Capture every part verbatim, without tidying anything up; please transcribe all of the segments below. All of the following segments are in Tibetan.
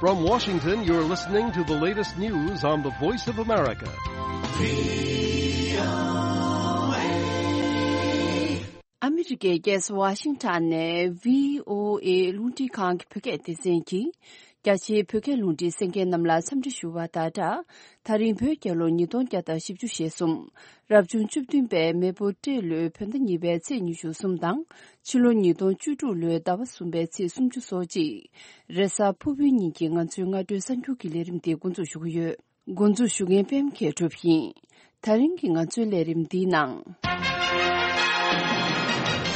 From Washington, you're listening to the latest news on the Voice of America. ཨ་མི་རི་ཀའི་རྒྱལ་ས་ཝ་ཤིང་ཊོན་ནས་བྷི་ཨོ་ཨེ་རླུང་འཕྲིན་ཁང་གི་བོད་སྐད་སྡེ་ཚན་གྱིས། རྒྱ་ཆེའི་བོད་སྐད་རླུང་འཕྲིན་གསན་མཁན་རྣམས་ལ་འཚམས་འདྲི་ཞུ་བ་དང་སྦྲགས། ད་རིང་བོད་རྒྱལ་ལོ་ཉིས་སྟོང་བརྒྱ་དང་བཞི་བཅུ་ཞེ་གསུམ། རབ་བྱུང་བཅུ་བདུན་པའི་མེ་ཕོ་སྤྲེལ་ལོའི་བོད་ཟླ་གཉིས་པའི་ཚེས་ཉི་ཤུ་གསུམ་དང་། ཕྱི་ལོ་ཉིས་སྟོང་བཅུ་དྲུག་ལོའི་ཟླ་བ་གསུམ་པའི་ཚེས་སུམ་ཅུ་སོ་གཅིག་རེས་གཟའ་ཕུར་བུའི་ཉིན་གྱི་ང་ཚོའི་སྔ་དྲོའི་གསར་འགྱུར་གྱི་ལས་རིམ་དེ་འགོ་འཛུགས་ཞུ་གི་ཡོད། འགོ་འཛུགས་ཞུ་མཁན་པད་མ་མཁས་གྲུབ་ཡིན། ད་རིང་གི་ང་ཚོའི་ལས་རིམ་འདིའི་ནང་།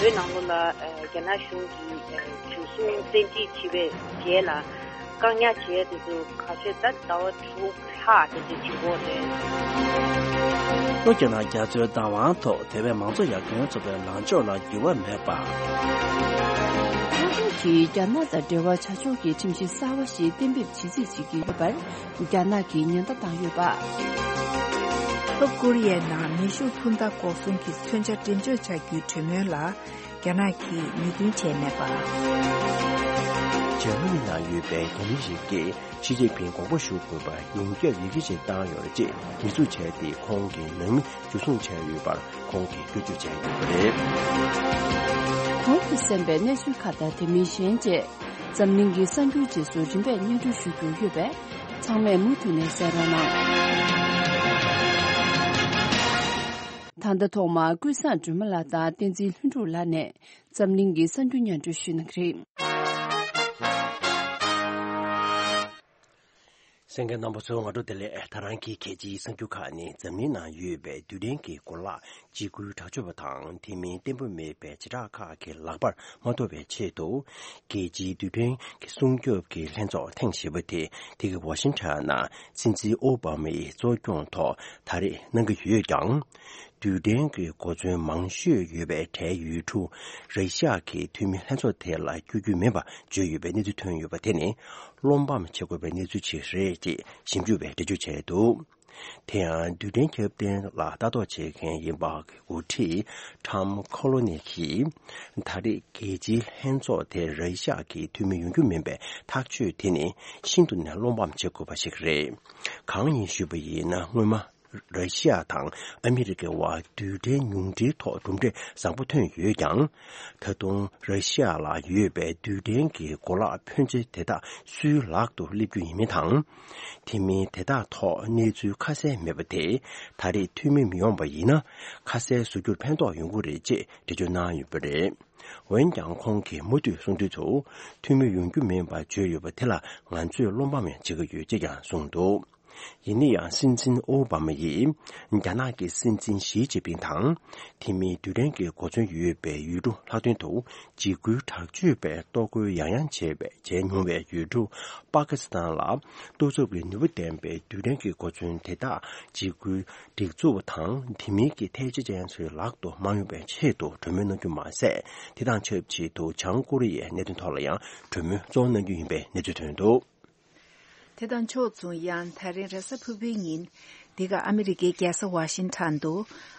བོད་ནང་ལོགས་ལ་ཨ་རྒྱ་ནག་གཞུང་གིས་ཨ་འཇུ་བཟུང་བཙན་ཁྲིད་བྱས་པའི་རྗེས་ལ་བཀག་ཉར་བྱས་དེ་ཚོ་ཁ་ཤས་ད་ཟླ་བ་དྲུག་ལྷག་དེ་འདྲ་བྱེད་ཀྱི་ཡོད་རེད། ལྷོ་རྒྱ་ནག་རྒྱ་མཚོའི་བདག་དབང་ཐོག་ཐེ་ཝན་མང་གཙོ་ཡར་ཐོན་ཚོགས་པའི་ལངས་ཕྱོགས་ལ་འགྱུར་བ་མེད་པ། ལྷོ་ཕྱོགས་ཀྱིས་རྒྱ་ནག་དང་འབྲེལ་བ་བྱ་ཕྱོགས་ཀྱི་ཁྲིམས་གཞི་གསར་བ་ཞིག་གཏན་འབེབས་བྱེད་རྩིས་བྱེད་ཀྱི་ཡོད་པར་རྒྱ་ནག་གིས་ཉེན་བརྡ་བཏང་ཡོད་པ། ལྷོ་ཀོ་རི་ཡའི་ནང་མེ་ཤུགས་འཕུར་མདའ་འགོག་སྲུང་གི་མཚོན་ཆ་འགྲེམས་འཇོག་བྱ་རྒྱུའི་གྲོས་མོལ་ལ་རྒྱ་ནག་གིས་མོས་མཐུན་བྱས་མེད་པ། འཇར་མ་ནི་ནང་ཡོད་པའི་རྒྱ་མི་རིགས་ཀྱིས་ཞི་ཅིན་ཕིང་དགོངས་པ་ཞུ་དགོས་པར་ཡོངས་ཁྱབ་ཡི་གེ་ཞིག་བཏང་ཡོད་རེད་ཅེས་ཉེས་འཛུགས་བྱས་ཏེ། ཁོང་གི་ནང་མི་འཇུ་བཟུང་བྱས་ཡོད་པར་ཁོང་གིས་སྐྱོན་བརྗོད་བྱས་ཡོད་པ་རེད། གོང་དུ་གསན་པའི་གནས་ཚུལ་ཁག་དང་དེ་མིན་གཞན་བཅས་འཛམ་གླིང་གི་གསར་འགྱུར་རྗེས་སུ་རིམ་པས་སྙན་སྒྲོན་ཞུ་རྒྱུ་ཡོད་པས་ཚང་མས་མུ་མཐུད་ནས་གསན་རོགས་གནང་། ད་ལྟ་ཐོག་མར་ཀུན་བཟང་སྒྲོལ་མ་ལགས་དང་བསྟན་འཛིན་ལྷུན་གྲུབ་ལགས་ནས་འཛམ་གླིང་གི་གསར་འགྱུར་སྙན་སྒྲོན་ཞུ་གནང་གི་རེད། གསན་མཁན་རྣམ་པ་ཚོ་སྔ་དྲོ་བདེ་ལེགས། ད་རང་གི་གལ་ཆེའི་གསར་འགྱུར་ཁག་ནི་འཛམ་གླིང་ནང་ཡོད་པའི་རྡུལ་ཕྲན་གྱི་གོ་ལག་འཇིགས་སྐུལ་དྲག་སྤྱོད་པ་དང་དེ་མིན་བརྟན་པོ་མེད་པའི་བྱེ་བྲག་ཁག་གི་ལག་པར་མ་ཐོབ་པའི་ཆེད་དུ། རྒྱལ་སྤྱིའི་རྡུལ་ཕྲན་གྱི་སྲུང་སྐྱོབ་ཀྱི་ལྷན་ཚོགས་ཐེངས་བཞི་པ་དེ་དེ་གའི་ཝ་ཤིང་ཊོན་ནང་སྲིད་འཛིན་ཨོ་བྷ་མ་ཡིས་གཙོ་སྐྱོང་ཐོག་ད་རེས་གནང་གི་ཡོད་ཀྱང་། རྡུལ་ཕྲན་གྱི་གོ་མཚོན་མང་ཤོས་ཡོད་པའི་གྲས་ཡུལ་གྲུ་ར་ཤི་ཡ་གི་འཐུས་མི་ལྷན་ཚོགས་དེ་ལ་བསྐྱོད་རྒྱུ་མིན་པ་བརྗོད་ཡོད་པའི་གནས་ཚུལ་ཐོན་ཡོད་པ་དེ་ནི་བློ་ཕམ་བྱེད་དགོས་པའི་གནས་ཚུལ་ཞིག་རེད་ཅེས་ཞིབ་འཇུག་པས་འགྲེལ་བརྗོད་བྱས་འདུག་དེ་ཡང་རྡུལ་ཕྲན་ཁྱབ་གདལ་ལ་ལྟ་རྟོག་བྱེད་མཁན་ཡིན་པ་གི་འགོ་ཁྲིད་ཊམ་ཁོ་ལོ་ནི་གིས་ད་རེས་རྒྱལ་སྤྱིའི་ལྷན་ཚོགས་དེར་ར་ཤི་ཡ་གི་འཐུས་མི་ཡོང་རྒྱུ་མིན་པའི་ཐག་གཅོད་དེ་ནི་ཤིན་ཏུ་ནས་བློ་ཕམ་བྱེད་དགོས་པ་ཞིག་རེད། གང་ཡིན་ཞུས་པ་ཡིན་ན། སྔོན་མ་ར་ཤི་ཡ་དང་ཨ་མི་རི་ཀའི་དབར་རྡུལ་ཕྲན་ཉུང་འཕྲིའི་ཐོག་གྲུབ་འབྲས་བཟང་པོ་ཐོན་ཡོད་ཀྱང་། ད་དུང་ར་ཤི་ཡ་ལ་ཡོད་པའི་རྡུལ་ཕྲན་གྱི་གོ་ལག་ཕོན་ཆེ་དེ་དག་སུའི་ལག་ཏུ་སླེབས་རྒྱུ་ཡིན་མིན་དང་། དེ་མིན་དེ་དག་ཐོག་གནས་ཚུལ་ཁ་གསལ་མེད་པ་དེས་ད་རེས་འཐུས་མི་མི་ཡོང་པ་ཡིན་ན། ཁ་གསལ་བཟོ་རྒྱུར་ཕན་ཐོགས་ཡོང་གི་རེད་ཅེས་འགྲེལ་བརྗོད་གནང་ཡོད་པ་རེད། འོན་ཀྱང་ཁོང་གིས་མུ་མཐུད་གསུང་དུས་སུ། འཐུས་མི་ཡོང་རྒྱུ་མིན་པ་བརྗོད་ཡོད་པ་དེ་ལ་ང་ཚོས་བློ་ཕམ་བྱེད་ཀྱི་ཡོད་ཅེས་ཀྱང་གསུངས་འདུག་ཡིན་ན་ཡང་སྲིད་འཛིན་ཨོ་བྷ་མ་ཡིས་རྒྱ་ནག་གི་སྲིད་འཛིན་ཞི་ཅིན་ཕིང་དང་། དེ་མིན་རྡུལ་ཕྲན་གྱི་གོ་མཚོན་ཡོད་པའི་ཡུལ་གྲུ་ལྷག་དོན་དུ་འཇིགས་སྐུལ་དྲག་སྤྱོད་པས་གཏོར་རྒོལ་ཡང་ཡང་བྱས་པའི་བྱས་མྱོང་བའི་ཡུལ་གྲུ་པ་ཀི་སི་ཐན་ལ་གཏོར་ཚབ་ཀྱི་ནུས་པ་ལྡན་པའི་རྡུལ་ཕྲན་གྱི་གོ་མཚོན་དེ་དག་འཇིགས་སྐུལ་སྒྲིག་འཛུགས་དང་དེ་མིན་གྱི་ཐལ་ཆ་ཅན་ཚོའི་ལག་ཏུ་མ་ཡོང་བའི་ཆེད་དུ་གྲོས་མོལ་གནང་རྒྱུ་མ་ཟད། དེ་དང་ཆབས་ཅིག་ཏུ་བྱང་ཀོ་རི་ཡའི་གནད་དོན་ཐོག་ལ་ཡང་གྲོས་མོལ་གཙོ་བོ་གནང་རྒྱུ་ཡིན་པའི་གནས་ཚུལ་ཐོན་འདུག་དེ་དང་ཕྱོགས་མཚུངས། ཡང་ད་རིང་རེས་གཟའ་ཕུར་བུའི་ཉིན་འདི་ག་ཨ་མི་རི་ཀའི་རྒྱལ་ས་ཝ་ཤིང་ཊོན་དུ་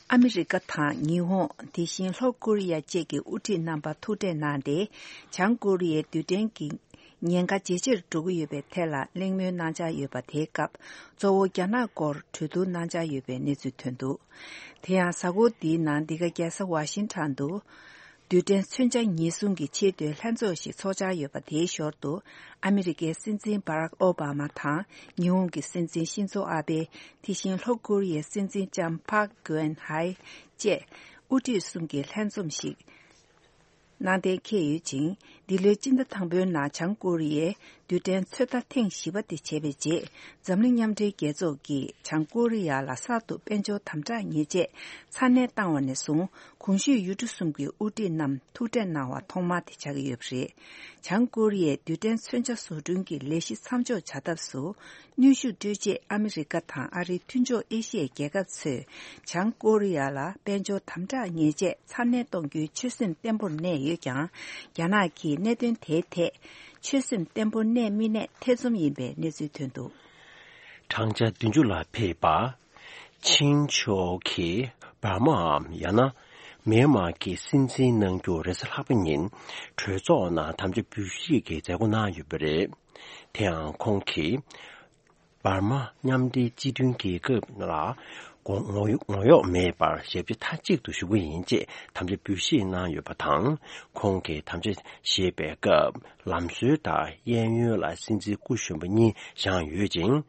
ཨ་མི་རི་ཀ་དང་ཉི་ཧོང་། དེ་བཞིན་ལྷོ་ཀོ་རི་ཡ་བཅས་ཀྱི་དབུ་ཁྲིད་རྣམ་པ་ཐུག་འཕྲད་གནང་སྟེ། བྱང་ཀོ་རི་ཡའི་རྡུལ་ཕྲན་གྱི་ཉེན་ཁ་ཇེ་ཆེར་འགྲོ་གི་ཡོད་པའི་ཐད་ལ་གླེང་མོལ་གནང་འཆར་ཡོད་པ་དེའི་སྐབས། གཙོ་བོ་རྒྱ་ནག་སྐོར་གྲོས་བསྡུར་གནང་འཆར་ཡོད་པའི་གནས་ཚུལ་ཐོན་འདུག་དེ་ཡང་གཟའ་འཁོར་འདིའི་ནང་འདི་ག་རྒྱལ་ས་ཝ་ཤིང་ཊོན་དུ། རྡུལ་ཕྲན་མཚོན་ཆ་ཉེན་སྲུང་གི་ཆེས་མཐོའི་ལྷན་ཚོགས་ཤིག་འཚོགས་འཆར་ཡོད་པ་དེའི་ཞོར་དུ། ཨ་མི་རི་ཀའི་སྲིད་འཛིན་བྷ་རག་ཨོ་བྷ་མ་དང་། ཉི་ཧོང་གི་སྲིད་འཛིན་ཤིན་ཛོ་ཨ་བྷེ། དེ་བཞིན་ལྷོ་ཀོ་རི་ཡའི་སྲིད་འཛིན་ལྕམ་ཕག་གུ་ཝེན་ཧའེ་བཅས་དབུ་ཁྲིད་གསུམ་གྱི་ལྷན་འཛོམས་ཤིག་གནང་གཏན་འཁེལ་ཡོད་ཅིང་། འདི་ལོའི་སྤྱི་ཟླ་དང་པོའི་ནང་བྱང་ཀོ་རི་ཡས་རྡུལ་ཕྲན་ཚོད་ལྟ་ཐེངས་བཞི་པ་དེ་བྱས་པའི་རྗེས། འཛམ་གླིང་མཉམ་འབྲེལ་རྒྱལ་ཚོགས་ཀྱིས་བྱང་ཀོ་རི་ཡ་ལ་གསར་དུ་དཔལ་འབྱོར་དམ་དྲག་ཉེས་ཆད་ཚ་ནན་བཏང་བ་ནས་བཟུང་། གོང་ཞུས་ཡུལ་གྲུ་གསུམ་གྱི་དབུ་ཁྲིད་རྣམས་ཐུག་འཕྲད་གནང་བ་ཐོག་མ་དེ་ཆགས་ཀྱི་ཡོད་པ་རེད། བྱང་ཀོ་རི་ཡས་རྡུལ་ཕྲན་མཚོན་ཆ་བཟོ་སྐྲུན་གྱི་ལས་གཞི་མཚམས་འཇོག་བྱ་ཐབས་སུ། གནོན་ཤུགས་སྤྲོད་ཆེད་ཨ་མི་རི་ཀ་དང་ཨ་རིའི་མཐུན་ཕྱོགས་ཨེ་ཤི་ཡའི་རྒྱལ་ཁབ་ཚོས་བྱང་ཀོ་རི་ཡ་ལ་དཔལ་འབྱོར་དམ་དྲག་ཉེས་ཆད་ཚ་ནན་གཏོང་རྒྱུའི་ཆོད་སེམས་བརྟན་པོར་གནས་ཡོད་ཀྱང་། རྒྱ་ནག་གིས་གནད་དོན་དེའི་ཐད་ཆོད་སེམས་བརྟན་པོར་གནས་མི་གནས་ཐེ་ཚོམ་ཡིན་པའི་གནས་ཚུལ་ཐོན་འདུག་བགྲང་བྱ་བདུན་ཅུ་ལ་ཕེབས་པ། ཆིང་ཕྱོགས་ཀྱིས་འབར་མའམ་ཡང་ན་ མེན་མར་གྱི་སྲིད་འཛིན་གནང་རྒྱུ་རེས་གཟའ་ལྷག་པ་ཉིན་གྲོས་ཚོགས་ནང་དམ་བཅའ་འབུལ་བཞེས་ཀྱི་མཛད་སྒོ་གནང་ཡོད་པ་རེད། དེ་ཡང་ཁོང་གིས། འབར་མ་མཉམ་འབྲེལ་སྤྱི་མཐུན་རྒྱལ་ཁབ་ལ་ངོ་ངོ་གཡོག་མེད་པར་ཞབས་ཕྱི་མཐའ་གཅིག་ཏུ་ཞུ་གི་ཡིན་ཅེས་དམ་བཅའ་འབུལ་བཞེས་གནང་ཡོད་པ་དང་། ཁོང་གིས་དམ་བཅའ་བཞེས་པའི་སྐབས་ལམ་སྲོལ་ལྟར་གཡས་གཡོན་ལ་སྲིད་འཛིན་སྐུ་གཞོན་པ་གཉིས་བཞེངས་ཡོད་ཅིང་།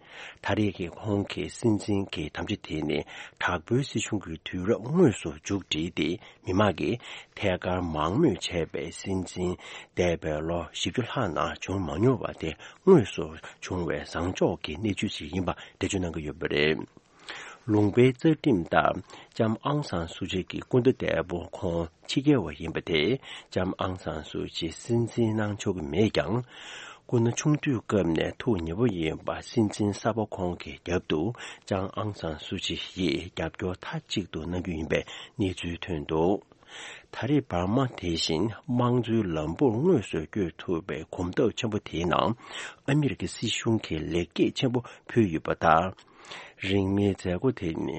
ད་རེས་ཀྱི་ཁོང་གི་སྲིད་འཛིན་གྱི་དམ་བཅའ་དེ་ནི་དྲག་པོའི་སྲིད་གཞུང་གི་དུས་རབས་དངོས་སུ་མཇུག་བསྒྲིལ་ཏེ། མི་མང་གིས་ཐད་ཀར་མང་མོས་བྱས་པའི་སྲིད་འཛིན་འདས་པའི་ལོ་བཞི་བཅུ་ལྷག་ནང་བྱུང་མ་མྱོང་བ་དེ་དངོས་སུ་བྱུང་བའི་བཟང་ཕྱོགས་ཀྱི་གནས་ཚུལ་ཞིག་ཡིན་པ་འགྲེལ་བརྗོད་གནང་གི་ཡོད་པ་རེད། ལུང་པའི་རྩ་ཁྲིམས་ལྟར་ལྕམ་ཨང་སང་སུ་ཅི་གི་སྐུ་ཟླ་འདས་པོ་ཁོང་ཕྱི་རྒྱལ་བ་ཡིན་པ་དེས་ལྕམ་ཨང་སང་སུ་ཅི་སྲིད་འཛིན་གནང་ཆོག་གི་མེད་ཀྱང་། སྐུ་ན་ཆུང་དུས་སྐབས་ནས་ཐུགས་མཉེས་པོ་ཡིན་པ་སྲིད་འཛིན་གསར་པ་ཁོང་གི་རྒྱབ་ཏུ་ལྕམ་ཨང་སང་སུ་ཅི་ཡིས་རྒྱབ་སྐྱོར་མཐའ་གཅིག་ཏུ་གནང་རྒྱུ་ཡིན་པའི་གནས་ཚུལ་ཐོན་འདུག་ད་རེས་འབར་མ་དེ་བཞིན་དམངས་གཙོའི་ལམ་བུར་དངོས་སུ་བསྐྱོད་ཐུབ་པའི་གོམ་སྟབས་ཆེན་པོ་དེའི་ནང་ཨ་མི་རི་ཀའི་སྲིད་གཞུང་གིས་ལེགས་སྐྱེས་ཆེན་པོ་ཕུལ་ཡོད་པ་དང་། རིང་མིན་མཛད་སྒོ་དེ་ནི།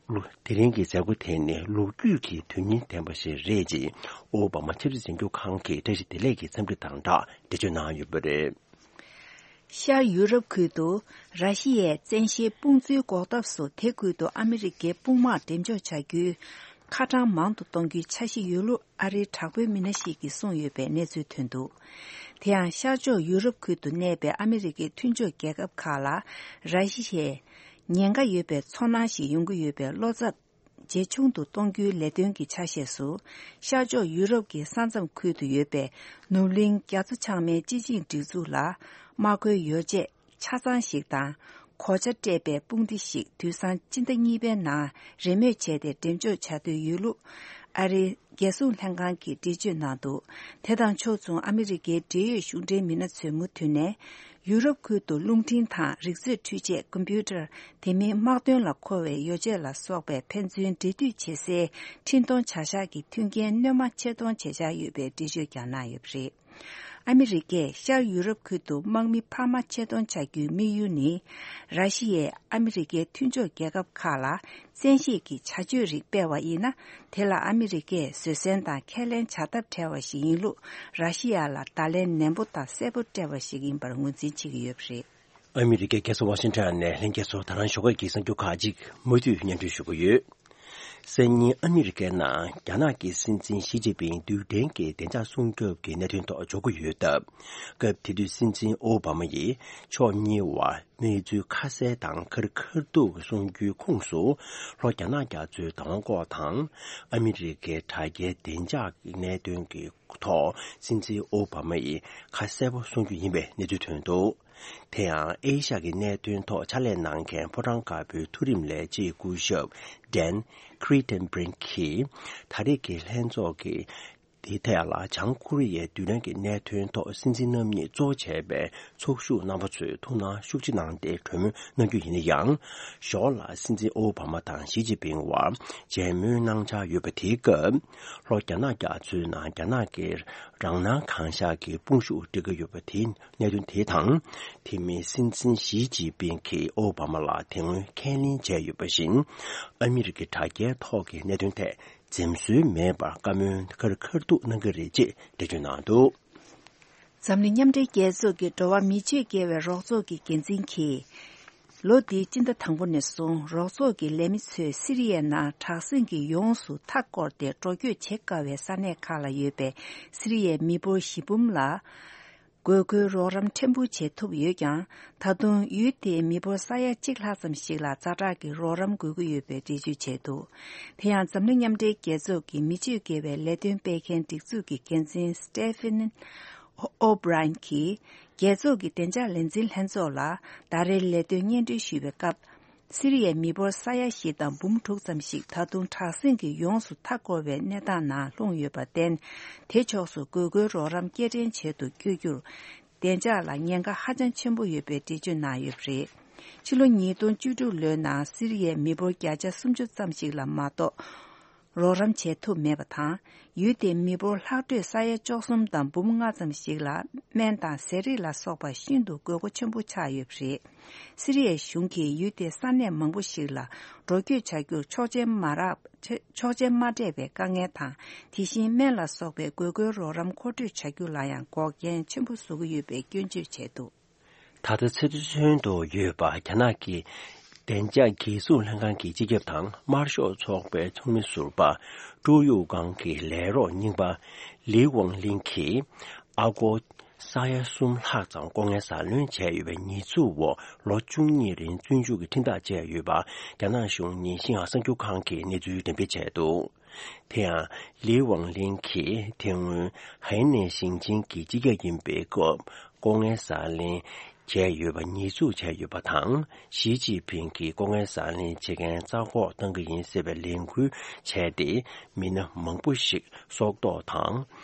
ལུ་དེ་རིང་གི་མཛད་སྒོ་དེ་ནི་ལོ་རྒྱུས་ཀྱི་དོན་སྙིང་ལྡན་པ་ཞིག་རེད་ཅེས་ཨོ་བྷ་མ་ཆབ་སྲིད་འཛིན་སྐྱོང་ཁང་གི་བཀྲ་ཤིས་བདེ་ལེགས་ཀྱི་འཚམས་འདྲི་དང་སྦྲགས་འགྲེལ་བརྗོད་གནང་ཡོད་པ་རེད། ཤར་ཡུ་རོབ་ཁུལ་དུ་ར་ཤི་ཡའི་བཙན་ཤེད་དཔུང་འཛུལ་འགོག་ཐབས་སུ་དེ་ཁུལ་དུ་ཨ་མི་རི་ཀའི་དཔུང་དམག་འགྲེམས་འཇོག་བྱ་རྒྱུའི་ཁ་གྲངས་མང་དུ་གཏོང་རྒྱུའི་འཆར་གཞི་ཡོད་ལུགས་ཨ་རིའི་དྲག་པོའི་མི་སྣ་ཞིག་གིས་གསུངས་ཡོད་པའི་གནས་ཚུལ་ཐོན་འདུག་དེ་ཡང་ཤར་ཕྱོགས་ཡུ་རོབ་ཁུལ་དུ་གནས་པའི་ཨ་མི་རི་ཀའི་མཐུན་ཕྱོགས་རྒྱལ་ཁབ་ཁག་ལ་ར་ཤི་ཡའི་ཉེན་ཁ་ཡོད་པའི་ཚོར་སྣང་ཞིག་ཡོང་གི་ཡོད་པའི་བློ་འཚབ་ཇེ་ཆུང་དུ་གཏོང་རྒྱུའི་ལས་དོན་གྱི་ཆ་ཤས་སུ། ཤར་ཕྱོགས་ཡུ་རོབ་ཀྱི་ས་མཚམས་ཁུལ་དུ་ཡོད་པའི་ནུབ་གླིང་རྒྱ་མཚོ་བྱང་མའི་སྤྱི་ཆིངས་སྒྲིག་འཛུགས་ལ་དམག་མཁོའི་ཡོ་བྱད་ཆ་ཚང་ཞིག་དང་། གོ་ཆ་སྤྲས་པའི་དཔུང་སྡེ་ཞིག་དུས་སང་སྤྱི་ཟླ་གཉིས་པའི་ནང་རེས་མོས་བྱས་ཏེ་འགྲེམས་འཇོག་བྱ་འདོད་ཡོད་ལུགས་ཨ་རིའི་རྒྱལ་སྲུང་ལྷན་ཁང་གིས་འགྲེལ་བརྗོད་གནང་འདུག་དེ་དང་ཕྱོགས་མཚུངས་ཨ་མི་རི་ཀའི་འབྲེལ་ཡོད་གཞུང་འབྲེལ་མི་སྣ་ཚོས་མུ་མཐུད་ནས། ཡུ་རོབ་ཁུལ་དུ་རླུང་འཕྲིན་དང་རིག་མཛོད་འཕྲུལ་ཆས་ཀམ་པུ་ཊར། དེ་མིན་དམག་དོན་ལ་མཁོ་བའི་ཡོ་བྱད་ལ་སོགས་པའི་ཕན་ཚུན་འབྲེལ་མཐུད་བྱེད་སའི་འཕྲིན་གཏོང་བྱ་གཞག་གི་མཐུན་རྐྱེན་སྣོན་མ་ཆེད་གཏོང་བྱེད་འཆར་ཡོད་པའི་འགྲེལ་བརྗོད་ཀྱང་གནང་ཡོད་པ་རེད། ཨ་མི་རི་ཀས་ཤར་ཡུ་རོབ་ཁུལ་དུ་དམག་མི་འཕར་མ་ཆེད་གཏོང་བྱ་རྒྱུའི་དམིགས་ཡུལ་ནི། ར་ཤི་ཡས་ཨ་མི་རི་ཀའི་མཐུན་ཕྱོགས་རྒྱལ་ཁབ་ཁག་ལ་བཙན་ཤེད་ཀྱི་བྱ་སྤྱོད་རིགས་སྤེལ་བ་ཡིན་ན། དེ་ལ་ཨ་མི་རི་ཀས་བཟོད་བསྲན་དང་ཁས་ལེན་བྱ་ཐབས་བྲལ་བ་ཞིག་ཡིན་ལུགས་ར་ཤི་ཡ་ལ་བརྡ་ལན་ནན་པོ་དང་གསལ་པོ་སྤྲད་པ་ཞིག་ཡིན་པར་ངོས་འཛིན་བྱེད་ཀྱི་ཡོད་པ་རེད། ཨ་མི་རི་ཀའི་རྒྱལ་ས་ཝ་ཤིང་ཊོན་ནས་ལྷན་རྒྱས་ཚོ་ད་རང་ཞོགས་ཀས་ཀྱི་གསར་འགྱུར་ཁག་ཅིག་མུ་མཐུད་སྙན་སྒྲོན་ཞུ་གི་ཡོད། སང་ཉིན་ཨ་མི་རི་ཀའི་ནང་རྒྱ་ནག་གི་སྲིད་འཛིན་ཞི་ཅིན་ཕིང་རྡུལ་ཕྲན་གྱི་བདེ་འཇགས་སྲུང་སྐྱོབ་ཀྱི་གནད་དོན་ཐོག་འཇོག་གི་ཡོད་སྟབས། སྐབས་དེ་དུས་སྲིད་འཛིན་ཨོ་བྷ་མ་ཡིས་ཕྱོགས་གཉིས་བར་གནས་ཚུལ་ཁ་གསལ་དང་ཁ་རི་ཁ་ཐུག་གསུང་རྒྱུའི་ཁོངས་སུ། ལྷོ་རྒྱ་ནག་རྒྱ་མཚོའི་བདག་དབང་སྐོར་དང་། ཨ་མི་རི་ཀའི་དྲ་རྒྱའི་བདེ་འཇགས་ཀྱི་གནད་དོན་གྱི་ཐོག་སྲིད་འཛིན་ཨོ་བྷ་མ་ཡིས་ཁ་གསལ་པོ་གསུང་རྒྱུ་ཡིན་པའི་གནས་ཚུལ་ཐོན་འདུག་དེ་ཡང་ཨེ་ཤ་ཡའི་གནད་དོན་ཐོག་ཕྱག་ལས་གནང་མཁན་ཕོ་བྲང་དཀར་པོའི་མཐོ་རིམ་ལས་བྱེད་སྐུ་ཞབས་Dan Kritenbrink གིས། ད་རེས་ཀྱི་ལྷན་ཚོགས་ཀྱི་དེའི་ཐད་ལ་བྱང་ཀོ་རི་ཡའི་རྡུལ་ཕྲན་གྱི་གནད་དོན་ཐོག་སྲིད་འཛིན་རྣམ་གཉིས་གཙོ་བྱས་པའི་ཚོགས་ཞུགས་རྣམ་པ་ཚོས་ཐུགས་སྣང་ཤུགས་ཆེ་གནང་སྟེ་གྲོས་མོལ་གནང་རྒྱུ་ཡིན་ན་ཡང་། ཞོར་ལ་སྲིད་འཛིན་ཨོ་བྷ་མ་དང་ཞི་ཅིན་ཕིང་བར་མཇལ་མོལ་གནང་འཆར་ཡོད་པ་དེའི་སྐབས། ལྷོ་རྒྱ་ནག་རྒྱ་མཚོའི་ནང་རྒྱ་ནག་གི་རང་སྣང་གང་ཤར་གྱི་དཔུང་ཤུགས་སྒྲིལ་གྱི་ཡོད་པ་དེའི་གནད་དོན་དེ་དང་། དེ་མིན་སྲིད་འཛིན་ཞི་ཅིན་ཕིང་གིས་ཨོ་བྷ་མ་ལ་དེ་སྔོན་ཁས་ལེན་བྱས་ཡོད་པ་བཞིན། ཨ་མི་རི་ཀའི་དྲ་རྒྱའི་ཐོག་གི་གནད་དོན་ཐད་འཛེམ་ཟོན་མེད་པར་བཀའ་མོལ་ཁ་རི་ཁ་ཐུག་གནང་གི་རེད་ཅེས་འགྲེལ་བརྗོད་གནང་འདུག་འཛམ་གླིང་མཉམ་འབྲེལ་རྒྱལ་ཚོགས་ཀྱི་འགྲོ་བ་མིའི་ཆེད་མཁས་པའི་རོགས་ཚོགས་ཀྱི་འགན་འཛིན་གྱིས། ལོ་འདིའི་སྤྱི་ཟླ་དང་པོ་ནས་བཟུང་རོགས་ཚོགས་ཀྱི་ལས་མི་ཚོས་སི་རི་ཡའི་ནང་དྲག་ཟིང་གིས་ཡོངས་སུ་མཐའ་བསྐོར་ཏེ་འགྲོ་སྐྱོད་བྱེད་དཀའ་བའི་ས་གནས་ཁག་ལ་ཡོད་པའི་སི་རི་ཡའི་མི་འབོར་བཞི་འབུམ་ལ། དགོས་མཁོའི་རོགས་རམ་ཕྲན་བུ་བྱེད་ཐུབ་ཡོད་ཀྱང་། ད་དུང་ཡུལ་དེའི་མི་འབོར་ས་ཡ་གཅིག་ལྷག་ཙམ་ཞིག་ལ་ཛ་དྲག་གི་རོགས་རམ་དགོས་ཀྱི་ཡོད་པའི་འགྲེལ་བརྗོད་བྱས་འདུག་དེ་ཡང་འཛམ་གླིང་མཉམ་འབྲེལ་རྒྱལ་ཚོགས་ཀྱི་མི་སྤྱོད་དགེ་བའི་ལས་དོན་སྤེལ་མཁན་སྒྲིག་འཛུགས་ཀྱི་འགན་འཛིན་Stephen O'Brien གྱིས། རྒྱལ་ཚོགས་ཀྱི་བདེ་འཇགས་ལས་འཛིན་ལྷན་ཚོགས་ལ་ཟླ་རེའི་ལས་དོན་སྙན་སྒྲོན་ཞུས་པའི་སྐབས། སི་རི་ཡའི་མི་འབོར་ས་ཡ་བཞི་དང་འབུམ་དྲུག་ཙམ་ཞིག་ད་དུང་དྲག་ཟིང་གིས་ཡོངས་སུ་མཐའ་བསྐོར་བའི་གནས་སྟངས་ནང་ལྷུང་ཡོད་པར་བརྟེན། དེ་ཕྱོགས་སུ་དགོས་མཁོའི་རོགས་རམ་སྐྱེལ་འདྲེན་བྱེད་དུ་བསྐྱོད་རྒྱུར། བདེ་འཇགས་ལ་ཉེན་ཁ་ཧ་ཅང་ཆེན་པོ་ཡོད་པའི་འགྲེལ་བརྗོད་གནང་ཡོད་པ་རེད། ཕྱི་ལོ་ཉིས་སྟོང་བཅུ་དྲུག་ལོའི་ནང་སི་རི་ཡའི་མི་འབོར་བརྒྱ་ཆ་སུམ་ཅུ་ཙམ་ཞིག་ལ་མ་གཏོགས། རོགས་རམ་བྱེད་ཐུབ་མེད་པ་དང་། ཡུལ་དེའི་མི་འབོར་ལྷག་འཕྲོས་ས་ཡ་བཅུ་གསུམ་དང་འབུམ་ལྔ་ཙམ་ཞིག་ལ་སྨན་དང་ཟས་རིགས་ལ་སོགས་པ་ཤིན་ཏུ་དགོས་མཁོ་ཆེན་པོ་ཆགས་ཡོད་པ་རེད། སི་རི་ཡའི་གཞུང་གིས་ཡུལ་དེའི་ས་གནས་མང་པོ་ཞིག་ལ་འགྲོ་སྐྱོད་བྱ་རྒྱུར་ཆོག་མཆན་མ་རག་ཆོག་མཆན་མ་སྤྲད་པའི་དཀའ་ངལ་དང་། དེ་བཞིན་སྨན་ལ་སོགས་པའི་དགོས་མཁོའི་རོགས་རམ་མཁོ་སྤྲོད་བྱ་རྒྱུ་ལ་ཡང་འགོག་རྐྱེན་ཆེན་པོ་བཟོ་གི་ཡོད་པའི་སྐྱོན་བརྗོད་བྱས་འདུག། ད་ལྟ་ཚུལ་མཐུན་དུ་ཡོད་པ་རྒྱ་ནག་གི་བདེ་འཇགས་སྒེར་ཟུར་ལྷན་ཁང་གི་སྤྱི་ཁྱབ་དང་དམར་ཤོག་ཚོགས་པའི་ཚོགས་མི་ཟུར་པ་ཀྲོའུ་ཡུའུ་ཀང་གི་ལས་རོགས་རྙིང་པ་ལི་ཝང་ལིན་གྱིས་ཨ་སྒོར་ས་ཡ་གསུམ་ལྷག་ཙམ་ལྐོག་རྔན་ཟ་ལེན་བྱས་ཡོད་པའི་ཉེས་འཛུགས་འོག་ལོ་བཅུ་གཉིས་རིང་བཙོན་འཇུག་གི་ཁྲིམས་ཐག་བཅད་ཡོད་པ་རྒྱ་ནག་གཞུང་ཉིན་ཤིང་ཧྭ་གསར་འགྱུར་ཁང་གིས་གནས་ཚུལ་འགྲེམས་སྤེལ་བྱས་འདུག། དེ་ཡང་། ལི་ཝང་ལིན་གྱིས་དེ་སྔོན་ཧའེ་ནན་ཞིང་ཆེན་གྱི་སྤྱི་ཁྱབ་ཡིན་པའི་སྐབས་ལྐོག་རྔན་ཟ་ལེན་བྱས་ཡོད་པ་ཉེས་འཛུགས་བྱས་ཡོད་པ་དང་། ཞི་ཅིན་ཕིང་གིས་ལྐོག་རྔན་ཟ་ལེན་བྱེད་མཁན་རྩ་འགོག་གཏང་གི་ཡིན་ཟེར་བའི་ལས་འགུལ་བྱས་ཏེ། མི་སྣ་མང་པོ་ཞིག་སྲོག་ཐོག་དང་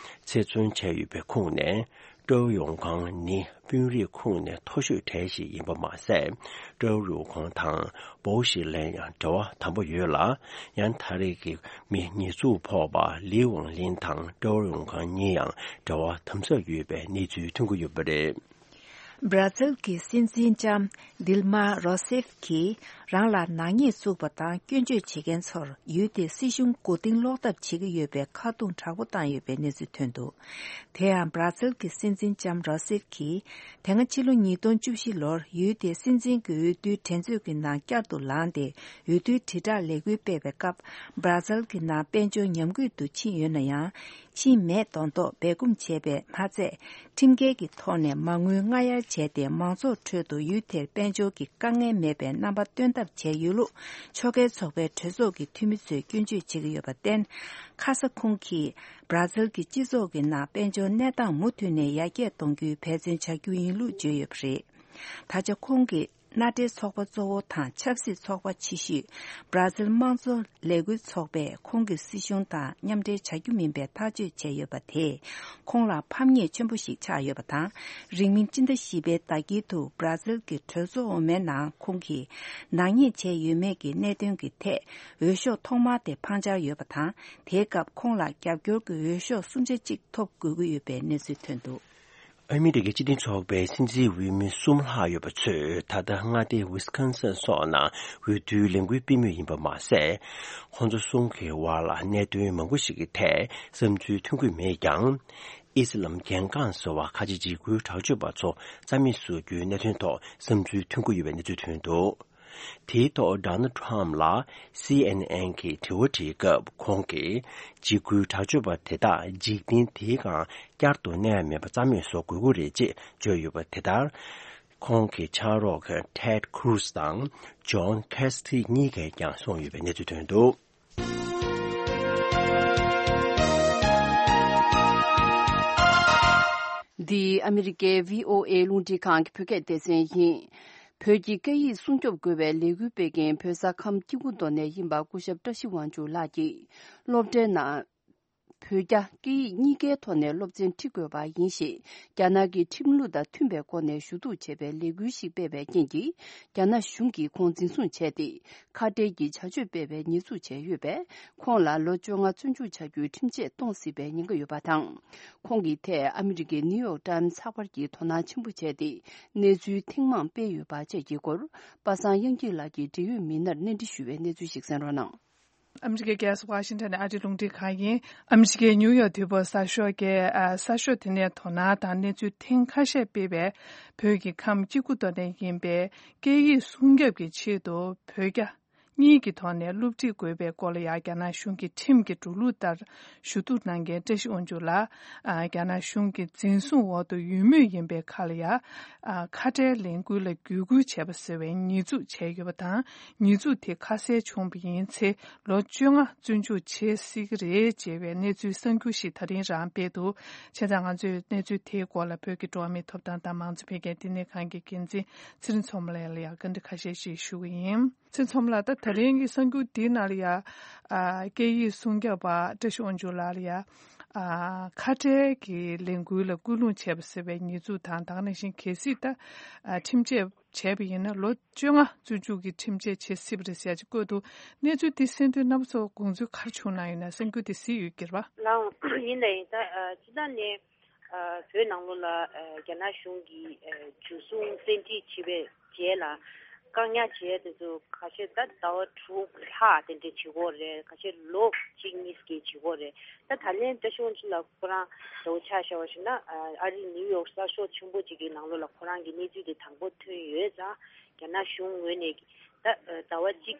ཚེ་བཙོན་བྱས་ཡོད་པའི་ཁོངས་ནས། ཀྲོའུ་ཡུའུ་ཀང་ནི་དཔོན་རིགས་ཁོངས་ནས་མཐོ་ཤོས་གྲས་ཤིག་ཡིན་པ་མ་ཟད། ཀྲོའུ་ཡུའུ་ཀང་དང་པོ་ཞི་ལན་ཡང་འབྲེལ་བ་དམ་པོ་ཡོད་ལ། ཡང་ད་རེས་ཀྱི་མི་ཉེས་འཛུགས་ཕོག་པ་ལི་ཝང་ལིན་དང་ཀྲོའུ་ཡུའུ་ཀང་གཉིས་ཡང་འབྲེལ་བ་དམ་ཟབ་ཡོད་པའི་གནས་ཚུལ་ཐོན་གྱི་ཡོད་པ་རེད། བར་ཛིལ་གྱི་སྲིད་འཛིན་ལྕམ་ཌིལ་མ་རོ་སེབ་ཀྱིས་རང་ལ་ནག་ཉེས་བཙུགས་པ་དང་སྐྱོན་བརྗོད་བྱེད་མཁན་ཚོར་ཡུལ་དེའི་སྲིད་གཞུང་མགོ་རྟིང་སློག་ཐབས་བྱེད་ཀྱི་ཡོད་པའི་ཁ་རྡུང་དྲག་པོ་བཏང་ཡོད་པའི་གནས་ཚུལ་ཐོན་འདུག། དེ་ཡང་བར་ཛིལ་གྱི་སྲིད་འཛིན་ལྕམ་རོ་སེབ་ཀྱིས་དེ་སྔ་ཕྱི་ལོ་ཉིས་སྟོང་བཅུ་བཞི་ལོར་ཡུལ་དེའི་སྲིད་འཛིན་གྱི་འོས་བསྡུའི་འགྲན་རྩོད་ཀྱི་ནང་བསྐྱར་དུ་ལངས་ཏེ་འོས་བསྡུའི་དྲིལ་བསྒྲགས་ལས་འགུལ་སྤེལ་བའི་སྐབས། བར་ཛིལ་གྱི་ནང་དཔལ་འབྱོར་ཉམས་རྒུད་དུ་ཕྱིན་ཡོད་ན་ཡང་། ཕྱིན་མེད་མདོག་མདོག་སྦས་སྐུང་བྱས་པས་མ་ཚད། ཁྲིམས་འགལ་གྱི་ཐོག་ནས་མ་དངུལ་སྔ་གཡར་བྱས་ཏེ། མང་ཚོགས་ཁྲོད་དུ་ཡུལ་དེར་དཔལ་འབྱོར་གྱི་དཀའ་ངལ་མེད་པའི་རྣམ་པ་སྟོན་ཐབས་བྱས་ཡོད་ལུགས། ཕྱོགས་འགལ་ཚོགས་པའི་གྲོས་ཚོགས་ཀྱི་འཐུས་མི་ཚོས་སྐྱོན་བརྗོད་བྱེད་ཀྱི་ཡོད་པར་བརྟེན། ཁ་ས་ཁོང་གིས་བར་ཛིལ་གྱི་སྤྱི་ཚོགས་ཀྱི་ནང་དཔལ་འབྱོར་གནས་སྟངས་མུ་མཐུད་ནས་ཡར་རྒྱས་གཏོང་རྒྱུའི་འབད་བརྩོན་བྱ་རྒྱུ་ཡིན་ལུགས་བརྗོད་ཡོད་པ་རེད། ད་ཆ་ཁོང་གིས་མནའ་འབྲེལ་ཚོགས་པ་གཙོ་བོ་དང་ཆབ་སྲིད་ཚོགས་པ་ཆེ་ཤོས་བར་ཛིལ་དམངས་གཙོ་ལས་འགུལ་ཚོགས་པས་ཁོང་གི་སྲིད་གཞུང་དང་མཉམ་འབྲེལ་བྱ་རྒྱུ་མིན་པའི་ཐག་གཅོད་བྱས་ཡོད་པ་དེས་ཁོང་ལ་ཕམ་ཉེས་ཆེན་པོ་ཞིག་ཆགས་ཡོད་པ་དང་། རིང་མིན་སྤྱི་ཟླ་བཞི་པའི་ཟླ་དཀྱིལ་དུ་བར་ཛིལ་གྱི་གྲོས་ཚོགས་འོག་མའི་ནང་ཁོང་གིས་ནག་ཉེས་བྱས་ཡོད་མེད་ཀྱི་གནད་དོན་གྱི་ཐད་འོས་ཤོག་ཐོག་མ་དེ་འཕང་འཆར་ཡོད་པ་དང་། དེའི་སྐབས་ཁོང་ལ་རྒྱབ་སྐྱོར་གྱི་འོས་ཤོག་སུམ་ཆ་གཅིག་ཐོབ་དགོས་ཀྱི་ཡོད་པའི་གནས་ཚུལ་ཐོན་འདུག། ཨ་མི་རི་ཀའི་སྤྱི་མཐུན་ཚོགས་པའི་སྲིད་འཛིན་འོས་མི་གསུམ་ལྷག་ཡོད་པ་ཚོས་ད་ལྟ་མངའ་སྡེ་ཝི་སི་ཀོན་སིན་སོགས་ནང་འོས་བསྡུའི་ལས་འགུལ་སྤེལ་མུས་ཡིན་པ་མ་ཟད། ཁོང་ཚོ་གསུམ་གྱི་དབར་ལ་གནད་དོན་མང་པོ་ཞིག་གི་ཐད་བསམ་ཚུལ་མཐུན་གྱི་མེད་ཀྱང་། ཨི་སི་ལམ་རྒྱལ་འགངས་ཟེར་བ་ཁ་ཆེ་འཇིགས་སྐུལ་དྲག་སྤྱོད་པ་ཚོ་རྩ་མེད་བཟོ་རྒྱུའི་གནད་དོན་ཐོག་བསམ་ཚུལ་མཐུན་གྱི་ཡོད་པའི་གནས་ཚུལ་ཐོན་འདུག། དེའི་ཐོག་ཌོ་ནལ་ཊམ་ལ་སི་ཨེན་ཨེན་གྱིས་དྲི་བ་དྲིས་སྐབས། ཁོང་གིས་འཇིགས་སྐུལ་དྲག་སྤྱོད་པ་དེ་དག་འཇིག་རྟེན་དེའི་སྒང་བསྐྱར་དུ་གནས་མེད་པ་རྩ་མེད་བཟོ་དགོས་ཀྱི་རེད་ཅེས་བརྗོད་ཡོད་པ་དེ་ལྟར། ཁོང་གི་ཕྱག་རོགས་ཊེཌ་ཁུ་རུ་སི་དང་ཇོན་ཁེ་སི་ཐི་གཉིས་ཀས་ཀྱང་གསུངས་ཡོད་པའི་གནས་ཚུལ་ཐོན་འདུག། འདི་ཨ་མི་རི་ཀའི་བྷི་ཨོ་ཨེ་རླུང་འཕྲིན་ཁང་གི་བོད་སྐད་སྡེ་ཚན་ཡིན། བོད་ཀྱི་སྐད་ཡིག་སྲུང་སྐྱོབ་དགོས་པའི་ལས་འགུལ་སྤེལ་མཁན་བོད་ས་ཁམས་སྐྱེ་རྒུ་མདོ་ནས་ཡིན་པ་སྐུ་ཞབས་བཀྲ་ཤིས་དབང་ཕྱུག་ལགས་ཀྱིས་སློབ་གྲྭའི་ནང་བོད་རྒྱ་སྐད་ཡིག་གཉིས་ཀའི་ཐོག་ནས་སློབ་ཚན་ཁྲིད་དགོས་པ་ཡིན་ཞེས་རྒྱ་ནག་གི་ཁྲིམས་ལུགས་དང་མཐུན་པའི་སྒོ་ནས་ཞུ་གཏུག་བྱས་པའི་ལས་འགུལ་ཞིག་སྤེལ་བའི་རྐྱེན་གྱིས། རྒྱ་ནག་གཞུང་གིས་ཁོང་འཛིན་བཟུང་བྱས་ཏེ། ཁ་བྲལ་གྱི་བྱ་སྤྱོད་སྤེལ་བའི་ཉེས་འཛུགས་བྱས་ཡོད་པས། ཁོང་ལ་ལོ་བཅོ་ལྔ་བཙོན་འཇུག་བྱ་རྒྱུའི་ཁྲིམས་ཆད་གཏོང་སྲིད་པའི་ཉེན་ཁ་ཡོད་པ་དང་། ཁོང་གི་ཐད་ཨ་མི་རི་ཀའི་ནིའུ་ཡོག་ཊའིམ་ཚགས་པར་གྱིས་དོ་སྣང་ཆེན་པོ་བྱས་ཏེ། གནས་ཚུལ་ཐེངས་མང་སྤེལ་ཡོད་པ་བཅས་ཀྱི་སྐོར། པ་སངས་དབྱངས་སྐྱིད་ལགས་ཀྱིས་འབྲེལ་ཡོད་མི་སྣར་གནས་འདྲི་ཞུས་པའི་གནས་ཚུལ་ཞིག་གསན་རོགས་གནང་། ཨ་མི་རི་ཀའི་རྒྱལ་ས་ཝ་ཤིང་ཊོན་ནས་ཨ་རིའི་རླུང་འཕྲིན་ཁང་ཡིན། ཨ་མི་རི་ཀའི་ནིའུ་ཡོག་དུས་བབ་གསར་ཤོག་གིས། ཨ། གསར་ཤོག་དེ་ནས་དོ་སྣང་དང་གནས་ཚུལ་ཐེངས་ཁ་ཤས་སྤེལ་བའི་བོད་ཀྱི་ཁམས་སྐྱེ་རྒུ་མདོ་ནས་ཡིན་པའི་སྐད་ཡིག་སྲུང་སྐྱོབ་ཀྱི་ཆེད་དུ་བོད་རྒྱ་གཉིས་ཀྱི་ཐོག་ནས་སློབ་ཁྲིད་དགོས་པའི་སྐོར་ལ་ཡང་རྒྱ་ནག་གཞུང་གི་ཁྲིམས་ཀྱི་འགྲོ་ལུགས་ལྟར་ཞུ་གཏུག་གནང་མཁན་བཀྲ་ཤིས་དབང་ཕྱུག་ལགས། ཨ། རྒྱ་ནག་གཞུང་གི་འཛིན་བཟུང་འོག་ཏུ་ཡོད་མུས་ཡིན་པའི་ཁར་ལ་ཡང་། ཨ། ཁ་བྲལ་ལས་འགུལ་ལ་བརྒྱུད་སྐུལ་བྱས་པ་ཟེར་བའི་ཉེས་འཛུགས་བྱས་ཡོད་པ་དང་། ཉེས་འཛུགས་དེ་ཁ་གསལ་བྱུང་བ་ཡིན་ཚེ། ལོ་བཅོ་ལྔ་བཙོན་འཇུག་བྱེད་སྲིད་ཀྱི་རེད་ཅེས་པའི་གནས་ཚུལ་གསར་འགྱུར་ཞིག་ད་རིང་རང་སྤེལ་འདུག། བྱས་ཙང་ང་ཚོས་གནས་ཚུལ་དེའི་སྐོར་ལ་བོད་ཀྱི་འགྲོ་བ་མིའི་ཐོབ་ཐང་དང་མང་གཙོ་འཕེལ་རྒྱས་བསྟི་གནས་ཁང་གི་འགན་འཛིན་ཚེ་རིང་མཚོ་མོ་ལགས་ལ་ཡང་བཀའ་འདྲི་ཁ་ཤས་ཤིག་ཞུ་གི་ཡིན། ཚེ་རིང་མཚོ་མོ་ལགས། ད་ད་རིང་གི་གསར་འགྱུར་འདིའི་ནང་ལ་ཡང་། ཨ། སྐད་ཡིག་སྲུང་སྐྱོབ་པ་བཀྲ་ཤིས་དབང་ཕྱུག་ལགས་ལ་ཡང་། ཨ། ཁ་བྲལ་གྱི་ལས་འགུལ་ལ་སྐུལ་སློང་བྱས་པ་ཟེར་བའི་ཉེས་འཛུགས་དང་། ད་ག་ནང་བཞིན་གལ་སྲིད་ད། ཨ། ཁྲིམས་ཆད་ བྱས་པ་ཡིན་ན་ལོ་བཅོ་ལྔ་བཙོན་འཇུག་གི་ཁྲིམས་ཆད་བྱེད་སྲིད་པ་རེད་ཟེར་ཡ་ཅིག་བཀོད་འདུག་གནས་ཚུལ་འདི་གསན་དུས་རྣམ་པ་ཚོ་དགོངས་ཚུལ་ག་རེ་བྱུང་གནང་ཡོད་ན། གསར་འགྱུར་འདི་གཟིགས་ཡོད་ཀྱི་རེད་པ། ལགས་འོང་། ཡིན་ད་ཡིན་ད། ཨ། སྤྱི་བཏང་ནས། ཨ། བོད་ནང་ལོགས་ལ། ཨ། རྒྱ་ནག་གཞུང་གིས། ཨ། འཇུ་བཟུང་བཙན་ཁྲིད་བྱས་པའི་རྗེས་ལ་བཀག་ཉར་བྱས་དེ་ཚོ་ཁ་ཤས་ད་ཟླ་བ་དྲུག་ལྷག་དེ་འདྲས་བྱེད་ཀྱི་ཡོད་རེད། ཁ་ཤས་ལོ་གཅིག་གཉིས་ཀྱི་བྱེད་ཀྱི་ཡོད་རེད། ད་ད་ལན་བཀྲ་ཤིས་དབང་ཕྱུག་ལགས་ཁོ་རང་འདྲ་བོ་ཆ་བཞག་པ་ཞིག་ན། ཨ། ཨ་རིའི་ནིའུ་ཡོག་གསར་ཤོག་ཆེན་པོ་ཅིག་གི་ནང་ལོགས་ལ་ཁོ་རང་གི་གནས་ཚུལ་དེ་དང་པོ་ཐོན་ཡོད་ཙང་། རྒྱ་ནག་གཞུང་ངོས་ནས་ད། ཨ། ཟླ་བ་གཅིག་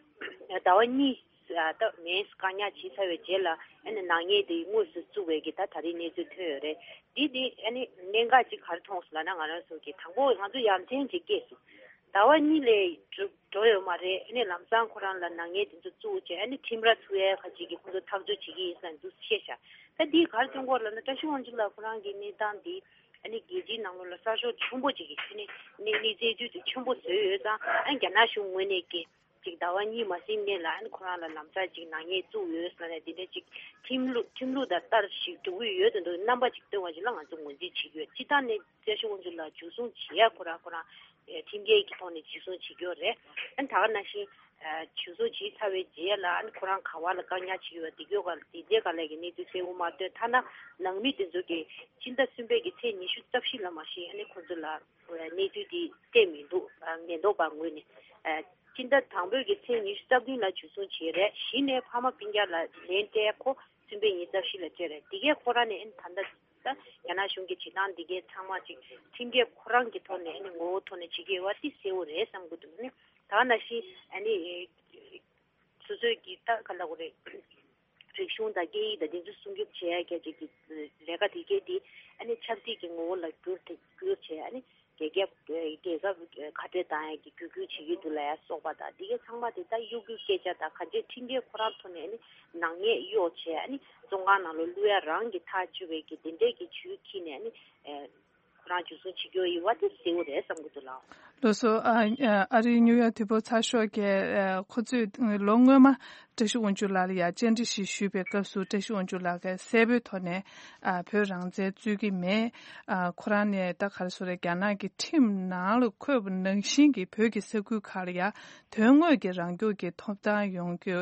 ཟླ་བ་གཉིས། ཨ། ད་མེས་བཀག་ཉར་བྱས་ཚར་བའི་རྗེས་ལ། ཨ་ནི་ནག་ཉེས་དེ་དངོས་སུ་བཙུགས་པའི་གི་ད་ད་རེས་གནས་ཚུལ་ཐོན་ཡོད་རེད། འདི་དེ་ཨ་ནི་གནད་འགག་ཅིག་ག་རེ་མཐོང་སོང་ལབ་ན། ང་རང་ཚོ་གི་དང་པོ་ང་ཚོ་ཡ་མཚན་ཅིག་སྐྱེས་སོང་། ཟླ་བ་གཉིས་ལས་འགྲོ་འགྲོ་ཡོད་མ་རེད། ཨ་ནི་ལམ་སང་ཁོ་རང་ལ་ནག་ཉེས་དེ་ཚོ་བཙུགས་བྱས། ཨ་ནི་ཁྲིམས་ར་ཚུགས་ཡས་ཁ་ཅིག་གི་ཁོང་ཚོ་ཐག་གཅོད་བྱེད་ཀྱི་ཡིན་ཟེར་འདུག་བཤད་ཤག་ད་འདི་ག་རེ་སྟོན་གྱི་ཡོད་ལབ་ན། བཀྲ་ཤིས་དབང་ཕྱུག་ལགས་ཁོ་རང་གི་གནས་སྟངས་འདི་ཨ་ནི་རྒྱལ་སྤྱིའི་ནང་ལོགས་ལ་གསར་ཤོག་ཆེན་པོ་ཅིག་གི་ཨ་ནི་གནས་གནས་ཚད་དུས་དེ་ཆེན་པོ་བཟོས་ཡོད་ཙང་། ཨ་ནི་རྒྱ་ནག་གཞུང་ངོས་ནས་ཀྱི་ཅིག་ཟླ་བ་གཉིས་མ་ཟིན་སྔོན་ལ་ཨ་ནི་ཁོ་རང་ལ་ལམ་སང་ཅིག་ནག་ཉེས་བཙུགས་ཡོད་ཟེར་ནས། དེ་འདྲ་ཅིག་ཁྲིམས་ལུགས་ཁྲིམས་ལུགས་དང་ལྟར་ཞིག་འགྲོ་གི་ཡོད་དོན་དུ་རྣམ་པ་ཅིག་སྟོན་པ་ཞིག་ལ་ང་ཚོ་ངོས་འཛིན་བྱེད་ཀྱི་ཡོད། སྤྱིར་བཏང་ནས་བཀྲ་ཤིས་དབང་ཕྱུག་ལགས་འཇུ་བཟུང་བྱེད་ཡ་ཁོ་རང་ཁོ་རང་ཨེ་ཁྲིམས་འགལ་གྱི་ཐོག་ནས་འཇུ་བཟུང་བྱེད་ཀྱི་ཡོད་རེད། ཨ་ནི་ད་ག་ནང་བཞིན་ཨ་འཇུ་བཟུང་བྱས་ཚར་བའི་རྗེས་ལ་ཨ་ནི་ཁོ་རང་ག་བ་ལ་བཀག་ཉར་བྱེད་ཀྱི་ཡོད། དེ་གྱོད་ག་དེ་འདྲའི་ག་ལ་གི་གནས་ཚུལ་གསལ་བོ་མ་སྟོན། ཐ་ན་ནང་མི་དེ་ཚོ་གི་སྤྱི་ཟླ་གསུམ་པའི་གི་ཚེས་ཉི་ཤུ་རྩ་བཞི་ལ་མ་གཞི་ཨ་ནི་ཁོ་ཚོ་ལ་གནས་ཚུལ་དེ་སྤྲད་མི་འདུག་ཨ་ཉེན་རྟོག་པ་ངོས་ནས། ཨ་སྤྱི་ཟླ་དང་པོའི་གི་ཚེས་ཉི་ཤུ་རྩ་བདུན་ལ་འཇུ་བཟུང་བྱས་རེད། གཞི་ནས་ཕ་མ་སྤུན་ཀྱག་ལ་ལན་སྤྲད་ཁོ་གསུམ་པའི་ཉིན་རྩ་བཞི་ལ་སྤྲད་རེད། དེ་གས་ཁོ་རང་ནས་ཨ་ནི་ད་ལྟ་ད་རྒྱ་ནག་གཞུང་གི་བྱེད་སྟངས་འདི་གས་ཚང་མ་ཅིག་ཁྲིམས་འགལ་ཁོ་རང་གི་ཐོག་ནས་ཨ་ནི་ངོ་བོ་ཐོག་ནས་བྱེད་ཀྱི་ཡོད་པ་དེ་གསལ་བོ་རེད་བསམ་གྱི་འདུག་ཨ་ནི་ད་ག་ནང་བཞིན་ཨ་ནི་སོ་སོའི་གི་ད་ག་ལབ་དགོས་རེད། རིག་གཞུང་དང་སྐད་ཡིག་དང་དེ་ཚོ་སྲུང་སྐྱོབ་བྱེད་ཡ་གི་ཅིག་གི་ལས་ཀ་དེ་གས་དེ་ཨ་ནི་ཆབ་སྲིད་ཀྱི་ངོ་བོ་ལ་བསྒྱུར་ཏེ་བསྒྱུར་བྱས། ཨ་ནི་རྒྱལ་ཁབ་རྒྱལ་ཁབ་ཁ་བྲལ་བཏང་ཡ་གི་བརྒྱུད་སྐུལ་བྱེད་ཀྱི་འདུག་ལབ་ཡ་སོགས་པ་དང་། དེ་གས་ཚང་མ་དེ་ད་གཡོ་སྒྱུའི་སྐད་ཆ་དང་ག་འདྲས་ཁྲིམས་འགལ་ཁོ་རང་ཐོག་ནས་ཨ་ནི་ནག་ཉེས་གཡོག་བྱས། ཨ་ནི་བཙོན་ཁང་ནང་ལ་བླུག་ཡ་རང་གི་ཐག་གཅོད་པའི་གི་དེ་འདྲས་ཀྱི་ཇུས་འཁྱེར་ནས་ཨ་ནི་ཨེ་ཁོ་རང་འཇུ་བཟུང་བྱེད་ཀྱི་ཡོད་པ་དེ་གསལ་བོ་རེད་བསམ་གྱི་འདུག་ལགས། ལགས་སོ། ཨ་ཨ་རིའི་ནིའུ་ཡོག་དུས་བབ་ཚགས་ཤོག་གིས་ཨ་ཁོ་ཚོས་ལོ་སྔོན་མ་བཀྲ་ཤིས་དབང་ཕྱུག་ལགས་ལ་ཡ་བཅར་འདྲི་ཞིག་ཞུས་པའི་སྐབས་སུ། བཀྲ་ཤིས་དབང་ཕྱུག་ལགས་ཀྱིས་གསལ་པོའི་ཐོག་ནས་ཨ་བོད་རང་བཙན་རྩོད་ཀྱི་མེད། ཨ་ཁོ་རང་ནས་ད་ག་རེ་ཟེར་རེད། རྒྱ་ནག་གི་ཁྲིམས་ནང་ལ་འཁོད་པ་ནང་བཞིན་གྱི་བོད་ཀྱི་ས་ཁུལ་ཁག་ལ་ཡ་དོན་དངོས་ཀྱི་རང་སྐྱོང་གི་ཐོབ་ཐང་ཡོང་རྒྱུ་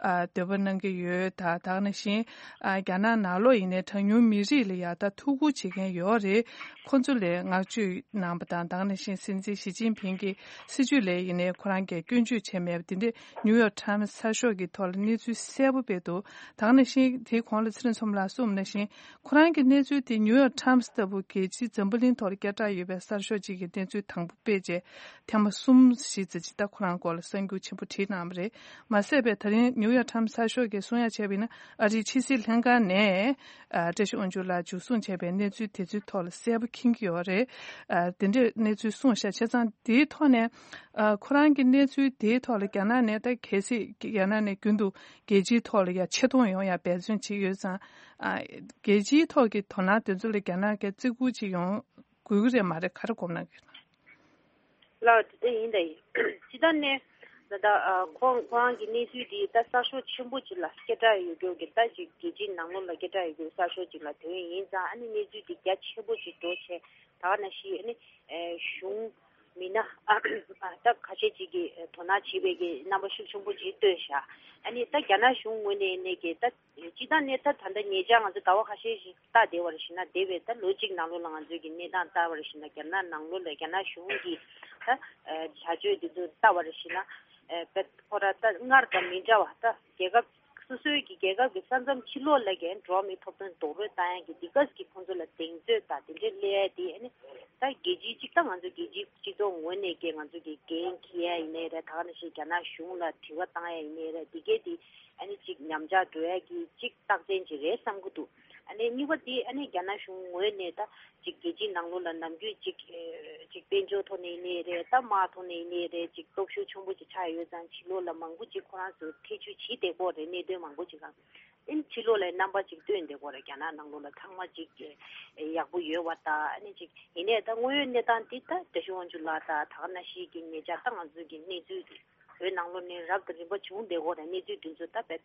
ཨ་འདོད་པ་གནང་གི་ཡོད། ད་ད་ག་ནང་བཞིན་ཨ་རྒྱ་ནག་ནང་ལོགས་ཡིན་ནའི་གྲངས་ཉུང་མི་རིགས་ལ་ཡ་ད་ཐུགས་ཁུར་བྱེད་མཁན་ཡོད་རེད། ཁོ་ཚོ་ལ་བསྔགས་བརྗོད་གནང་པ་དང་། ད་ག་ནང་བཞིན་སྲིད་འཛིན་ཞི་ཅིན་ཕིང་གི་སྲིད་བྱུས་ལ་ཡིན་ནའི་ཁོ་རང་གིས་སྐྱོན་བརྗོད་བྱས་མེད་པ་དེ་འདྲས་ནིའུ་ཡོག་ཊའིམ་ཚགས་ཤོག་གི་ཐོག་ལ་གནས་ཚུལ་གསལ་པོ་སྤེལ་འདུག་ད་ག་ནང་བཞིན་དེའི་གོང་ལ་ཚེ་རིང་མཚོ་མོ་ལགས་གསུངས་པ་ནང་བཞིན། ཁོ་རང་གི་གནས་ཚུལ་དེ་ནིའུ་ཡོག་ཊའིམ་ལྟ་བུ་རྒྱལ་སྤྱིའི་འཛམ་བུ་གླིང་ཐོག་ལ་སྐད་གྲགས་ཡོད་པའི་གསར་ཤོག་ཅིག་གི་གནས་ཚུལ་དང་པོ་སྤེལ་རྗེས་ཐེངས་མ་གསུམ་བཞི་ཙམ་ཅིག་ད་ཁོ་རང་སྐོར་ལ་གསར་འགྱུར་ཆེན་པོ་བྲིས་གནང་བ་རེད། མ་ཟད་པའི་ད་རིང་ནིའུ་ཡོག་ཊའིམ་གསར་ཤོག་གིས་གསུང་ཡ་བྱས་པ་ཡིན་ན། ཨ་རིའི་ཕྱི་སྲིད་ལྷན་ཁང་ནས་ཨ་བཀྲ་ཤིས་དབང་ཕྱུག་ལགས་འཇུ་བཟུང་བྱས་པའི་གནས་ཚུལ་དེ་ཚོའི་ཐོག་ལ་གསལ་པོ་མཁྱེན་གྱི་ཡོད་རེད། ཨ་དེ་འདྲའི་གནས་ཚུལ་གསུངས་ཤག་བྱས་ཙང་དེའི་ཐོག་ནས་ཨ་ཁོ་རང་གི་གནས་ཚུལ་དེའི་ཐོག་ལ་རྒྱ་ནག་ནས་ད་གལ་སྲིད་རྒྱ་ནག་ནས་རྒྱུན་དུ་རྒྱལ་སྤྱིའི་ཐོག་ལ་ཡ་ཆེ་མཐོང་ཡོང་ཡ་འབད་བརྩོན་བྱེད་ཀྱི་ཡོད་ཙང་། ཨ་རྒྱལ་སྤྱིའི་ཐོག་གི་དོ་སྣང་དེ་ཚོ་ལ་རྒྱ་ནག་གིས་བརྩི་བཀུར་ཅིག་ཡོང་དགོས་ཀྱི་རེད་མ་རེད། ག་རེ་དགོངས་གནང་གི། ལགས་དེ་ལྟར་ཡིན་ད་ཡིན། སྤྱིར་བཏང་ནས་ད་ལྟ་ཨ་ཁོང་ཁོ་རང་གི་གནས་ཚུལ་འདི་ད་གསར་ཤོག་ཆེན་པོ་ཅིག་ལ་སྐད་གྲགས་ཡོད་རྒྱུ་གི། ད་ཅིག་རྒྱལ་སྤྱིའི་ནང་ལོགས་ལ་སྐད་གྲགས་ཡོད་རྒྱུ་གསར་ཤོག་ཅིག་ལ་ཐོན་ཡིན་ཙང་། ཨ་ནི་གནས་ཚུལ་འདི་རྒྱ་ཆེན་པོ་ཅིག་འགྲོ་བྱས། ད་ག་ནང་བཞིན་ཨ་ནི་ཨེ་གཞུང་མི་སྣ་ཨ་ད་ཁ་ཤས་ཅིག་གིས་དོ་སྣང་བྱེད་པའི་གི་རྣམ་པ་ཤུགས་ཆེན་པོ་ཅིག་སྟོན་ཤག་ཨ་ནི་ད་རྒྱ་ནག་གཞུང་ངོས་ནས་ནས་ཀྱི་ད། སྤྱིར་བཏང་ནས་ད་ད་ལྟ་ཉེ་ཆར་ང་ཚོ་ཟླ་བ་ཁ་ཤས་ཤིག་ལྟ་བསྡད་པར་ཞིག་ན། འདས་པའི་ད་ལོ་གཅིག་ནང་ལོགས་ལ་ང་ཚོའི་གི་གནས་སྟངས་ལྟ་བར་ཞིག་ན། རྒྱ་ནག་ནང་ལོགས་ལ་རྒྱ་ནག་གཞུང་གིས་ད་བྱ་སྤྱོད་འདི་ཚོ་ལྟ་བར་ཞིག་ན། ཨ་ཁོ་ར་ད་སྔར་དང་མི་འདྲ་བ། ད་རྒྱལ་ཁབ་སོ་སོའི་གི་རྒྱལ་ཁབ་ཀྱི་ས་མཚམས་ཕྱི་ལོགས་ལ་གི་འགྲོ་བ་མིའི་ཐོབ་ཐང་རྡོག་རོལ་བཏང་ཡ་གི་འདི་ག་གི་ཁོང་ཚོ་ལ་གདེང་ཚོད་དང་དེ་འདྲའི་སླེབས་ཡ་དེ། ཨ་ནི་ད་རྒྱལ་སྤྱིའི་གཅིག་ད་ང་ཚོ་རྒྱལ་སྤྱིའི་སྤྱི་ཚོགས་ངོས་ནས་ཀྱི་ང་ཚོ་གི་འགན་འཁྱེར་ཡ་ཡིན་ནའི་རེད། ད་ག་ནང་བཞིན་རྒྱ་ནག་གཞུང་ལ་དྲི་བ་བཏང་ཡ་ཡིན་ནའི་རེད། འདི་གས་དེ། ཨ་ནི་ཅིག་ཉམས་ཆག་འགྲོ་ཡ་གི་ཅིག་རྟགས་མཚན་ཅིག་རེད་བསམ་གྱི་འདུག་ཨ་ནི་གཉིས་པ་དེ་ཨ་ནི་རྒྱ་ནག་གཞུང་ངོས་ནས་ད་ཅིག་རྒྱལ་སྤྱིའི་ནང་ལོགས་ལ་ནམ་རྒྱུན་ཅིག་ཨེ་ཅིག་དཔལ་འབྱོར་ཐོག་ནས་ཡིན་ནའི་རེད། ད་དམག་ཐོག་ནས་ཡིན་ནའི་རེད། ཅིག་སྟོབས་ཤུགས་ཆེན་པོ་ཅིག་ཆགས་ཡོད་ཙང་ཕྱི་ལོགས་ལ་མང་པོ་ཅིག་ཁོ་རང་ཚོ་ཐེ་བྱུས་བྱེད་བསྡད་ཀྱི་ཡོད་རེད། གནད་དོན་མང་པོ་ཅིག་ག་ཨ་ནི་ཕྱི་ལོགས་ལ་རྣམ་པ་ཅིག་སྟོན་བསྡད་ཀྱི་ཡོད་རེད། རྒྱ་ནག་ནང་ལོགས་ལ་ཚང་མ་ཅིག་ཨེ་ཡག་པོ་ཡོད་པ་དང་། ཨ་ནི་ཅིག་ཡིན་ནའི་ད་དངོས་ཡོད་གནས་སྟངས་འདི་ད་བཀྲ་ཤིས་དབང་ཕྱུག་ལགས་དང་ད་ག་ནང་བཞིན་གྱི་ཉེ་ཆར་ད་ང་ཚོའི་གི་གནས་ཚུལ་འདི། བོད་ནང་ལོགས་ནས་རབ་དང་རིམ་པ་བྱུང་བསྡད་ཀྱི་ཡོད་རེད། གནས་ཚུལ་འདི་ཚོ་ད་བས་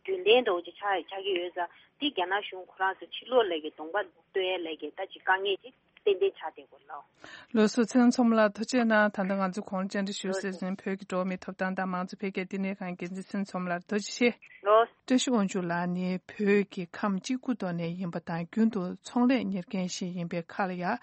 རྒྱུན་ལྡན་འདྲ་བོ་ཅིག་ཆགས་ཆགས་ཀྱི་ཡོད་ཙང་། འདི་རྒྱ་ནག་གཞུང་ཁོ་རང་ཚོ་ཕྱི་ལོགས་ལ་གི་གདོང་པ་སྟོན་ཡ་ལ་གི་ད་ཅིག་དཀའ་ངལ་ཅིག་ ཏན་ཏན་ཆགས་བསྡད་དགོས་ལོ། ལགས་སོ། ཚེ་རིང་མཚོ་མོ་ལགས་ཐུགས་རྗེ་གནང་། ད་ལྟ་ང་ཚོ་གོང་བཅར་འདྲི་ཞུ་ཟེར་བཞིན་བོད་ཀྱི་འགྲོ་བ་མིའི་ཐོབ་ཐང་དང་མང་གཙོ་འཕེལ་རྒྱས་ལྟེ་གནས་ཁང་འགན་འཛིན་ཚེ་རིང་མཚོ་མོ་ལགས་ཐུགས་རྗེ་ཆེ། ལོ། བཀྲ་ཤིས་དབང་ཕྱུག་ལགས་ནི་བོད་ཀྱི་ཁམས་གཅིག་པུ་ཐོག་ནས་ཡིན་པ་དང་རྒྱུན་དུ་ཚོང་ལས་གཉེར་མཁན་ཞིག་ཡིན་པའི་ཁར་ལ་ཡང་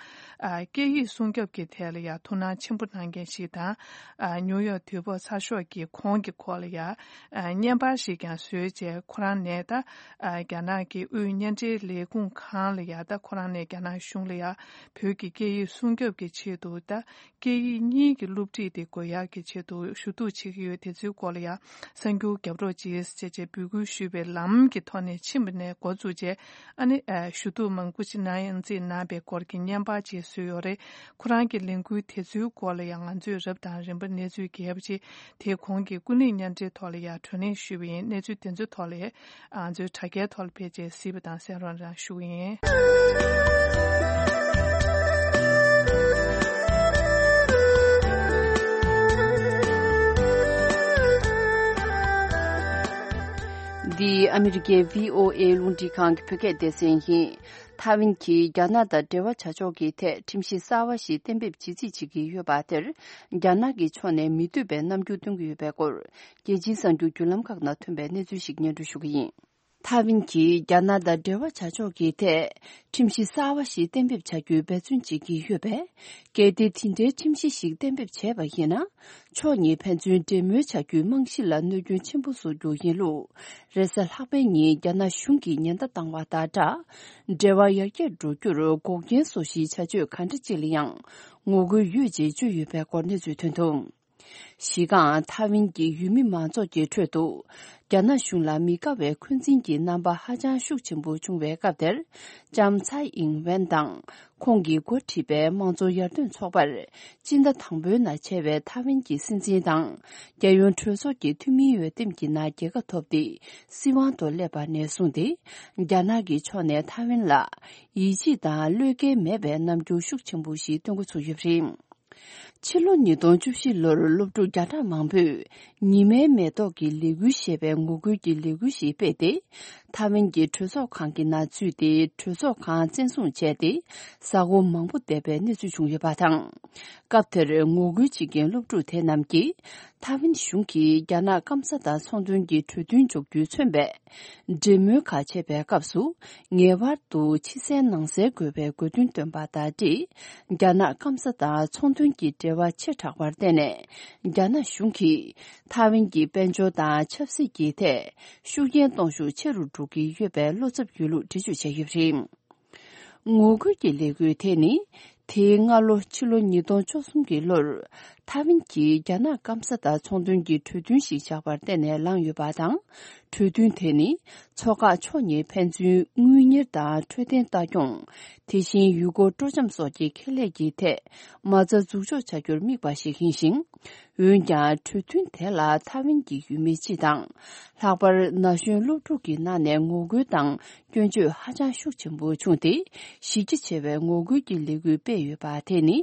སྐད་ཡིག་སྲུང་སྐྱོབ་ཀྱི་ཐད་ལ་ཡང་ཐུགས་སྣང་ཆེན་པོ་གནང་མཁན་ཞིག་དང་། ཉུའུ་ཡོག་དུས་བབ་གསར་ཤོག་གི་གོང་གི་སྐོར་ལ་ཡང་བརྙན་པར་ཞིག་ཀྱང་བཟོས་རྗེས་ཁོ་རང་ནས་ད་རྒྱ་ནག་གི་དབུས་བརྙན་འཕྲིན་ལས་ཁུངས་ཁང་ལ་ཡང་ད་ཁོ་རང་ནས་རྒྱ་ནག་གཞུང་ལ་ཡང་བོད་ཀྱི་སྐད་ཡིག་སྲུང་སྐྱོབ་ཀྱི་ཆེད་དུ་ད། སྐད་ཡིག་གཉིས་ཀྱི་སློབ་ཁྲིད་དེ་དགོས་ཡག་གི་ཆེད་དུ་ཞུ་གཏུག་བྱེད་ཀྱི་ཡོད། དེ་ཚོའི་སྐོར་ལ་ཡང་གསར་འགྱུར་རྒྱབ་རོགས་གྱིས་ཅེས་བྱས་འབོད་སྐུལ་ཞུས་པའི་ལམ་གྱི་ཐོག་ནས་ཕྱིན་པ་ནས་འགོ་བཙུགས་རྗེས་ཨ་ནི་ཞུ་གཏུག་མང་པོ་ཞིག་གནང་ཡང་རྩིས་གནང་པའི་སྐོར་གྱི་བརྙན་པར་ཅིག་བཟོས་ཡོད་རེད། ཁོ་རང་གི་ལས་འགུལ་དེ་ཚོའི་སྐོར་ལ་ཡང་ང་ཚོས་རབ་དང་རིམ་པ་གནས་ཚུལ་རྒྱས་པ་ཅིག་དེ་གོང་གི་ཀུན་གླེང་བརྙན་འཕྲིན་ཐོག་ལ་ཡང་བགྲོ་གླེང་ཞུས་པ་ཡིན། གནས་ཚུལ་དེ་ཚོའི་ཐོག་ལ་ང་ཚོའི་དྲ་རྒྱའི་ཐོག་ལ་ཕེབས་རྗེས་གཟིགས་པ་དང་གསན་རོགས་གནང་ཞུ་གི་ཡིན། འདི་ཨ་མི་རི་ཀའི་བྷི་ཨོ་ཨེ་རླུང་འཕྲིན་ཁང་གི་བོད་སྐད་སྡེ་ཚན་ཡིན། ཐའེ་ཝན་གྱིས་རྒྱ་ནག་དང་འབྲེལ་བ་བྱ་ཕྱོགས་ཀྱི་ཐད་ཁྲིམས་གཞི་གསར་བ་ཞིག་གཏན་འབེབས་བྱེད་རྩིས་བྱེད་ཀྱི་ཡོད་པ་དེར། རྒྱ་ནག་གི་ཕྱོགས་ནས་མི་འདོད་པའི་རྣམ་འགྱུར་སྟོན་གྱི་ཡོད་པའི་སྐོར། རྒྱལ་སྤྱིའི་གསར་འགྱུར་བརྒྱུད་ལམ་ཁག་ནང་ཐོན་པའི་གནས་ཚུལ་ཞིག་སྙན་སྒྲོན་ཞུ་གི་ཡིན། ཐའེ་ཝན་གྱིས་རྒྱ་ནག་དང་འབྲེལ་བ་བྱ་ཕྱོགས་ཀྱི་ཐད་ཁྲིམས་གཞི་གསར་བ་ཞིག་གཏན་འབེབས་བྱ་རྒྱུའི་འབད་བརྩོན་བྱེད་ཀྱི་ཡོད་པས། གལ་ཏེ་དེ་འདྲའི་ཁྲིམས་གཞི་ཞིག་གཏན་འབེབས་བྱས་པ་ཡིན་ན། ཕྱོགས་གཉིས་ཕན་ཚུན་འབྲེལ་མོལ་བྱ་རྒྱུའི་རྨང་གཞི་ལ་གནོད་སྐྱོན་ཆེན་པོ་བཟོ་རྒྱུ་ཡིན་ལུགས། རེས་གཟའ་ལྷག་པའི་ཉིན་རྒྱ་ནག་གཞུང་གིས་ཉེན་བརྡ་བཏང་བ་དང་སྦྲགས། འབྲེལ་བ་ཡར་རྒྱས་འགྲོ་རྒྱུར་འགོག་རྐྱེན་བཟོ་གཞིའི་བྱ་སྤྱོད་ག་འདྲ་ཅིག་ལ་ཡང་ངོ་རྒོལ་ཡོད་ཅེས་བརྗོད་ཡོད་པའི་སྐོར་གནས་ཚུལ་ཐོན་འདུག་གཞི་རྐང་ཐའེ་ཝན་གྱི་ཡུལ་མི་མང་ཚོགས་ཀྱི་ཁྲོད་དུ། རྒྱ་ནག་གཞུང་ལ་མི་དགའ་བའི་འཁོན་འཛིན་གྱི་རྣམ་པ་ཧ་ཅང་ཤུགས་ཆེན་པོ་བྱུང་བའི་སྐབས་དེར། ལྕམ་ཚའེ་ཨིང་ཝེན་དང་། ཁོང་གིས་འགོ་ཁྲིད་པའི་དམངས་གཙོ་ཡར་ཐོན་ཚོགས་པར། སྤྱི་ཟླ་དང་པོའི་ནང་བྱས་པའི་ཐའེ་ཝན་གྱི་སྲིད་འཛིན་དང་། རྒྱལ་ཡོངས་གྲོས་ཚོགས་ཀྱི་འཐུས་མིའི་འོས་འདེམས་ཀྱི་ནང་རྒྱལ་ཁ་ཐོབ་སྟེ། སྲིད་དབང་དུ་སླེབས་པ་ནས་བཟུང་སྟེ། རྒྱ་ནག་གི་ཕྱོགས་ནས་ཐའེ་ཝན་ལ། ཡིད་ཆེས་དང་བློས་འགེལ་མེད་པའི་རྣམ་འགྱུར་ཤུགས་ཆེན་པོ་ཞིག་སྟོན་འགོ་ཚུགས་ཡོད་པ་རེད། ཕྱི་ལོ་ཉིས་སྟོང་བཅུ་བཞི་ལོར་སློབ་ཕྲུག་བརྒྱ་ཕྲག་མང་པོས་ཉི་མའི་མེ་ཏོག་གི་ལས་འགུལ་ཞེས་པའི་ངོ་རྒོལ་གྱི་ལས་འགུལ་ཞིག་སྤེལ་ཏེ། ཐའེ་ཝན་གྱི་གྲོས་ཚོགས་ཁང་གི་ནང་འཛུལ་ཏེ་གྲོས་ཚོགས་ཁང་བཙན་བཟུང་བྱས་ཏེ། གཟའ་འཁོར་མང་པོ་འདས་པའི་གནས་ཚུལ་བྱུང་ཡོད་པ་དང་། སྐབས་དེར་ངོ་རྒོལ་བྱེད་མཁན་སློབ་ཕྲུག་དེ་རྣམས་ཀྱིས། ཐའེ་ཝན་གཞུང་གིས་རྒྱ་ནག་སྐམ་ས་དང་ཚོང་དོན་གྱི་གྲོས་མཐུན་འཇོག་རྒྱུས་མཚོན་པའི། འབྲེལ་མོལ་ཁག་བྱེད་པའི་སྐབས་སུ། ངེས་པར་དུ་ཕྱི་གསལ་ནང་གསལ་དགོས་པའི་དགོས་འདུན་བཏོན་པ་དང་འབྲེལ། རྒྱ་ནག་སྐམ་ས་དང་ཚོང་དོན་གྱི་འབྲེལ་བ་ཆེ་དྲགས་པར་བརྟེན་ནས། རྒྱ་ནག་གཞུང་གིས་ཐའེ་ཝན་གྱི་དཔལ་འབྱོར་དང་ཆབ་སྲིད་ཀྱི་ཐད་ཤུགས་རྐྱེན་གཏོང་ཤུགས་ཆེ་རུ་འགྲོ་གི་ཡོད་པའི་བློ་འཚབ་ཡོད་ལུགས་འགྲེལ་བརྗོད་བྱས་ཡོད་པ་རེད། ངོ་རྒོལ་གྱི་ལས་འགུལ་དེ་ནི། དེའི་སྔ་ལོ་ཕྱི་ལོ་ཉིས་སྟོང་བཅུ་གསུམ་གྱི་ལོར། ཐའེ་ཝན་གྱིས་རྒྱ་ནག་སྐམ་ས་དང་ཚོང་དོན་གྱི་གྲོས་མཐུན་ཞིག་བཞག་པར་བརྟེན་ནས་ལངས་ཡོད་པ་དང་། གྲོས་མཐུན་དེ་ནི། མཚོ་འགག་ཕྱོགས་གཉིས་ཕན་ཚུན་དངུལ་གཉེར་དང་འཕྲོད་བསྟེན་ལྟ་སྐྱོང་། དེ་བཞིན་ཡུལ་སྐོར་སྤྲོ་འཆམ་སོགས་ཀྱི་ཁེ་ལས་ཀྱི་ཐད། མ་རྩ་འཛུགས་འཇོག་བྱ་རྒྱུར་དམིགས་པ་ཞིག་ཡིན་ཞིང་། འོན་ཀྱང་། གྲོས་མཐུན་དེ་ལ་ཐའེ་ཝན་གྱི་ཡུལ་མི་སྤྱི་དང་། ལྷག་པར་ན་གཞོན་སློབ་ཕྲུག་གི་ནང་ནས་ངོ་རྒོལ་དང་སྐྱོན་བརྗོད་ཧ་ཅང་ཤུགས་ཆེན་པོ་བྱུང་སྟེ། གཞི་རྒྱ་ཆེ་བའི་ངོ་རྒོལ་གྱི་ལས་འགུལ་སྤེལ་ཡོད་པ་དེ་ནི།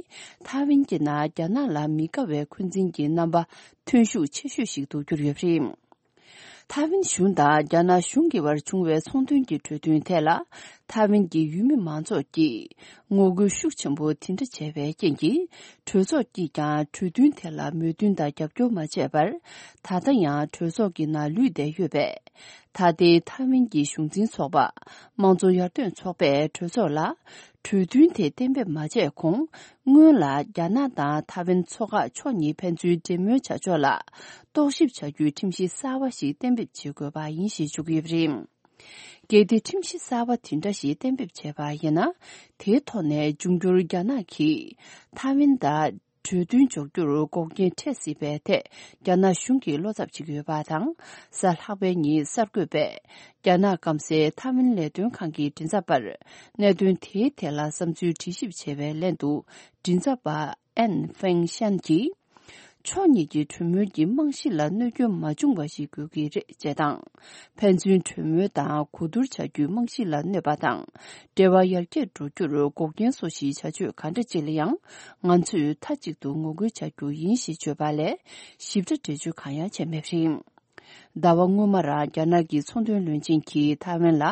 ཐའེ་ཝན་གྱི་ནང་རྒྱ་ནག་ལ་མི་དགའ་བའི་འཁོན་འཛིན་གྱི་རྣམ་པ་ཐོན་ཤུགས་ཆེ་ཤོས་ཤིག་ཏུ་གྱུར་ཡོད་པ་རེད། ཐའེ་ཝན་གཞུང་དང་རྒྱ་ནག་གཞུང་གི་བར་བྱུང་བའི་ཚོང་དོན་གྱི་གྲོས་མཐུན་ཐད་ལ། ཐའེ་ཝན་གྱི་ཡུལ་མི་མང་ཚོགས་ཀྱིས་ངོ་རྒོལ་ཤུགས་ཆེན་པོ་དེ་འདྲ་བྱས་པའི་རྐྱེན་གྱིས། གྲོས་ཚོགས་ཀྱིས་ཀྱང་གྲོས་མཐུན་དེ་ལ་མོས་མཐུན་དང་རྒྱབ་སྐྱོར་མ་བྱས་པར། ད་ལྟ་ཡང་གྲོས་ཚོགས་ཀྱི་ནང་ལུས་བསྡད་ཡོད་པས། ད་ལྟའི་ཐའེ་ཝན་གྱི་གཞུང་འཛིན་ཚོགས་པ། དམངས་གཙོ་ཡར་ཐོན་ཚོགས་པས་གྲོས་ཚོགས་ལ། གྲོས་མཐུན་དེ་གཏན་འབེབས་མ་བྱས་གོང་། སྔོན་ལ་རྒྱ་ནག་དང་ཐའེ་ཝན་མཚོ་འགག་ཕྱོགས་གཉིས་ཕན་ཚུན་འབྲེལ་མོལ་བྱ་ཕྱོགས་ལ། རྟོག་ཞིབ་བྱ་རྒྱུའི་ཁྲིམས་གཞི་གསར་བ་ཞིག་གཏན་འབེབས་བྱེད་དགོས་པ་ཡིན་ཞེས་བརྗོད་ཀྱི་ཡོད་པ་རེད། གལ་ཏེ་ཁྲིམས་གཞི་གསར་བ་དེ་འདྲ་ཞིག་གཏན་འབེབས་བྱས་པ་ཡིན་ན། དེའི་ཐོག་ནས་འབྱུང་འགྱུར་རྒྱ་ནག་གིས་ཐའེ་ཝན་དང་གྲོས་མཐུན་འཇོག་རྒྱུར་འགོག་རྐྱེན་འཕྲད་སྲིད་པའི་ཐད། རྒྱ་ནག་གཞུང་གིས་བློ་འཚབ་བྱེད་ཀྱི་ཡོད་པ་དང་། གཟའ་ལྷག་པའི་ཉིན་གསར་འགོད་པས། རྒྱ་ནག་སྐམ་སའི་ཐའེ་ཝན་ལས་དོན་ཁང་གི་མགྲིན་ཚབ་པར། གནད་དོན་དེའི་ཐད་ལ་བསམ་ཚུལ་དྲི་ཞིབ་བྱས་པའི་ལན་དུ། མགྲིན་ཚབ་པ། ཨན་ཧྥེང་ཤན་གྱིས། ཕྱོགས་གཉིས་ཀྱི་གྲོས་མོལ་གྱི་རྨང་གཞི་ལ་གནོད་སྐྱོན་མ་བྱུང་བ་ཞིག་དགོས་ཀྱི་རེད་ཅེས་དང་། ཕན་ཚུན་གྲོས་མོལ་དང་གོ་བསྡུར་བྱ་རྒྱུའི་རྨང་གཞི་ལ་གནོད་པ་དང་། འབྲེལ་བ་ཡར་རྒྱས་འགྲོ་རྒྱུར་འགོག་རྐྱེན་བཟོ་གཞིའི་བྱ་སྤྱོད་ག་འདྲ་ཅིག་ལ་ཡང་། ང་ཚོས་མཐའ་གཅིག་ཏུ་ངོ་རྒོལ་བྱ་རྒྱུ་ཡིན་ཞེས་བརྗོད་པ་ལས། ཞིབ་ཕྲ་འགྲེལ་བརྗོད་གང་ཡང་བྱས་མེད་པ་རེད། ཟླ་བ་སྔོན་མ་རང་རྒྱ་ནག་གི་ཚོང་དོན་བློན་ཆེན་གྱིས་ཐའེ་ཝན་ལ་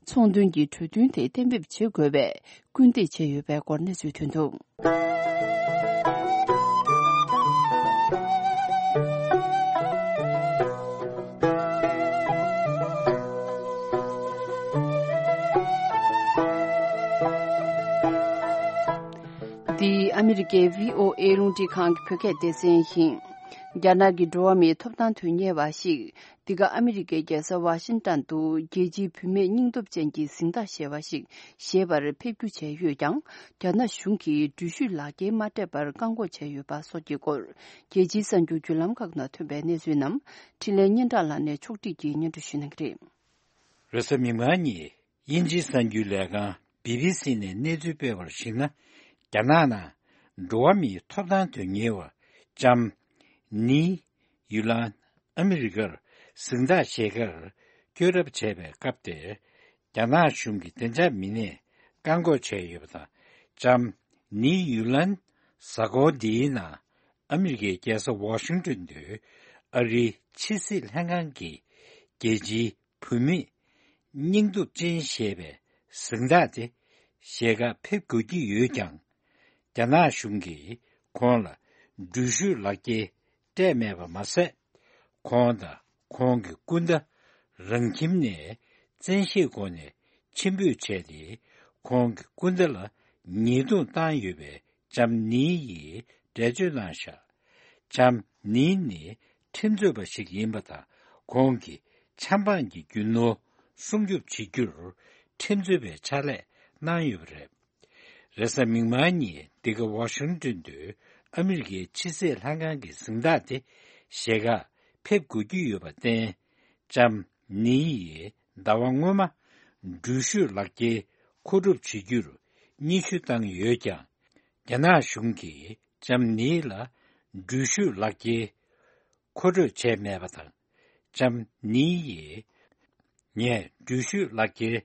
ཚོང་དོན་གྱི་གྲོས་མཐུན་དེ་གཏན་འབེབས་བྱེད་དགོས་པའི་སྐུལ་འདེད་བྱས་ཡོད་པའི་སྐོར་གནས་ཚུལ་ཐོན་འདུག། འདི་ཨ་མི་རི་ཀའི་བྷི་ཨོ་ཨེ་རླུང་འཕྲིན་ཁང་གི་བོད་སྐད་སྡེ་ཚན་ཡིན། རྒྱ་ནག་གི་འགྲོ་བ་མིའི་ཐོབ་ཐང་དོན་གཉེར་བ་ཞིག་འདི་ག་ཨ་མི་རི་ཀའི་རྒྱལ་ས་ཝ་ཤིང་ཏན་དུ་རྒྱལ་སྤྱིའི་བུད་མེད་སྙིང་སྟོབས་ཅན་གྱི་གཟེངས་རྟགས་ཞེས་པ་ཞིག་བཞེས་པར་ཕེབས་སྒྱུར་བྱས་ཡོད་ཀྱང་། རྒྱ་ནག་གཞུང་གིས་འགྲུལ་བཞུད་ལག་འཁྱེར་མ་སྤྲད་པར་བཀག་འགོག་བྱས་ཡོད་པ་སོགས་ཀྱི་སྐོར། རྒྱལ་སྤྱིའི་གསར་འགྱུར་བརྒྱུད་ལམ་ཁག་ནང་ཐོན་པའི་གནས་ཚུལ་རྣམས་འཕྲིན་ལས་སྙན་གྲགས་ལགས་ནས་ཕྱོགས་སྒྲིག་གིས་སྙན་སྒྲོན་ཞུ་གནང་གི་རེད། རེས་གཟའ་མིག་དམར་ཉིན་དབྱིན་ཇིའི་གསར་འགྱུར་ལས་ཁང་བི་བི་སི་ནས་གནས་ཚུལ་སྤེལ་བར་གཞིགས་ན། རྒྱ་ནག་ནང་འགྲོ་བ་མིའི་ཐོབ་ཐང་དོན་གཉེར་བ་ལྕམ་ནི་ཡུ་ལན་ཨ་མི་རི་ཀར་གཟེངས་རྟགས་བཞེས་ཁར་བསྐྱོད་གྲབས་བྱས་པའི་སྐབས་དེར། རྒྱ་ནག་གཞུང་གིས་བདེ་འཇགས་མི་སྣས་བཀག་འགོག་བྱས་ཡོད་པ་དང་། ལྕམ་ནི་ཡུ་ལན་གཟའ་འཁོར་འདིའི་ནང་ཨ་མི་རི་ཀའི་རྒྱལ་ས་ཝ་ཤིང་ཏོན་དུ་ཨ་རིའི་ཕྱི་སྲིད་ལྷན་ཁང་གི་རྒྱལ་སྤྱིའི་བུད་མེད་སྙིང་སྟོབས་ཅན་ཞེས་པའི་གཟེངས་རྟགས་དེ་བཞེས་ཁར་ཕེབས་དགོས་ཀྱི་ཡོད་ཀྱང་། རྒྱ་ནག་གཞུང་གིས་ཁོང་ལ་འགྲུལ་བཞུད་ལག་འཁྱེར་སྤྲད་མེད་པ་མ་ཟད། ཁོང་དང་ཁོང་གི་སྐུ་ཟླ་རང་ཁྱིམ་ནས་བཙན་ཤེད་སྒོ་ནས་ཕྱིར་འབུད་བྱས་ཏེ། ཁོང་གི་སྐུ་ཟླ་ལ་ཉེས་རྡུང་བཏང་ཡོད་པའི་ལྕམ་ནི་ཡིས་འགྲེལ་བརྗོད་གནང་བཞག། ལྕམ་ནི་ནི་ཁྲིམས་རྩོད་པ་ཞིག་ཡིན་པ་དང་། ཁོང་གིས་ཆབ་འབངས་ཀྱི་རྒྱུ་ནོར་སྲུང་སྐྱོབ་བྱེད་རྒྱུར་ཁྲིམས་རྩོད་པའི་ཕྱག་ལས་གནང་ཡོད་པ་རེད། རེས་གཟའ་མིག་དམར་ཉིན་འདི་ག་ཝ་ཤིང་ཏོན་དུ་ཨ་མི་རི་ཀའི་ཕྱི་སྲིད་ལྷན་ཁང་གི་གཟེངས་རྟགས་དེ་བཞེས་ཁར་ཕེབས་དགོས་ཀྱི་ཡོད་པར་བརྟེན། ལྕམ་ནི་ཡིས་ཟླ་བ་སྔོན་མ་འགྲུལ་བཞུད་ལག་འཁྱེར་མཁོ་སྒྲུབ་བྱེད་རྒྱུར་སྙན་ཞུ་བཏང་ཡོད་ཀྱང་། རྒྱ་ནག་གཞུང་གིས་ལྕམ་ནི་ལ་འགྲུལ་བཞུད་ལག་འཁྱེར་མཁོ་སྤྲོད་བྱས་མེད་པ་དང་། ལྕམ་ནི་ཡིས། ངས་འགྲུལ་བཞུད་ལག་འཁྱེར་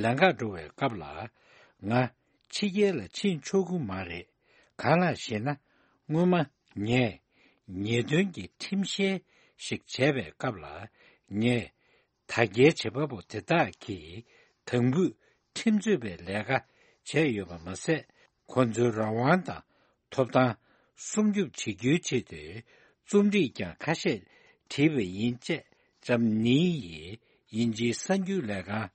ལེན་གར་འགྲོ་བའི་སྐབས་ལ། ང་ཕྱི་རྒྱལ་ལ་ཕྱིན་ཆོག་གི་མ་རེད། གང་ལགས་ཞེ་ན། སྔོན་མ་ངས་ཉེས་དོན་གྱི་ཁྲིམས་བཤེར་ཞིག་བྱས་པའི་སྐབས་ལ། ངས་དྲ་རྒྱའི་བྱེད་པ་པོ་དེ་དག་གིས་དམ་འབུད་ཁྲིམས་རྩོད་པའི་ལས་ཀ་བྱས་ཡོད་པ་མ་ཟད། ཁོ་ཚོའི་རང་དབང་དང་ཐོབ་ཐང་སྲུང་སྐྱོབ་བྱེད་རྒྱུའི་ཆེད་དུ་རྩོམ་བྲིས་ཀྱང་ཁ་ཤས་བྲིས་པ་ཡིན། ཅེས་ལྕམ་ནི་ཡིས་དབྱིན་ཇིའི་གསར་འགྱུར་ལས་ཁང་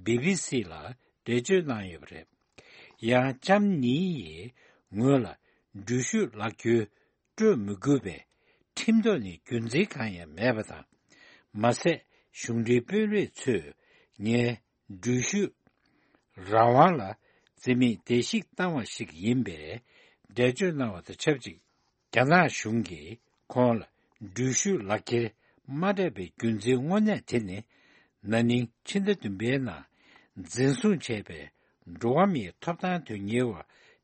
བི་བི་སི་ལ་འགྲེལ་བརྗོད་གནང་ཡོད་པ་རེད། ཡང་ལྕམ་ནི་ཡིས་ངོས་ལ་འགྲུལ་བཞུད་ལག་འཁྱེར་སྤྲོད་མི་དགོས་པའི་ཁྲིམས་ཐོག་ནས་རྒྱུ་མཚན་གང་ཡང་མེད་པ་དང་། མ་ཟད། གཞུང་འབྲེལ་དཔོན་རིགས་ཚོས་ངའི་འགྲུལ་བཞུད་རང་དབང་ལ་བརྩི་མེད་བརྡལ་བཤིག་བཏང་བ་ཞིག་ཡིན་པའི་འགྲེལ་བརྗོད་གནང་བ་དང་ཆབས་ཅིག། རྒྱ་ནག་གཞུང་གིས་ཁོང་ལ་འགྲུལ་བཞུད་ལག་འཁྱེར་མ་སྤྲད་པའི་རྒྱུ་མཚན་དངོས་གནས་དེ་ནི། ན་ནིང་ཕྱི་ཟླ་བདུན་པའི་ནང་འཛིན་བཟུང་བྱས་པའི་འགྲོ་བ་མིའི་ཐོབ་ཐང་དོན་གཉེར་བ་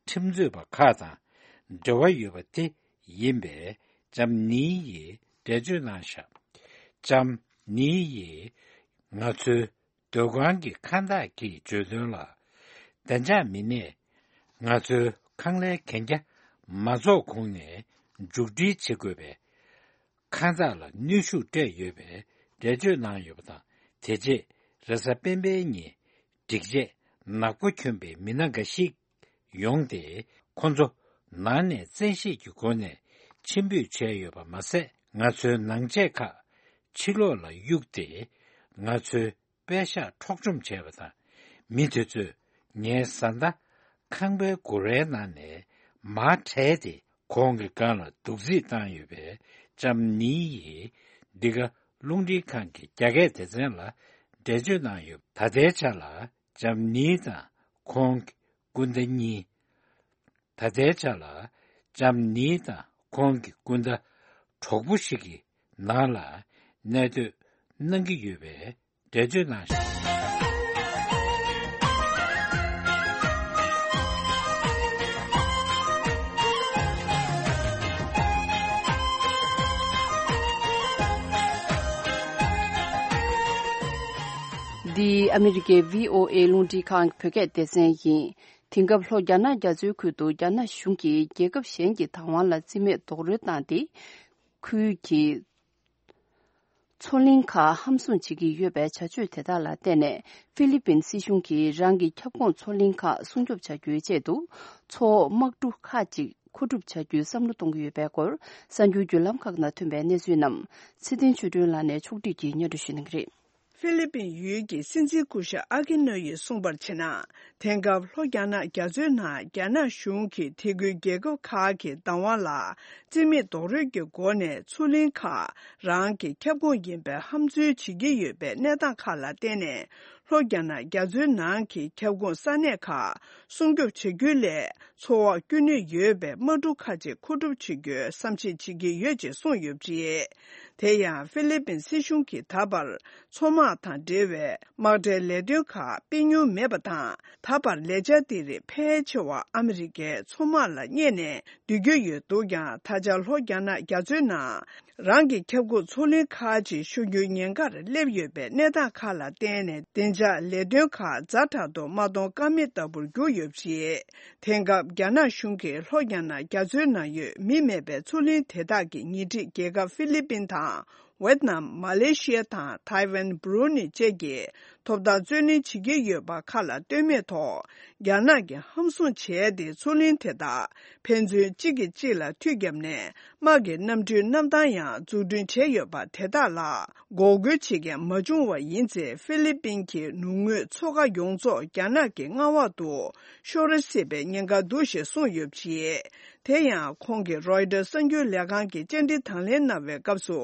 ཁྲིམས་རྩོད་པ་ཁག་དང་འབྲེལ་བ་ཡོད་པ་དེ་ཡིན་པའི་ལྕམ་ནི་ཡིས་འགྲེལ་བརྗོད་གནང་བཞག། ལྕམ་ནི་ཡིས་ང་ཚོའི་སྡོད་ཁང་གི་ཁང་བདག་གིས་བརྗོད་དོན་ལ། བདེ་འཇགས་མི་སྣས་ང་ཚོའི་ཁང་གླའི་གན་རྒྱ་མ་རྫོགས་གོང་ནས་མཇུག་སྒྲིལ་བྱེད་དགོས་པའི་ཁང་བདག་ལ་གནོན་ཤུགས་སྤྲད་ཡོད་པའི་འགྲེལ་བརྗོད་གནང་ཡོད་པ་དང་། དེ་རྗེས་རེས་གཟའ་སྤེན་པའི་ཉིན་སྒྲིག་ཆས་ནག་པོ་གྱོན་པའི་མི་སྣ་འགའ་ཞིག་ཡོང་སྟེ། ཁོ་ཚོ་ནང་ནས་བཙན་ཤེད་ཀྱི་སྒོ་ནས་ཕྱིར་འབུད་བྱས་ཡོད་པ་མ་ཟད། ང་ཚོའི་ནང་ཆས་ཁག་ཕྱི་ལོགས་ལ་གཡུགས་ཏེ། ང་ཚོའི་པད་ཤག་འཕྲོག་བཅོམ་བྱས་པ་དང་། མི་དེ་ཚོས་ངའི་བཟའ་ཟླ་ཁང་པའི་སྒོ་རའི་ནང་ནས་མར་བྲལ་ཏེ། ཁོང་གི་སྒང་ལ་རྡོག་རྫིས་བཏང་ཡོད་པའི་ལྕམ་ནི་ཡིས་འདི་ག་རླུང་འཕྲིན་ཁང་གི་རྒྱ་སྐད་སྡེ་ཚན་ལ་འགྲེལ་བརྗོད་གནང་ཡོད། ད་ལྟའི་ཆ་ལ་ལྕམ་ནི་དང་ཁོང་གི་སྐུ་ཟླ་གཉིས། ད་ལྟའི་ཆ་ལ་ལྕམ་ནི་དང་ཁོང་གི་སྐུ་ཟླ་གྲོགས་པོ་ཞིག་གི་ནང་ལ་གནས་སྡོད་གནང་གི་ཡོད་པའི་འགྲེལ་བརྗོད་གནང་ཞིང་། འདི་ཨ་མི་རི་ཀའི་བྷི་ཨོ་ཨེ་རླུང་འཕྲིན་ཁང་གི་བོད་སྐད་སྡེ་ཚན་ཡིན། དེང་སྐབས་ལྷོ་རྒྱ་ནག་རྒྱ་མཚོའི་ཁུལ་དུ་རྒྱ་ནག་གཞུང་གིས་རྒྱལ་ཁབ་གཞན་གྱི་བདག་དབང་ལ་བརྩི་མེད་རྡོག་རོལ་བཏང་སྟེ། ཁུལ་གྱི་ མཚོ་གླིང་ཁག་ཧམ་བཟུང་བྱེད་ཀྱི་ཡོད་པའི་བྱ་སྤྱོད་དེ་དག་ལ་བརྟེན་ནས་ཧྥི་ལི་པིན་སྲིད་གཞུང་གིས་རང་གི་ཁྱབ་ཁོངས་མཚོ་གླིང་ཁག་སྲུང་སྐྱོབ་བྱ་རྒྱུའི་ཆེད་དུ་མཚོ་འོག་དམག་གྲུ་ཁག་ཅིག་མཁོ་སྒྲུབ་བྱ་རྒྱུའི་བསམ་བློ་གཏོང་གི་ཡོད་པའི་སྐོར་གསར་འགྱུར་བརྒྱུད་ལམ་ཁག་ནང་ཐོན་པའི་གནས་ཚུལ་རྣམས་ཚེ་བརྟན་ཆོས་སྒྲོན་ལགས་ནས་ཕྱོགས་བསྒྲིགས་ཀྱིས་སྙན་སྒྲོན་ཞུ་གནང་གི་རེད། ཧྥི་ལི་པིན་ཡུལ་གྱི་སྲིད་འཛིན་སྐུ་ཞབས་ཨ་ཀི་ནོ་ཡིས་གསུངས་པར་བྱས་ན། དེང་སྐབས་ལྷོ་རྒྱ་ནག་རྒྱ་མཚོའི་ནང་རྒྱ་ནག་གཞུང་གིས་དེ་ཁུལ་རྒྱལ་ཁབ་ཁག་གི་བདག་དབང་ལ་རྩིས་མེད་རྡོག་རོལ་གྱི་སྒོ་ནས་མཚོ་གླིང་ཁག་རང་གི་ཁྱབ་ཁོངས་ཡིན་པའི་ཧམ་འཛུལ་བྱེད་ཀྱི་ཡོད་པའི་གནས་སྟངས་ཁག་ལ་བརྟེན་ནས། ལྷོ་རྒྱ་ནག་རྒྱ་མཚོའི་ནང་གི་ཁྱབ་ཁོངས་ས་གནས་ཁག་སྲུང་སྐྱོབ་བྱ་རྒྱུ་ལས། མཚོ་འོག་བསྐྱོད་ནུས་ཡོད་པའི་དམག་གྲུ་ཁག་ཅིག་མཁོ་སྒྲུབ་བྱེད་རྒྱུའི་བསམ་གཞིག་བྱེད་ཀྱི་ཡོད་ཅེས་གསུངས་ཡོད་པ་རེད། དེ་ཡང་ཧྥི་ལི་པིན་སྲིད་གཞུང་གིས་ད་བར་མཚོ་དམག་དང་འབྲེལ་བའི་དམག་གྲའི་ལས་དོན་ཁག་སྤེལ་མྱོང་མེད་པ་དང་། ད་བར་ལས་འཆར་དེ་རིགས་ཕལ་ཆེ་བ་ཨ་མི་རི་ཀའི་མཚོ་དམག་ལ་གཉེར་ནས་སྡོད་ཀྱི་ཡོད་འདུག་ཀྱང་། ད་ཆ་ལྷོ་རྒྱ་ནག་རྒྱ་མཚོའི་ནང་རང་གི་ཁྱབ་ཁོངས་མཚོ་གླིང་ཁག་ཅིག་ཤོར་རྒྱུའི་ཉེན་ཁར་སླེབས་ཡོད་པའི་གནས་སྟངས་ཁག་ལ་བརྟེན་ནས། བདེ་འཇགས་ལས་དོན་ཁག་ཛ་དྲག་ཏུ་མ་གཏོང་ཀ་མེད་ལྟ་བུར་གྱུར་ཡོད་པ་རེད། དེང་སྐབས་རྒྱ་ནག་གཞུང་གིས་ལྷོ་རྒྱ་ནག་རྒྱ་མཚོའི་ནང་ཡོད་མི་མེད་པའི་མཚོ་གླིང་དེ་དག་གི་ཉེ་འཁྲིས་རྒྱལ་ཁབ་ཧྥི་ལི་པིན་དང་། ཝེད་ནམ། མ་ལེ་ཤི་ཡ་དང་ཐའེ་ཝན། བྷུ་རུ་ནི་བཅས་ཀྱིས་ཐོབ་ཐང་རྩོད་ལེན་བྱེད་ཀྱི་ཡོད་པ་ཁག་ལ་ལྟོས་མེད་ཐོག་རྒྱ་ནག་གིས་ཧམ་བཟུང་བྱས་ཏེ། མཚོ་གླིང་དེ་དག་ཕན་ཚུན་གཅིག་གིས་གཅིག་ལ་མཐུད་བརྒྱབ་ནས། དམག་གི་གནམ་གྲུའི་གནམ་ཐང་ཡང་འཛུགས་སྐྲུན་བྱས་ཡོད་པ་དེ་དག་ལ་འགོག་རྒོལ་བྱེད་མཁན་མ་བྱུང་བ་ཡིན་ཚེ། ཧྥི་ལི་པིན་གྱི་ནུབ་ངོས་མཚོ་ཁ་ཡོངས་རྫོགས་རྒྱ་ནག་གི་མངའ་འོག་ཏུ་ཤོར་སྲིད་པའི་ཉེན་ཁ་འདུག་ཞེས་གསུངས་ཡོད་པ་རེད། དེ་ཡང་ཁོང་གིས་རོའི་ཊར་གསར་འགྱུར་ལས་ཁང་གི་བཅར་འདྲི་དང་ལེན་གནང་བའི་སྐབས་སུ།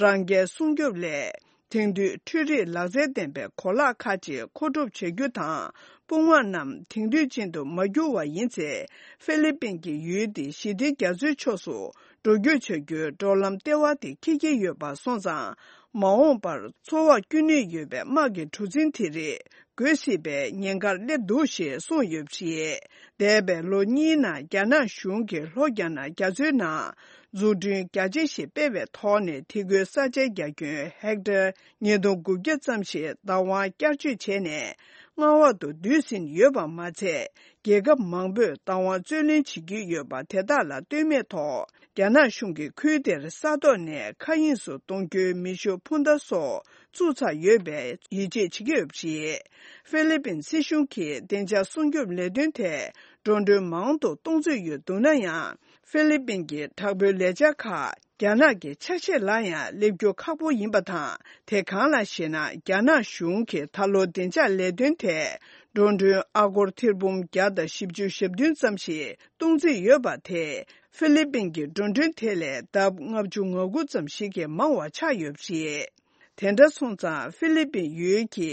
རང་རྒྱལ་སྲུང་སྐྱོབ་སླད། དེང་དུས་འཕྲུལ་རིག་ལག་རྩལ་ལྡན་པའི་གོ་ལག་ཁག་ཅིག་མཁོ་སྒྲུབ་བྱ་རྒྱུ་དང་། དཔུང་དམག་རྣམས་དེང་དུས་ཅན་དུ་མ་བསྒྱུར་བ་ཡིན་ཚེ། ཧྥི་ལི་པིན་གྱི་ཡུལ་དེ་ཞི་བདེ་རྒྱ་མཚོའི་ཕྱོགས་སུ་འགྲོ་སྐྱོད་བྱ་རྒྱུའི་འགྲོ་ལམ་ལྟེ་བ་དེ་འཁེལ་གྱི་ཡོད་པ་སོང་ཙང་། མ་འོངས་པར་མཚོ་འོག་བསྐྱོད་ནུས་ཡོད་པའི་དམག་གི་གྲུ་གཟིངས་དེ་རིགས་རྒོལ་སྲིད་པའི་ཉེན་ཁར་སླེབས་འདུག་ཞེས་གསུངས་ཡོད་པ་རེད། འདས་པའི་ལོ་གཉིས་ནང་རྒྱ་ནག་གཞུང་གིས་ལྷོ་རྒྱ་ནག་རྒྱ་མཚོའི་ནང་འཛུགས་སྐྲུན་རྒྱ་ཆེ་ཞིག་སྤེལ་བའི་ཐོག་ནས། དེ་ཁུལ་ས་ཆའི་རྒྱ་ཁྱོན་ཧེག་ཊར་ཉིས་སྟོང་དགུ་བརྒྱ་ཙམ་ཞིག་བདག་དབང་བསྐྱར་བཅོས་བྱས་ནས། མངའ་འོག་ཏུ་བསྡུས་ཟིན་ཡོད་པ་མ་ཚད། རྒྱལ་ཁབ་མང་པོས་བདག་དབང་རྩོད་ལེན་བྱེད་ཀྱི་ཡོད་པ་དེ་དག་ལ་ལྟོས་མེད་ཐོག་རྒྱ་ནག་གཞུང་གིས་ཁུལ་དེར་ས་ཐོག་ནས་མཁའ་དབྱིངས་སུ་གཏོང་རྒྱུའི་མེ་ཤུགས་འཕུར་མདའ་སོགས་བཙུགས་ཚར་ཡོད་པའི་ཡིད་ཆེས་བྱེད་ཀྱི་ཡོད་པ་རེད། ཧྥི་ལི་པིན་སྲིད་གཞུང་གིས་བདེ་འཇགས་སྲུང་སྐྱོབ་ལས་དོན་ཐད་འགྲོ་གྲོན་མང་དུ་གཏོང་རྩིས་ཡོད་འདུག་ན་ཡང་། ཧྥི་ལི་པིན་གྱི་དྲག་པོའི་ལས་འཆར་ཁག་རྒྱ་ནག་གི་ཆ་ཤས་ལ་ཡང་སླེབས་རྒྱུ་ཁག་པོ་ཡིན་པ་དང་། དེ་གང་ལགས་ཤེ་ན། རྒྱ་ནག་གཞུང་གིས་ད་ལོ་བདེ་འཇགས་ལས་དོན་ཐད་འགྲོ་གྲོན་ཨ་སྒོར་ཐེར་འབུམ་བརྒྱ་དང་བཞི་བཅུ་ཞེ་བདུན་ཙམ་ཞིག་གཏོང་རྩིས་ཡོད་པ་དེས། ཧྥི་ལི་པིན་གྱི་འགྲོ་གྲོན་དེ་ལས་ལྡབ་ལྔ་བཅུ་ང་དགུ་ཙམ་ཞིག་གིས་མང་བ་ཆགས་ཡོད་པ་རེད། དེ་འདྲ་སོང་ཙང་། ཧྥི་ལི་པིན་ཡུལ་གྱི་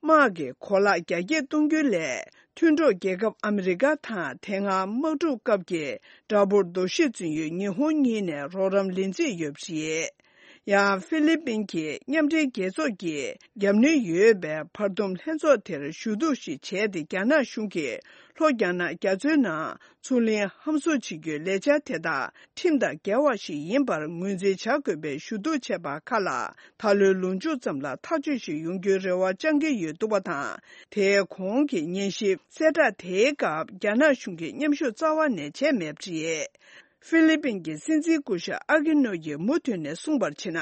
དམག་གི་གོ་ལག་རྒྱ་སྐྱེད་གཏོང་རྒྱུ་ལས། མཐུན་གྲོགས་རྒྱལ་ཁབ་ཨ་མི་རི་ཀ་དང་། དེ་སྔ་དམག་འཁྲུག་སྐབས་ཀྱི་དགྲ་བོར་འདུ་ཤེས་བཙུགས་ཡོད་ཉི་ཧོང་གཉིས་ནས་རོགས་རམ་ལེན་རྩིས་ཡོད་པ་རེད། ཡང་ཧྥི་ལི་པིན་གྱིས་མཉམ་འབྲེལ་རྒྱལ་ཚོགས་ཀྱི་རྒྱབ་གནོན་ཡོད་པའི་བར་འདུམ་ལྷན་ཚོགས་དེར་ཞུ་གཏུག་ཞིག་བྱས་ཏེ། རྒྱ་ནག་གཞུང་གིས་ལྷོ་རྒྱ་ནག་རྒྱ་མཚོའི་ནང་མཚོ་གླིང་ཧམ་བཟུང་བྱེད་རྒྱུའི་ལས་འཆར་དེ་དག་ཁྲིམས་དང་འགལ་བ་ཞིག་ཡིན་པར་ངོས་འཛིན་བྱ་དགོས་པའི་ཞུ་གཏུག་བྱས་པ་ཁག་ལ། ད་ལོའི་ལོ་མཇུག་ཙམ་ལ་ཐག་གཅོད་ཞིག་ཡོང་རྒྱུའི་རེ་བ་བཅང་གི་ཡོད་འདུག་པ་དང་། དེའི་གོང་གི་ཉན་ཞིབ་གསལ་བསྒྲགས་དེའི་སྐབས། རྒྱ་ནག་གཞུང་གིས་མཉམ་ཞུགས་རྩ་བ་ནས་བྱས་མེད་པ་རེད། ཧྥི་ལི་པིན་གྱི་སྲིད་འཛིན་སྐུ་ཞབས་ཨ་ཀི་ནོ་ཡིས་མུ་མཐུད་ནས་གསུངས་པར་བྱས་ན།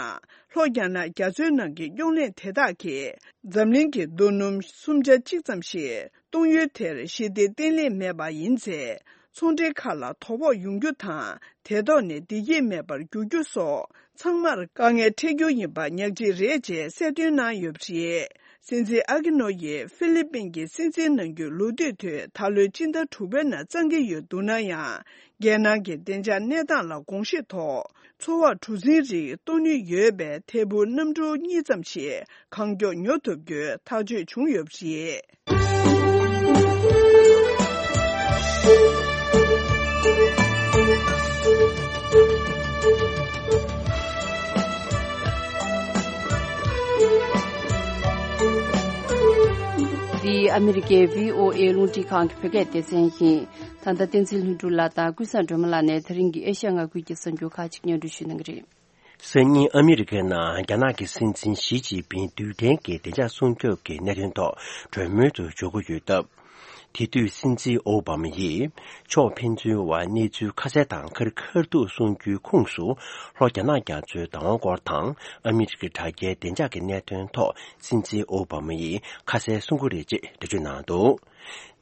ལྷོ་རྒྱ་ནག་རྒྱ་མཚོའི་ནང་གི་རྙོག་གླེང་དེ་དག་གིས་འཛམ་གླིང་གི་རྡོ་སྣུམ་སུམ་ཆ་གཅིག་ཙམ་ཞིག་གཏོང་ཡུལ་དེར་ཞི་བདེ་བརྟན་ལྷིང་མེད་པ་ཡིན་ཚེ། ཚོང་འབྲེལ་ཁག་ལ་དོ་ཕོག་ཡོང་རྒྱུ་དང་། དེ་ཐོག་ནས་བདེ་སྐྱིད་མེད་པར་འགྱུར་རྒྱུ་སོགས་ཚང་མར་དཀའ་ངལ་འཕྲད་རྒྱུ་ཡིན་པ་ཉག་གཅིག་རེད་ཅེས་གསལ་སྟོན་གནང་ཡོད་པ་རེད། སྲིད་འཛིན་ཨ་ཀི་ནོ་ཡིས་ཧྥི་ལི་པིན་གྱི་སྲིད་འཛིན་གནང་རྒྱུའི་ལོ་དུས་དེ་ད་ལོའི་སྤྱི་ཟླ་དྲུག་པའི་ནང་བརྩམ་གྱི་ཡོད་འདུག་ན་ཡང་། རྒྱལ་ནང་གི་བདེ་འཇགས་གནས་སྟངས་ལ་དགོངས་བཞེས་ཐོག་མཚོ་འོག་གྲུ་གཟིངས་རིགས་གཏོང་ནུས་ཡོད་པའི་ཐད་འཕུར་གནམ་གྲུ་གཉིས་ཙམ་ཞིག་གང་མགྱོགས་ཉོ་ཐུབ་རྒྱུའི་ཐག་གཅོད་བྱུང་ཡོད་པ་རེད། འདི་ཨ་མི་རི་ཀའི་བྷི་ཨོ་ཨེ་རླུང་འཕྲིན་ཁང་གི་བོད་སྐད་སྡེ་ཚན་ཡིན། ད་ལྟ་བསྟན་འཛིན་ལྷུན་གྲུབ་ལགས་དང་ཀུན་བཟང་སྒྲོལ་མ་ལགས་ནས་ད་རིང་གི་ཨེ་ཤ་ཡ་མངའ་ཁུལ་གྱི་གསར་འགྱུར་ཁག་ཅིག་སྙན་སྒྲོན་ཞུ་གནང་གི་རེད། སང་ཉིན་ཨ་མི་རི་ཀའི་ནང་རྒྱ་ནག་གི་སྲིད་འཛིན་ཞི་ཅིན་ཕིང་རྡུལ་ཕྲན་གྱི་བདེ་འཇགས་སྲུང་སྐྱོབ་ཀྱི་གནད་དོན་ཐོག་གྲོས་མོལ་དུ་འཇུག་གི་ཡོད་སྟབས། དེ་དུས་སྲིད་འཛིན་ཨོ་བྷ་མ་ཡིས་ཕྱོགས་ཕན་ཚུན་བར་གནས་ཚུལ་ཁ་གསལ་དང་ཁ་རི་ཁ་ཐུག་གསུང་རྒྱུའི་ཁོངས་སུ། ལྷོ་རྒྱ་ནག་རྒྱ་མཚོའི་བདག་དབང་སྐོར་དང་ཨ་མི་རི་ཀའི་དྲ་རྒྱའི་བདེ་འཇགས་ཀྱི་གནད་དོན་ཐོག་སྲིད་འཛིན་ཨོ་བྷ་མ་ཡིས་ཁ་གསལ་གསུང་གི་རེད་ཅེས་འགྲེལ་བརྗོད་གནང་འདུག་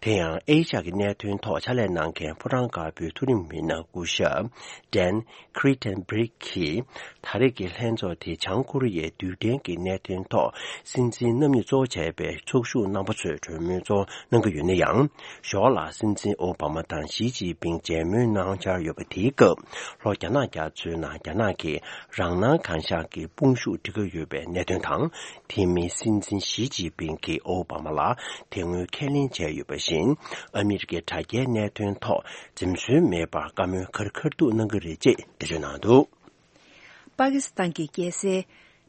དེ་ཡང་ཨེ་ཤ་ཡ་གི་གནད་དོན་ཐོག་ཕྱག་ལས་གནང་མཁན་ཕོ་བྲང་དཀར་པོའི་མཐོ་རིམ་མི་སྣ་སྐུ་ཞབས་Dan Kritenbrink གིས། ད་རེས་ཀྱི་ལྷན་ཚོགས་དེ་བྱང་ཀོ་རི་ཡའི་རྡུལ་ཕྲན་གྱི་གནད་དོན་ཐོག་སྲིད་འཛིན་རྣམ་གཉིས་གཙོ་བོ་བྱས་པའི་ཚོགས་ཞུགས་རྣམ་པ་ཚོས་གྲོས་མོལ་གཙོ་བོ་གནང་གི་ཡོད་ན་ཡང་། ཞོར་ལ་སྲིད་འཛིན་ཨོ་བྷ་མ་དང་ཞི་ཅིན་ཕིང་མཇལ་མོལ་གནང་འཆར་ཡོད་པ་དེའི་སྐབས། ལྷོ་རྒྱ་ནག་རྒྱ་མཚོའི་ནང་རྒྱ་ནག་གིས་རང་སྣང་གང་ཤར་གྱི་དཔུང་ཤུགས་སྒྲིལ་གྱི་ཡོད་པའི་གནད་དོན་དང་། དེ་མིན་སྲིད་འཛིན་ཞི་ཅིན་ཕིང་གིས་ཨོ་བྷ་མ་ལ་དེ་སྔོན་ཁས་ལེན་བྱས་ཡོད་པ་བཞིན། ཨ་མི་རི་ཀའི་དྲ་རྒྱའི་གནད་དོན་ཐོག་འཛེམ་ཟོན་མེད་པར་བཀའ་མོལ་ཁ་རི་ཁ་ཐུག་གནང་གི་རེད་ཅེས་འགྲེལ་བརྗོད་གནང་འདུག་པ་ཀི་སི་ཐན་གྱི་རྒྱལ་སའི་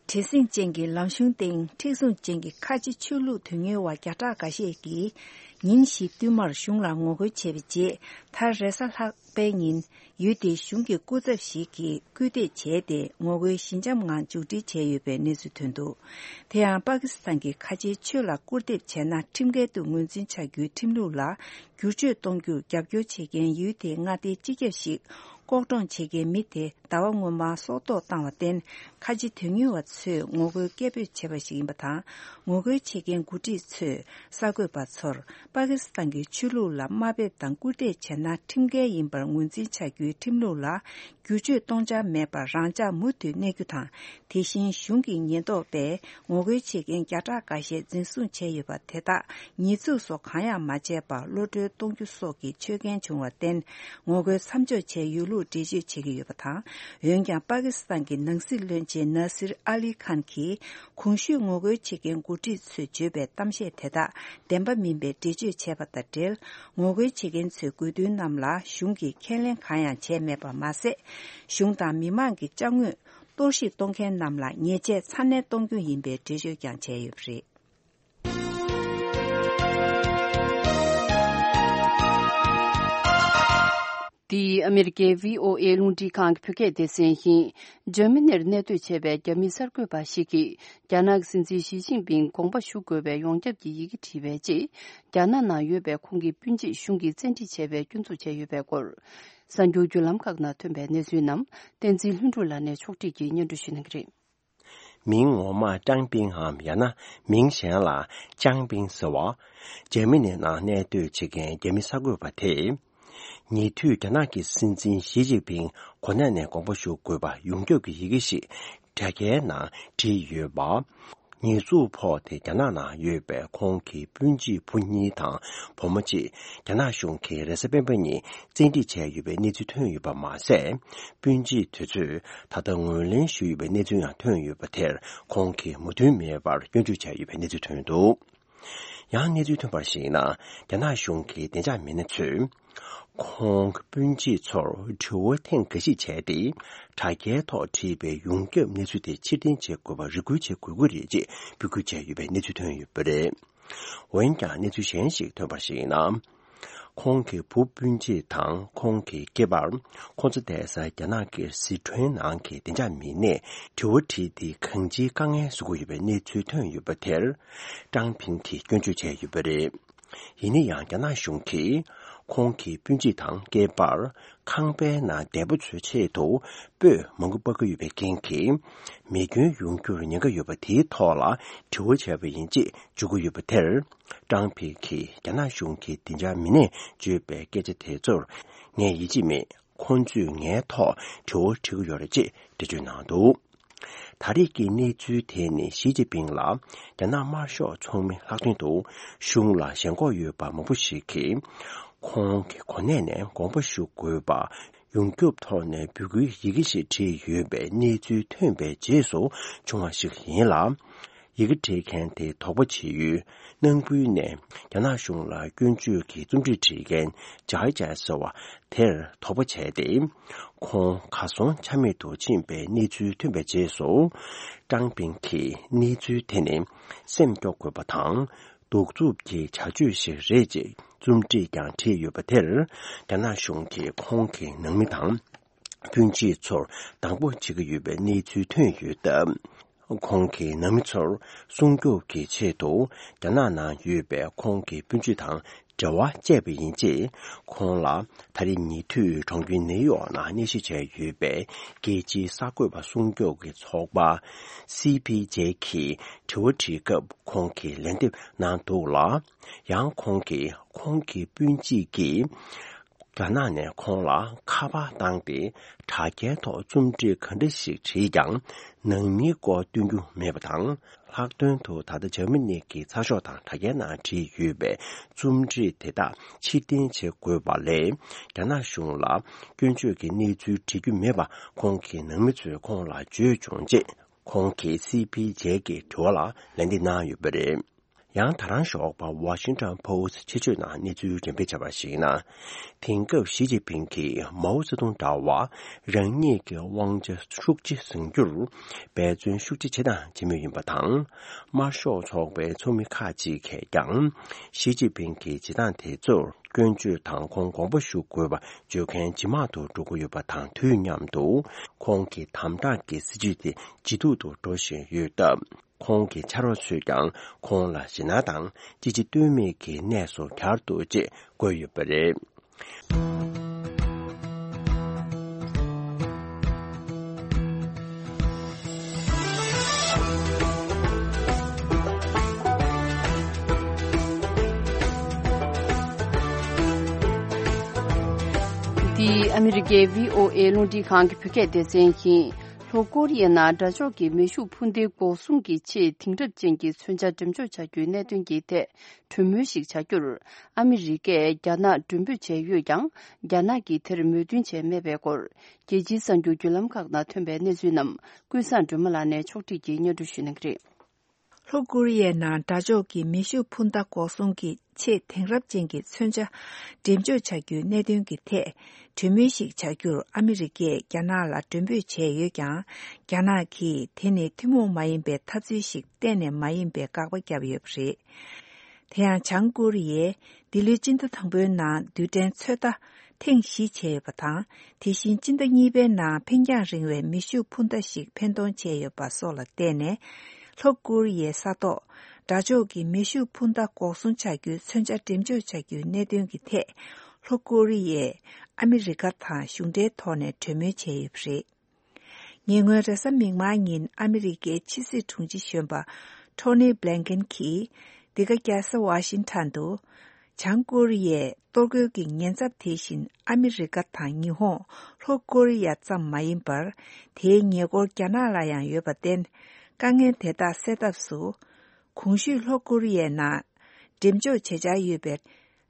བྲེལ་ཟིང་ཅན་གྱི་ལམ་གཞུང་སྟེང་མཁྲེགས་བཟུང་ཅན་གྱི་ཁ་ཆེ་ཆོས་ལུགས་དོན་གཉེར་བ་བརྒྱ་ཕྲག་འགའ་ཤས་ཀྱིས་ཉིན་བཞི་བསྟུད་མར་གཞུང་ལ་ངོ་རྒོལ་བྱས་པའི་རྗེས། མཐར་རེས་གཟའ་ལྷག་པའི་ཉིན་ཡུལ་དེའི་གཞུང་གི་སྐུ་ཚབ་ཞིག་གིས་སྐུལ་འདེད་བྱས་ཏེ། ངོ་རྒོལ་ཞི་འཇམ་ངང་མཇུག་སྒྲིལ་བྱས་ཡོད་པའི་གནས་ཚུལ་ཐོན་འདུག་དེ་ཡང་པ་ཀི་སི་ཐན་གྱི་ཁ་ཆེའི་ཆོས་ལ་སྐུར་འདེབས་བྱས་ན་ཁྲིམས་འགལ་དུ་ངོས་འཛིན་བྱ་རྒྱུའི་ཁྲིམས་ལུགས་ལ་བསྒྱུར་བཅོས་གཏོང་རྒྱུར་རྒྱབ་སྐྱོར་བྱེད་མཁན་ཡུལ་དེའི་མངའ་སྡེའི་སྤྱི་ཁྱབ་ཞིག་ལྐོག་གྲོངས་བྱེད་མཁན་མི་དེ་ཟླ་བ་སྔོན་མར་སྲོག་ཐོག་བཏང་བར་བརྟེན། ཁ་ཆེ་དོན་གཉེར་བ་ཚོས་ངོ་རྒོལ་སྐད་འབོད་བྱས་པ་ཞིག་ཡིན་པ་དང་། ངོ་རྒོལ་བྱེད་མཁན་འགོ་ཁྲིད་ཚོས་གསར་འགོད་པ་ཚོར། པ་ཀི་སི་ཐན་གྱི་ཆོས་ལུགས་ལ་དམའ་འབེབས་དང་སྐུར་འདེབས་བྱས་ན་ཁྲིམས་འགལ་ཡིན་པར་ངོས་འཛིན་བྱ་རྒྱུའི་ཁྲིམས་ལུགས་ལ་བསྒྱུར་བཅོས་གཏོང་འཆར་མེད་པར་རང་འཇགས་མུ་མཐུད་གནས་རྒྱུ་དང་། དེ་བཞིན་གཞུང་གི་ཉེན་རྟོག་པས་ངོ་རྒོལ་བྱེད་མཁན་བརྒྱ་ཕྲག་འགའ་ཤས་འཛིན་བཟུང་བྱས་ཡོད་པ་དེ་དག་ཉེས་འཛུགས་སོགས་གང་ཡང་མ་བྱས་པར་གློད་གྲོལ་གཏོང་རྒྱུ་སོགས་ཀྱི་ཆོད་གན་བྱུང་བར་བརྟེན། ངོ་རྒོལ་མཚམས་འཇོག་བྱས་ཡོད་ལུགས་འགྲེལ་བརྗོད་བྱེད་ཀྱི་ཡོད་པ་དང་། འོན་ཀྱང་པ་ཀི་སི་ཐན་གྱི་ནང་སྲིད་བློན་ཆེན་ནཱ་སིར་ཨ་ལི་ཁཱན་གྱིས། གོང་ཞུས་ངོ་རྒོལ་བྱེད་མཁན་འགོ་ཁྲིད་ཚོས་བརྗོད་པའི་གཏམ་བཤད་དེ་དག་བདེན་པ་མིན་པའི་འགྲེལ་བརྗོད་བྱས་པ་དང་འབྲེལ། ངོ་རྒོལ་བྱེད་མཁན་ཚོའི་དགོས་འདུན་རྣམས་ལ་གཞུང་གིས་ཁས་ལེན་གང་ཡང་བྱས་མེད་པ་མ་ཟད། གཞུང་དང་མི་མང་གི་ཅ་དངོས་གཏོར་བཤིག་གཏོང་མཁན་རྣམས་ལ་ཉེས་ཆད་ཚ་ནན་གཏོང་རྒྱུ་ཡིན་པའི་འགྲེལ་བརྗོད་ཀྱང་བྱས་ཡོད་པ་རེད། འདི་ཨ་མེ་རི་ཀའི་བྷི་ཨོ་ཨེ་རླུང་འཕྲིན་ཁང་གི་བོད་སྐད་སྡེ་ཚན་ཡིན། འཇར་མ་ནིར་གནས་སྡོད་བྱས་པའི་རྒྱ་མི་གསར་འགོད་པ་ཞིག་གིས། རྒྱ་ནག་གི་སྲིད་འཛིན་ཞི་ཅིན་ཕིང་དགོངས་པ་ཞུ་དགོས་པའི་ཡོངས་ཁྱབ་ཀྱི་ཡི་གེ་བྲིས་པའི་རྗེས། རྒྱ་ནག་ནང་ཡོད་པའི་ཁོང་གི་སྤུན་མཆེད་གཞུང་གིས་བཙན་ཁྲིད་བྱས་པའི་སྐྱོན་འཛུགས་བྱས་ཡོད་པའི་སྐོར། གསར་འགྱུར་བརྒྱུད་ལམ་ཁག་ནང་ཐོན་པའི་གནས་ཚུལ་རྣམས་བསྟན་འཛིན་ལྷུན་གྲུབ་ལགས་ནས་ཕྱོགས་སྒྲིག་གིས་སྙན་སྒྲོན་ཞུ་གནང་གི་རེད། མིང་ངོ་མ་ཀྲང་པིང་འམ་ཡང་ན་མིང་གཞན་ལ་ཅང་པིང་ཟེར་བ། འཇར་མ་ནི་ནང་གནས་སྡོད་བྱེད་མཁན་རྒྱ་མི་གསར་འགོད་པ་དེས། ཉེ་དུས་རྒྱ་ནག་གི་སྲིད་འཛིན་ཞི་ཅིན་ཕིང་གོ་གནས་ནས་དགོངས་པ་ཞུ་དགོས་པ་ཡོངས་ཁྱབ་ཀྱི་ཡི་གེ་ཞིག་དྲ་རྒྱའི་ནང་བྲིས་ཡོད་པ། ཉེས་འཛུགས་ཕོག་སྟེ་རྒྱ་ནག་ནང་ཡོད་པའི་ཁོང་གི་སྤུན་མཆེད་བུ་གཉིས་དང་བུ་མོ་གཅིག་རྒྱ་ནག་གཞུང་གིས་རེས་གཟའ་སྤེན་པ་ཉིན་བཙན་ཁྲིད་བྱས་ཡོད་པའི་གནས་ཚུལ་ཐོན་ཡོད་པ་མ་ཟད། སྤུན་མཆེད་དེ་ཚོས་ད་ལྟ་ངོས་ལེན་ཞུས་ཡོད་པའི་གནས་ཚུལ་ཡང་ཐོན་ཡོད་པ་དེར་ཁོང་གིས་མོས་མཐུན་མེད་པར་སྐྱོན་བརྗོད་བྱས་ཡོད་པའི་གནས་ཚུལ་ཐོན་འདུག་ཡང་གནས་ཚུལ་ཐོན་པར་གཞིགས་ན། རྒྱ་ནག་གཞུང་གི་བདེ་འཇགས་མི་སྣ་ཚོས། ཁོང་སྤུན་མཆེད་ཚོར་དྲི་བ་ཐེངས་འགའ་ཞིག་བྱས་ཏེ། དྲ་རྒྱའི་ཐོག་བྲིས་པའི་ཡོངས་ཁྱབ་གནས་ཚུལ་དེ་ཕྱིར་འཐེན་བྱེད་དགོས་པར་རེ་སྐུལ་བྱེད་དགོས་ཀྱི་རེད་ཅེས་འབོད་སྐུལ་བྱས་ཡོད་པའི་གནས་ཚུལ་ཐོན་ཡོད་པ་རེད། འོན་ཀྱང་གནས་ཚུལ་གཞན་ཞིག་ཐོན་པར་གཞིགས་ན། ཁོང་གི་བུ་སྤུན་མཆེད་དང་ཁོང་གི་སྐྱེས་པར། ཁོང་ཚོ་བསྡད་ས་རྒྱ་ནག་གི་སི་ཁྲོན་ནང་གི་བདེ་འཇགས་མི་སྣས་དྲི་བ་དྲིས་ཏེ་གང་ཅིའི་དཀའ་ངལ་བཟོ་གི་ཡོད་པའི་གནས་ཚུལ་ཐོན་ཡོད་པ་དེར། ཀྲང་ཕིང་གིས་སྐྱོན་བརྗོད་བྱས་ཡོད་པ་རེད། ཡིན་ན་ཡང་རྒྱ་ནག་གཞུང་གིས་ཁོང་གི་སྤུན་མཆེད་དང་སྐྱེས་པར་ཁང་པའི་ནང་འདས་པོ་ཚོའི་ཆེད་དུ་སྤོས་མང་པོ་སྤར་གྱི་ཡོད་པའི་རྐྱེན་གྱིས། མེ་སྐྱོན་ཡོང་རྒྱུར་ཉེན་ཁ་ཡོད་པ་དེའི་ཐོག་ལ་དྲི་བ་བྱས་པ་ཡིན་ཅེས་བརྗོད་ཀྱི་ཡོད་པ་དེར། ཀྲང་ཕིང་གིས་རྒྱ་ནག་གཞུང་གི་བདེ་འཇགས་མི་སྣས་བརྗོད་པའི་སྐད་ཆ་དེ་ཚོར་ངས་ཡིད་ཆེས་མེད། ཁོང་ཚོས་ངའི་ཐོག་དྲི་བ་དྲི་གི་ཡོད་རེད་ཅེས་འགྲེལ་བརྗོད་གནང་འདུག་ད་རེས་ཀྱི་གནས་ཚུལ་དེ་ནི་ཞི་ཅིན་ཕིང་ལ་རྒྱ་ནག་དམར་ཤོག་ཚོགས་མི་ལྷག་དོན་དུ་གཞུང་ལ་ཞེན་ཁོག་ཡོད་པ་མང་པོ་ཞིག་གིས། ཁོང་གི་གོ་གནས་ནས་དགོངས་པ་ཞུ་དགོས་པ་ཡོངས་ཁྱབ་ཐོག་ནས་འབོད་སྐུལ་ཡི་གེ་ཞིག་བྲིས་ཡོད་པའི་གནས་ཚུལ་ཐོན་པའི་རྗེས་སུ་བྱུང་བ་ཞིག་ཡིན་ལ། ཡི་གེ་འབྲི་མཁན་དེ་དོགས་པ་བྱེད་ཡུལ་ནང་ཁུལ་ནས་རྒྱ་ནག་གཞུང་ལ་སྐྱོན་བརྗོད་ཀྱི་རྩོམ་སྒྲིག་བྲིས་མཁན་ཇའི་ཅའི་ཟེར་བ་དེར་དོགས་པ་བྱས་ཏེ། ཁོང་གར་སོང་ཆ་མེད་དུ་ཕྱིན་པའི་གནས་ཚུལ་ཐོན་པའི་རྗེས་སུ། ཀྲང་ཕིང་གིས་གནས་ཚུལ་དེ་ནི་སེམས་སྐྱོ་དགོས་པ་དང་། གདུག་རྩུབ་ཀྱི་བྱ་སྤྱོད་ཞིག་རེད་ཅེས་རྩོམ་སྒྲིག་ཀྱང་བྲིས་ཡོད་པ་དེར། རྒྱ་ནག་གཞུང་གིས་ཁོང་གི་ནང་མི་དང་། སྤུན་མཆེད་ཚོར་སྡང་པོ་བྱེད་ཀྱི་ཡོད་པའི་གནས་ཚུལ་ཐོན་ཡོད་སྟབས། ཁོང་གི་ནང་མི་ཚོར་སྲུང་སྐྱོབ་ཀྱི་ཆེད་དུ་རྒྱ་ནག་ནང་ཡོད་པའི་ཁོང་གི་སྤུན་མཆེད་དང་འབྲེལ་བ་བཅད་པ་ཡིན་ཅེས། ཁོང་ལ་ད་རེས་ཉེ་དུས་གྲོང་ཁྱེར་ནེའུ་ཡོག་ནང་གནས་གཞི་བྱས་ཡོད་པའི་རྒྱལ་སྤྱིའི་གསར་འགོད་པ་སྲུང་སྐྱོབ་ཀྱི་ཚོགས་པ། སི་པི་ཇེ་གིས་དྲི་བ་དྲིས་སྐབས། ཁོང་གིས་ལན་འདེབས་གནང་འདུག་ལ། ཡང་ཁོང་གིས་ཁོང་གི་སྤུན་མཆེད་ཀྱིས་རྒྱ་ནག་ནས་ཁོང་ལ་ཁ་པར་བཏང་སྟེ། དྲ་རྒྱའི་ཐོག་རྩོམ་བྲིས་ག་འདྲ་ཞིག་བྲིས་ཀྱང་། ནང་མིའི་སྐོར་སྟོན་རྒྱུ་མེད་པ་དང་། ལྷག་དོན་དུ་ད་ལྟ་འཇར་མ་ནི་གི་ཚགས་ཤོག་དང་དྲ་རྒྱའི་ནང་བྲིས་ཡོད་པའི་རྩོམ་བྲིས་དེ་དག་ཕྱིར་འཐེན་བྱེད་དགོས་པ་ལས། རྒྱ་ནག་གཞུང་ལ་སྐྱོན་བརྗོད་ཀྱི་གནས་ཚུལ་བྲི་རྒྱུ་མེད་པ། ཁོང་གི་ནང་མི་ཚོས་ཁོང་ལ་བརྗོད་བྱུང་ཅེས། ཁོང་གིས་སི་པི་ཇེ་གི་དྲི་བ་ལ་ལན་འདེབས་གནང་ཡོད་པ་རེད། ཡང་ད་རང་ཞོགས་པ་Washington Post ཕྱིར་བརྗོད་ནང་གནས་ཚུལ་འགྲེམས་སྤེལ་བྱས་པར་གཞིགས་ན། དེང་སྐབས་ཞི་ཅིན་ཕིང་གིས་མའོ་ཙེ་ཏུང་འདྲ་བར་རང་ཉིད་ཀྱི་དབང་ཆ་ཤུགས་ཆེ་བཟུང་རྒྱུར་འབད་བརྩོན་ཤུགས་ཆེ་བྱེད་དང་བྱེད་མུས་ཡིན་པ་དང་། དམར་ཤོག་ཚོགས་པའི་ཚོགས་མི་ཁག་ཅིག་གིས་ཀྱང་ཞི་ཅིན་ཕིང་གི་བྱེད་སྟངས་དེ་ཚོར་སྐྱོན་བརྗོད་དང་ཁོང་དགོངས་པ་ཞུ་དགོས་པ་བརྗོད་མཁན་ཇེ་མང་དུ་འགྲོ་གི་ཡོད་པ་དང་དུས་མཉམ་དུ། ཁོང་གི་དམ་དྲག་གི་སྲིད་བྱུས་དེ་ཇེ་སྡུག་ཏུ་འགྲོ་བཞིན་ཡོད་སྟབས། ཁོང་གི་ཕྱག་རོགས་ཚོས་ཀྱང་ཁོང་ལ་ཞེད་སྣང་དང་ཅི་བྱེད་གཏོལ་མེད་ཀྱི་གནས་སུ་གྱར་འདུག་ཅེས་བཀོད་ཡོད་པ་རེད། འདི་ཨ་མི་རི་ཀའི་བྷི་ཨོ་ཨེ་རླུང་འཕྲིན་ཁང་གི་བོད་སྐད་སྡེ་ཚན་ཡིན། ལྷོ་ཀོ་རི་ཡའི་ནང་དགྲ་ཕྱོགས་ཀྱི་མེ་ཤུགས་འཕུར་མདེལ་འགོག་སྲུང་གི་ཆེས་དེང་རབས་ཅན་གྱི་མཚོན་ཆ་འགྲེམས་འཇོག་བྱ་རྒྱུའི་གནད་དོན་གྱི་ཐད་གྲོས་མོལ་ཞིག་བྱ་རྒྱུར། ཨ་མི་རི་ཀས་རྒྱ་ནག་མགྲོན་འབོད་བྱས་ཡོད་ཀྱང་། རྒྱ་ནག་གིས་དེར་མོས་མཐུན་བྱས་མེད་པའི་སྐོར། རྒྱལ་སྤྱིའི་གསར་འགྱུར་བརྒྱུད་ལམ་ཁག་ནང་ཐོན་པའི་གནས་ཚུལ་རྣམས་ཀུན་བཟང་སྒྲོལ་མ་ལགས་ནས་ཕྱོགས་སྒྲིག་གིས་སྙན་སྒྲོན་ཞུ་གནང་གི་རེད། ལྷོ་ཀོ་རི་ཡའི་ནང་དགྲ་ཕྱོགས་ཀྱི་མེ་ཤུགས་འཕུར་མདའ་འགོག་སྲུང་གི་ཆེས་དེང་རབས་ཅན་གྱི་མཚོན་ཆ་འགྲེམས་འཇོག་བྱ་རྒྱུའི་གནད་དོན་གྱི་ཐད་གྲོས་མོལ་ཞིག་བྱ་རྒྱུར་ཨ་མི་རི་ཀས་རྒྱ་ནག་ལ་མགྲོན་འབོད་བྱས་ཡོད་ཀྱང་། རྒྱ་ནག་གིས་དེ་ནི་ཐུན་མོང་མ་ཡིན་པའི་འཐབ་རྩོད་ཞིག་གཏན་ནས་མ་ཡིན་པའི་དགག་པ་བརྒྱབ་ཡོད་པ་རེད། དེ་ཡང་བྱང་ཀོ་རི་ཡས་འདི་ལོའི་སྤྱི་ཟླ་དང་པོའི་ནང་རྡུལ་ཕྲན་ཚོད་ལྟ་ཐེངས་བཞི་བྱས་ཡོད་པ་དང་། དེ་བཞིན་སྤྱི་ཟླ་གཉིས་པའི་ནང་འཕེན་རྒྱང་རིང་བའི་མེ་ཤུགས་འཕུར་མདའ་ཞིག་འཕེན་གཏོང་བྱས་ཡོད་པ་སོགས་ལ་བརྟེན་ནས། ལྷོ་ཀོ་རི་ཡའི་ས་ཐོག་དགྲ་ཕྱོགས་ཀྱི་མེ་ཤུགས་འཕུར་མདའ་འགོག་སྲུང་བྱ་རྒྱུའི་མཚོན་ཆ་འགྲེམས་འཇོག་བྱ་རྒྱུའི་གནད་དོན་གྱི་ཐད། ལྷོ་ཀོ་རི་ཡས་ཨ་མི་རི་ཀ་དང་གཞུང་འབྲེལ་ཐོག་ནས་གྲོས་མོལ་བྱས་ཡོད་པ་རེད། ཉེ་སྔོན་རེས་གཟའ་མིག་དམར་ཉིན་ཨ་མི་རི་ཀའི་ཕྱི་སྲིད་དྲུང་ཆེ་གཞོན་པ་ཊོ་ནི་བྷི་ལན་ཀིན་གྱིས་འདི་ག་རྒྱལ་ས་ཝ་ཤིང་ཊོན་དུ། བྱང་ཀོ་རི་ཡས་གཏོར་རྒོལ་གྱི་ཉེན་ཚབས་དེ་བཞིན་ཨ་མི་རི་ཀ་དང་ཉི་ཧོང་། ལྷོ་ཀོ་རི་ཡ་ཙམ་མ་ཡིན་པར། དེའི་ཉེ་འཁོར་རྒྱ་ནག་ལ་ཡང་ཡོད་པར་བརྟེན། དཀའ་ངལ་དེ་དག་སེལ་ཐབས་སུ། གོང་ཞུས་ལྷོ་ཀོ་རི་ཡའི་ནང་འགྲེམས་འཇོག་བྱེད་འཆར་ཡོད་པའི་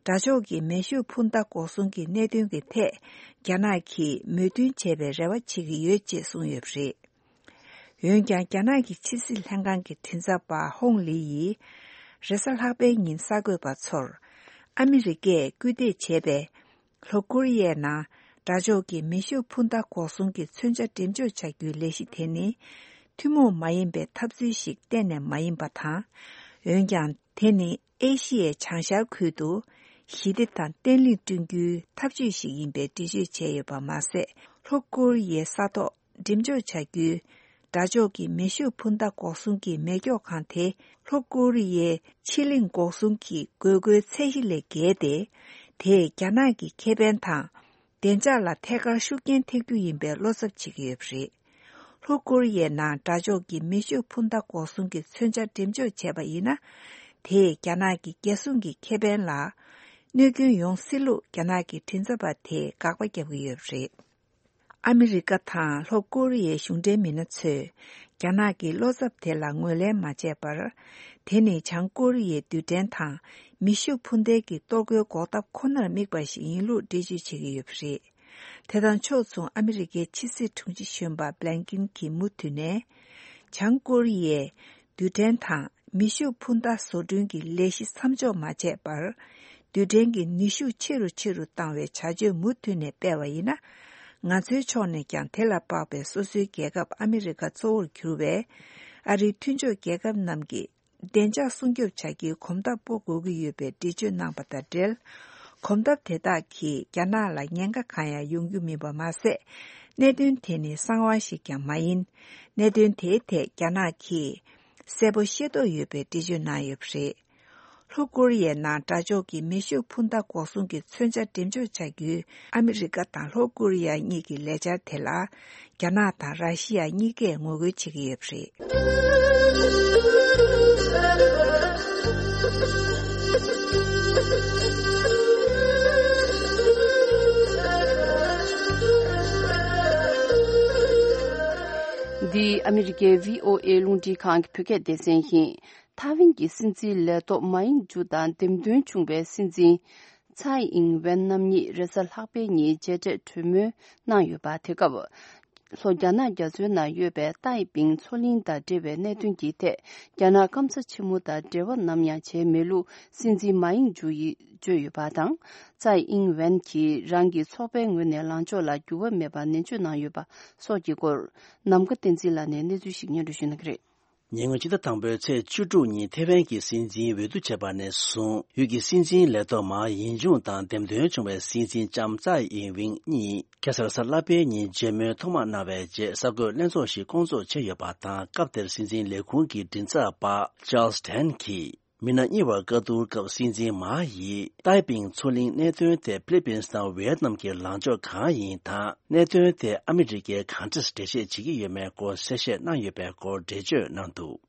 དགྲ་ཕྱོགས་ཀྱི་མེ་ཤུགས་འཕུར་མདའ་འགོག་སྲུང་གི་གནད་དོན་གྱི་ཐད། རྒྱ་ནག་གིས་མོས་མཐུན་བྱེད་པའི་རེ་བ་བྱེད་ཀྱི་ཡོད་ཅེས་གསུངས་ཡོད་པ་རེད། འོན་ཀྱང་། རྒྱ་ནག་གི་ཕྱི་སྲིད་ལྷན་ཁང་གི་མགྲིན་ཚབ་པ་ཧོང་ལི་ཡིས། རེས་གཟའ་ལྷག་པའི་ཉིན་གསར་འགོད་པ་ཚོར། ཨ་མི་རི་ཀས་སྐུལ་འདེད་བྱས་པའི། ལྷོ་ཀོ་རི་ཡའི་ནང་དགྲ་ཕྱོགས་ཀྱི་མེ་ཤུགས་འཕུར་མདའ་འགོག་སྲུང་གི་མཚོན་ཆ་འགྲེམས་འཇོག་བྱ་རྒྱུའི་ལས་གཞི་དེ་ནི། ཐུན་མོང་མ་ཡིན་པའི་འཐབ་རྩོད་ཞིག་གཏན་ནས་མ་ཡིན་པ་དང་། འོན་ཀྱང་། དེ་ནི་ཨེ་ཤི་ཡའི་བྱང་ཤར་ཁུལ་དུ། ཞི་བདེ་དང་བརྟན་ལྷིང་བསྐྲུན་རྒྱུའི་འཐབ་ཇུས་ཤིག་ཡིན་པའི་འགྲེལ་བརྗོད་བྱས་ཡོད་པ་མ་ཟད། ལྷོ་ཀོ་རི་ཡའི་ས་ཐོག་འགྲེམས་འཇོག་བྱ་རྒྱུའི་དགྲ་ཕྱོགས་ཀྱི་མེ་ཤུགས་འཕུར་མདའ་འགོག་སྲུང་གི་མེ་སྒྱོགས་ཁང་དེ། ལྷོ་ཀོ་རི་ཡའི་ཕྱི་གླིང་འགོག་སྲུང་གི་དགོས་མཁོའི་ཚད་གཞི་ལས་བརྒལ་ཏེ། དེས་རྒྱ་ནག་གི་ཁེ་ཕན་དང་། བདེ་འཇགས་ལ་ཐད་ཀར་ཤུགས་རྐྱེན་ཐེབས་རྒྱུ་ཡིན་པའི་བློ་འཚབ་བྱེད་ཀྱི་ཡོད་པ་རེད། ལྷོ་ཀོ་རི་ཡའི་ནང་དགྲ་ཕྱོགས་ཀྱི་མེ་ཤུགས་འཕུར་མདའ་འགོག་སྲུང་གི་མཚོན་ཆ་འགྲེམས་འཇོག་བྱས་པ་ཡིན་ན། དེས་རྒྱ་ནག་གི་རྒྱལ་སྲུང་གི་ཁེ་ཕན་ལ་གནོད་སྐྱོན་ཡོང་སྲིད་ལུགས་རྒྱ་ནག་གི་མགྲིན་ཚབ་པ་དེས་དགག་པ་བརྒྱབ་ཀྱི་ཡོད་པ་རེད། ཨ་མི་རི་ཀ་དང་ལྷོ་ཀོ་རི་ཡའི་གཞུང་འབྲེལ་མི་སྣ་ཚོས། རྒྱ་ནག་གི་བློ་འཚབ་དེ་ལ་ངོས་ལེན་མ་བྱས་པར། དེ་ནི་བྱང་ཀོ་རི་ཡའི་རྡུལ་ཕྲན་དང་མེ་ཤུགས་འཕུར་མདེལ་གྱི་གཏོར་རྒོལ་འགོག་ཐབས་ཁོ་ནར་དམིགས་པ་ཞིག་ཡིན་ལུགས་འགྲེལ་བརྗོད་བྱེད་ཀྱི་ཡོད་པ་རེད། དེ་དང་ཕྱོགས་མཚུངས། ཨ་མི་རི་ཀའི་ཕྱི་སྲིད་དྲུང་ཆེ་གཞོན་པ་བྷི་ལན་ཀིན་གྱིས་མུ་མཐུད་ནས། བྱང་ཀོ་རི་ཡས་རྡུལ་ཕྲན་དང་མེ་ཤུགས་འཕུར་མདའ་བཟོ་སྐྲུན་གྱི་ལས་གཞི་མཚམས་འཇོག་མ་བྱས་པར། རྡུལ་ཕྲན་གྱི་ནུས་ཤུགས་ཆེ་རུ་ཆེ་རུ་བཏང་བའི་བྱ་སྤྱོད་མུ་མཐུད་ནས་སྤེལ་བ་ཡིན་ན། ང་ཚོའི་ཕྱོགས་ནས་ཀྱང་དེ་ལ་དཔག་པའི་སོ་སོའི་རྒྱལ་ཁབ་ཨ་མི་རི་ཀ་གཙོ་བོར་གྱུར་བའི་ཨ་རིའི་མཐུན་ཕྱོགས་རྒྱལ་ཁབ་རྣམས་ཀྱིས། བདེ་འཇགས་སྲུང་སྐྱོབ་བྱ་རྒྱུའི་གོམ་སྟབས་སྤོ་དགོས་ཀྱི་ཡོད་པའི་འགྲེལ་བརྗོད་གནང་པ་དང་འབྲེལ། གོམ་སྟབས་དེ་དག་གིས་རྒྱ་ནག་ལ་ཉེན་ཁ་གང་ཡང་ཡོང་རྒྱུ་མིན་པ་མ་ཟད། གནད་དོན་དེ་ནི་གསང་བ་ཞིག་ཀྱང་མ་ཡིན། གནད་དོན་དེའི་ཐད་རྒྱ་ནག་གིས་གསལ་པོ་ཤེས་རྟོགས་ཡོད་པའི་འགྲེལ་བརྗོད་གནང་ཡོད་པ་རེད། ལྷོ་ཀོ་རི་ཡའི་ནང་དགྲ་ཕྱོགས་ཀྱི་མེ་ཤུགས་འཕུར་མདའ་འགོག་སྲུང་གི་མཚོན་ཆ་འགྲེམས་འཇོག་བྱ་རྒྱུའི་ཨ་མི་རི་ཀ་དང་ལྷོ་ཀོ་རི་ཡ་གཉིས་ཀྱི་ལས་འཆར་དེ་ལ། རྒྱ་ནག་དང་ར་ཤི་ཡ་གཉིས་ཀས་ངོ་རྒོལ་བྱེད་ཀྱི་ཡོད་པ་རེད། འདི་ཨ་མི་རི་ཀའི་བྷི་ཨོ་ཨེ་རླུང་འཕྲིན་ཁང་གི་བོད་སྐད་སྡེ་ཚན་ཡིན། ཐའེ་ཝན་གྱི་སྲིད་འཛིན་ལས་ཐོག་མཱ་ཡིང་ཇུ་དང་འདེམས་ཐོན་བྱུང་བའི་སྲིད་འཛིན་ཚའེ་ཨིང་ཝེན་རྣམ་གཉིས་རེས་གཟའ་ལྷག་པའི་ཉིན་མཇལ་འཕྲད་གྲོས་མོལ་གནང་ཡོད་པ། དེ་སྐབས་ལྷོ་རྒྱ་ནག་རྒྱ་མཚོའི་ནང་ཡོད་པའི་ཏའེ་པིང་མཚོ་གླིང་དང་འབྲེལ་བའི་གནད་དོན་གྱི་ཐད། རྒྱ་ནག་སྐམ་ས་ཆེན་མོ་དང་འབྲེལ་བ་ནམ་ཡང་བྱས་མེད་ལུགས་སྲིད་འཛིན་མཱ་ཡིང་ཇུ་ཡིས་བརྗོད་ཡོད་པ་དང་། ཚའེ་ཨིང་ཝེན་གྱིས་རང་གི་ཚོགས་པའི་ངོས་ནས་ལངས་ཕྱོགས་ལ་འགྱུར་བ་མེད་པར་ནན་བརྗོད་གནང་ཡོད་པ་སོགས་ཀྱི་སྐོར། ནམ་མཁའ་བསྟན་འཛིན་ལགས་ནས་གནས་ཚུལ་ཞིག་སྙན་སྒྲོན་ཞུ་གནང་གི་རེད། ཉེ་སྔོན་ཕྱི་ཟླ་དང་པོའི་ཚེས་བཅུ་དྲུག་ཉིན་ཐེ་ཝན་གྱི་སྲིད་འཛིན་འོས་བསྡུ་བྱས་པ་ནས་བཟུང་ཡུལ་གྱི་སྲིད་འཛིན་ལས་ཐོག་མཱ་ཡིན་ཅུང་དང་འདེམས་ཐོན་བྱུང་བའི་སྲིད་འཛིན་ལྕམ་ཚའེ་ཨིན་ཝིན་གཉིས་ཁ་སང་གཟའ་ལྷག་པའི་ཉིན་མཇལ་མོལ་ཐོག་མ་གནང་བའི་རྗེས་གསར་འགོད་ལྷན་ཚོགས་ཤིག་བསྐོང་ཚོགས་བྱས་ཡོད་པ་དང་། སྐབས་དེར་སྲིད་འཛིན་ལས་ཁུངས་ཀྱི་མགྲིན་ཚབ་པ་ཅཱལ་སི་ཐན་གྱིས། མི་སྣ་གཉིས་བར་བཀའ་བསྡུར་སྐབས་སྲིད་འཛིན་མཱ་ཡིས་ཏའེ་པིང་མཚོ་གླིང་གནད་དོན་དེ་ཕི་ལི་པིན་སི་དང་ཝི་ཡེད་ནམ་གྱི་ལངས་ཕྱོགས་གང་ཡིན་དང་། གནད་དོན་དེ་ཨ་མི་རི་ཀས་གང་འདྲས་འགྲེལ་བཤད་བྱེད་ཀྱི་ཡོད་མེད་སྐོར་གསལ་བཤད་གནང་ཡོད་པའི་སྐོར་འགྲེལ་བརྗོད་གནང་འདུག་